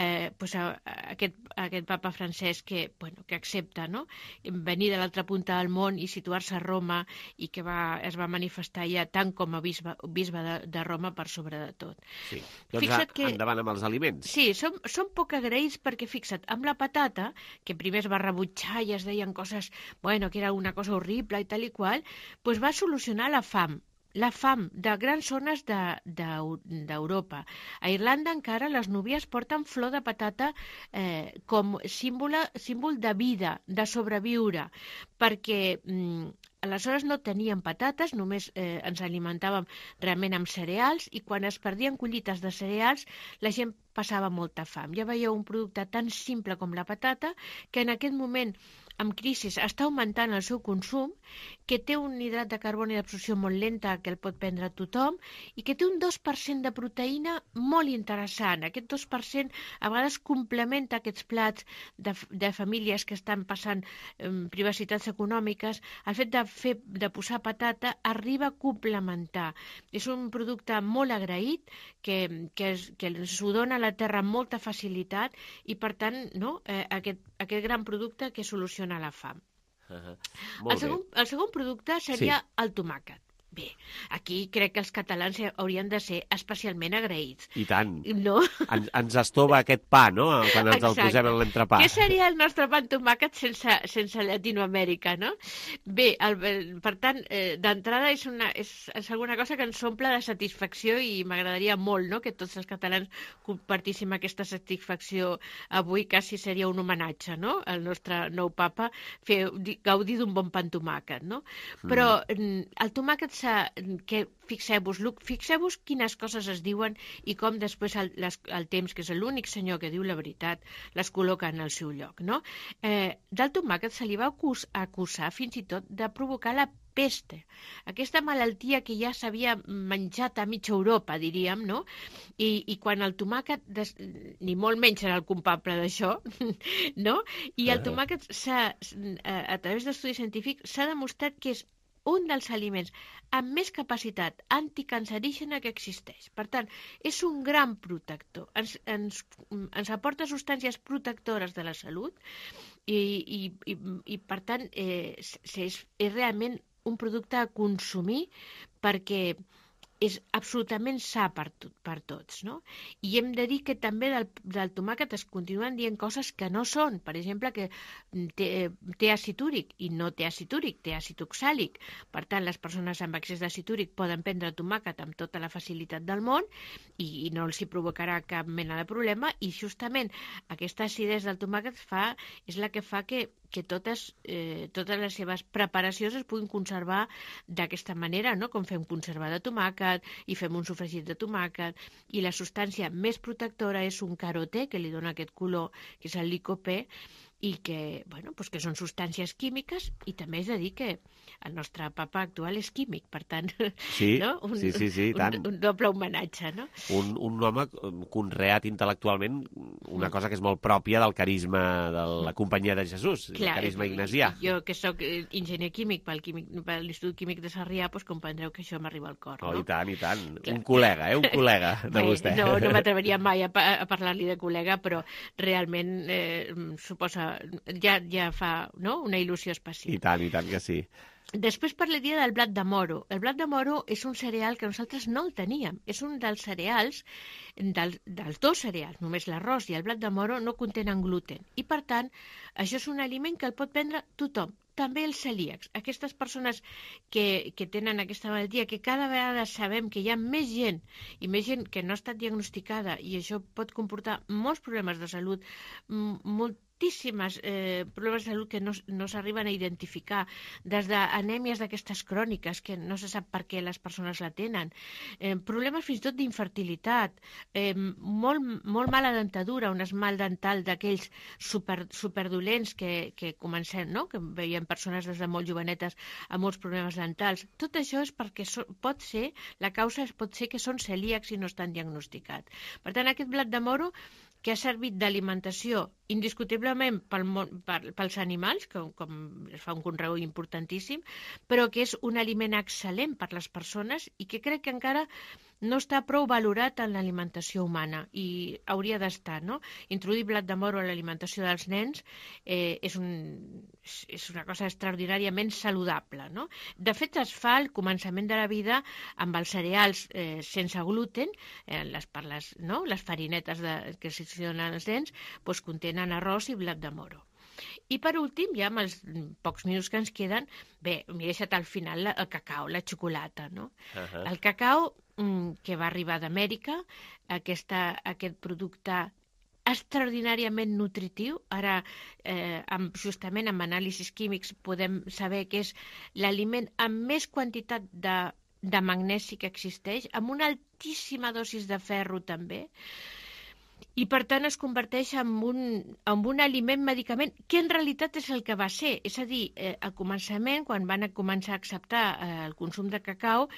Speaker 13: eh, pues a, a, aquest, a aquest papa Francesc que, bueno, que accepta, no?, venir de l'altra punta del món i situar-se a Roma, i que va, es va manifestar ja tant com a bisbe, bisbe de, de Roma per sobre de tot.
Speaker 3: Sí. Doncs fixa't que, endavant amb els aliments.
Speaker 13: Sí, som, som poc agraïts perquè, fixa't, amb la patata, que primer es va rebutjar i es deien coses, bueno, que era una cosa horrible i tal i qual, pues va solucionar la fam. la fam de grans zones d'Europa. A Irlanda encara les núvies porten flor de patata eh, com símbol, símbol de vida, de sobreviure, perquè mm, aleshores no teníem patates, només eh, ens alimentàvem realment amb cereals, i quan es perdien collites de cereals la gent passava molta fam. Ja veieu, un producte tan simple com la patata, que en aquest moment amb crisi està augmentant el seu consum, que té un hidrat de carboni d'absorció molt lenta que el pot prendre tothom i que té un dos per cent de proteïna molt interessant. Aquest dos per cent a vegades complementa aquests plats de, de famílies que estan passant eh, privacitats econòmiques. El fet de, fer, de posar patata arriba a complementar. És un producte molt agraït que, que, es, que s'ho dona a la terra amb molta facilitat i, per tant, no, eh, aquest, aquest gran producte que soluciona a la fam.
Speaker 3: Uh-huh.
Speaker 13: El segon, el segon producte seria sí. el tomàquet. Bé, aquí crec que els catalans haurien de ser especialment agraïts.
Speaker 3: I tant.
Speaker 13: No?
Speaker 3: En, ens estova aquest pa, no?, quan ens
Speaker 13: Exacte.
Speaker 3: el posem en l'entrepà.
Speaker 13: Què seria el nostre pa amb tomàquet sense, sense Llatinoamèrica, no? Bé, el, per tant, eh, d'entrada és, una, és, és alguna cosa que ens omple de satisfacció i m'agradaria molt, no?, que tots els catalans compartíssim aquesta satisfacció. Avui quasi seria un homenatge, no?, al nostre nou papa, fer, gaudir d'un bon pa amb tomàquet, no? Però mm. el tomàquet que fixeu-vos, fixeu-vos quines coses es diuen i com després el, les, el temps, que és l'únic senyor que diu la veritat, les col·loca en el seu lloc, no? Eh, del tomàquet se li va acus, acusar fins i tot de provocar la peste, aquesta malaltia que ja s'havia menjat a mitja Europa, diríem, no? I, i quan el tomàquet, des, ni molt menys era el culpable d'això, no? I el tomàquet, a, a través d'estudis científics, s'ha demostrat que és un dels aliments amb més capacitat anticancerígena que existeix. Per tant, és un gran protector. Ens, ens, ens aporta substàncies protectores de la salut i, i, i, i per tant, eh, és, és realment un producte a consumir perquè és absolutament sa per, tot, per tots, no? I hem de dir que també del, del tomàquet es continuen dient coses que no són. Per exemple, que té, té àcid úric i no té àcid úric, té àcid oxàlic. Per tant, les persones amb excés d'àcid úric poden prendre tomàquet amb tota la facilitat del món i, i no els hi provocarà cap mena de problema, i justament aquesta acidesa del tomàquet fa, és la que fa que que totes, eh, totes les seves preparacions es puguin conservar d'aquesta manera, no? Com fem conservar de tomàquet i fem un sofregit de tomàquet, i la substància més protectora és un carotè, que li dona aquest color, que és el licopè, i que, bueno, pues que són substàncies químiques, i també és de dir que el nostre papa actual és químic, per tant,
Speaker 3: sí,
Speaker 13: no? un,
Speaker 3: sí, sí, sí,
Speaker 13: un, un doble homenatge, no?
Speaker 3: Un, un home conreat intel·lectualment, una cosa que és molt pròpia del carisma de la Companyia de Jesús, Clar, el carisma ignasià.
Speaker 13: Jo, que sóc enginyer químic pel, químic, per l'Institut Químic de Sarrià, doncs comprendreu que això m'arriba al cor, no?
Speaker 3: Oh, i tant, i tant. Clar. Un col·lega, eh? Un col·lega de Bé, vostè.
Speaker 13: No, no m'atreveria mai a, a parlar-li de col·lega, però realment eh, suposa ja, ja fa, no?, una il·lusió especial.
Speaker 3: I tant, i tant que sí.
Speaker 13: Després parlaria del blat de moro. El blat de moro és un cereal que nosaltres no el teníem. És un dels cereals, del, dels dos cereals, només l'arròs i el blat de moro no contenen gluten. I, per tant, això és un aliment que el pot prendre tothom, també els celíacs. Aquestes persones que, que tenen aquesta malaltia, que cada vegada sabem que hi ha més gent, i més gent que no ha estat diagnosticada, i això pot comportar molts problemes de salut, molt moltíssimes eh, problemes de salut que no, no s'arriben a identificar, des d'anèmies d'aquestes cròniques que no se sap per què les persones la tenen, eh, problemes fins i tot d'infertilitat, eh, molt, molt mala dentadura, un esmalt dental d'aquells super, superdolents que, que comencem, no?, que veiem persones des de molt jovenetes amb molts problemes dentals. Tot això és perquè so, pot ser, la causa és, pot ser que són celíacs i no estan diagnosticats. Per tant, aquest blat de moro, que ha servit d'alimentació indiscutiblement pel, per, pels animals, com, com es fa un conreu importantíssim, però que és un aliment excel·lent per les persones i que crec que encara no està prou valorat en l'alimentació humana i hauria d'estar, no? Introduir blat de moro a l'alimentació dels nens eh, és, un, és una cosa extraordinàriament saludable, no? De fet, es fa al començament de la vida amb els cereals eh, sense gluten, eh, les, per les, no? les farinetes de, que s'hi donen als nens, doncs contenen arròs i blat de moro. I per últim, ja amb els pocs minuts que ens queden, bé, m'he deixat al final el cacau, la xocolata, no? Uh-huh. El cacau, que va arribar d'Amèrica, aquesta, aquest producte extraordinàriament nutritiu. Ara, eh, amb, justament amb anàlisis químics, podem saber que és l'aliment amb més quantitat de, de magnesi que existeix, amb una altíssima dosis de ferro també, i per tant es converteix en un, en un aliment medicament que en realitat és el que va ser. És a dir, eh, al començament, quan van a començar a acceptar eh, el consum de cacau,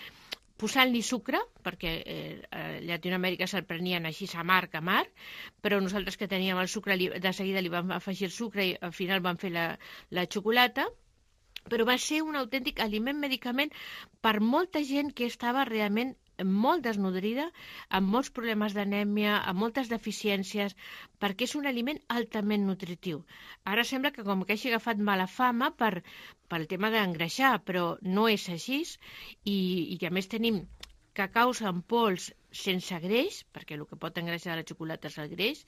Speaker 13: posant-li sucre, perquè eh, a Llatinoamèrica se'l prenien així amarg, amarg, però nosaltres que teníem el sucre, de seguida li vam afegir el sucre i al final vam fer la, la xocolata, però va ser un autèntic aliment medicament per molta gent que estava realment molt desnodrida, amb molts problemes d'anèmia, amb moltes deficiències, perquè és un aliment altament nutritiu. Ara sembla que com que hagi agafat mala fama per, pel tema d'engreixar, però no és així, i, i a més tenim cacaus en pols sense greix, perquè el que pot engreixar la xocolata és el greix,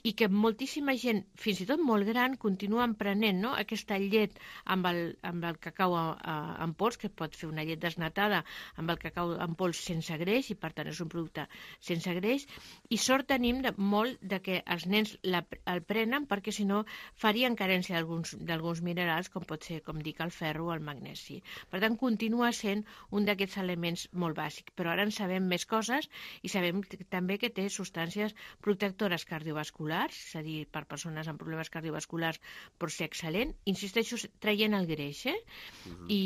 Speaker 13: i que moltíssima gent, fins i tot molt gran, continuen prenent, no?, aquesta llet amb el, amb el cacau a, a, en pols, que pot fer una llet desnatada amb el cacau en pols sense greix, i per tant és un producte sense greix, i sort tenim de, molt de que els nens la, el prenen, perquè si no farien carència d'alguns minerals, com pot ser, com dic, el ferro o el magnesi. Per tant, continua sent un d'aquests elements molt bàsics, però ara en sabem més coses i sabem també que té substàncies protectores cardiovasculars, és a dir, per persones amb problemes cardiovasculars pot ser excel·lent, insisteixo, traient el greix, eh? Uh-huh. I,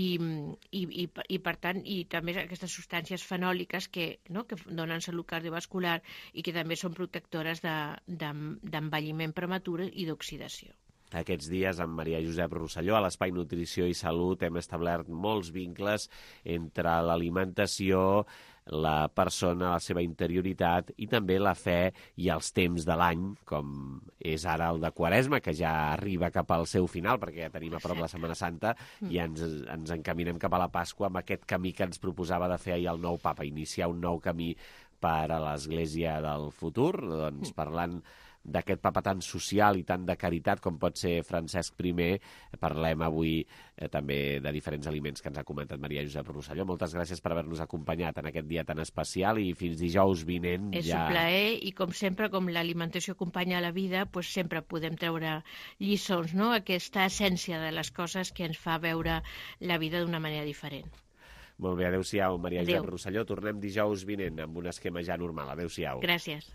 Speaker 13: i, i, i per tant, i també aquestes substàncies fenòliques que, no, que donen salut cardiovascular i que també són protectores d'envelliment de, prematur i d'oxidació.
Speaker 3: Aquests dies, amb Maria Josep Rosselló, a l'Espai Nutrició i Salut, hem establert molts vincles entre l'alimentació, la persona, la seva interioritat i també la fe i els temps de l'any, com és ara el de Quaresma, que ja arriba cap al seu final, perquè ja tenim a prop la Setmana Santa i ens, ens encaminem cap a la Pasqua amb aquest camí que ens proposava de fer ahir el nou papa, iniciar un nou camí per a l'Església del futur, doncs parlant d'aquest papa tan social i tan de caritat com pot ser Francesc primer, parlem avui eh, també de diferents aliments que ens ha comentat Maria Josep Rosselló. Moltes gràcies per haver-nos acompanyat en aquest dia tan especial i fins dijous vinent
Speaker 13: és
Speaker 3: ja...
Speaker 13: un plaer i com sempre, com l'alimentació acompanya la vida, pues sempre podem treure lliçons, no? Aquesta essència de les coses que ens fa veure la vida d'una manera diferent.
Speaker 3: Molt bé, adéu-siau, Maria
Speaker 13: Adéu.
Speaker 3: Josep Rosselló. Tornem dijous vinent amb un esquema ja normal. Adéu-siau.
Speaker 13: Gràcies.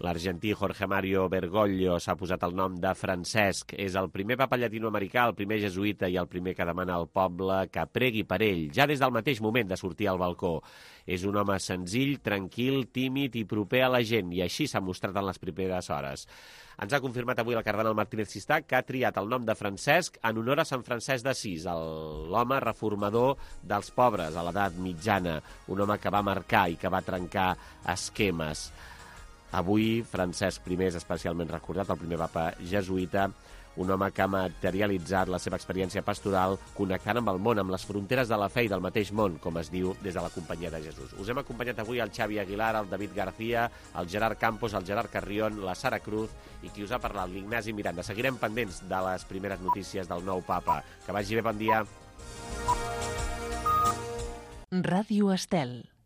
Speaker 3: L'argentí Jorge Mario Bergoglio s'ha posat el nom de Francesc. És el primer papa llatinoamericà, el primer jesuïta i el primer que demana al poble que pregui per ell, ja des del mateix moment de sortir al balcó. És un home senzill, tranquil, tímid i proper a la gent, i així s'ha mostrat en les primeres hores. Ens ha confirmat avui el cardenal Martínez Cistà, que ha triat el nom de Francesc en honor a Sant Francesc d'Assís, l'home reformador dels pobres a l'edat mitjana, un home que va marcar i que va trencar esquemes. Avui, Francesc primer és especialment recordat, el primer papa jesuïta, un home que ha materialitzat la seva experiència pastoral connectant amb el món, amb les fronteres de la fe i del mateix món, com es diu des de la Companyia de Jesús. Us hem acompanyat avui el Xavi Aguilar, el David García, el Gerard Campos, el Gerard Carrión, la Sara Cruz i qui us ha parlat, l'Ignasi Miranda. Seguirem pendents de les primeres notícies del nou papa. Que vagi bé, bon dia.
Speaker 1: Ràdio Estel.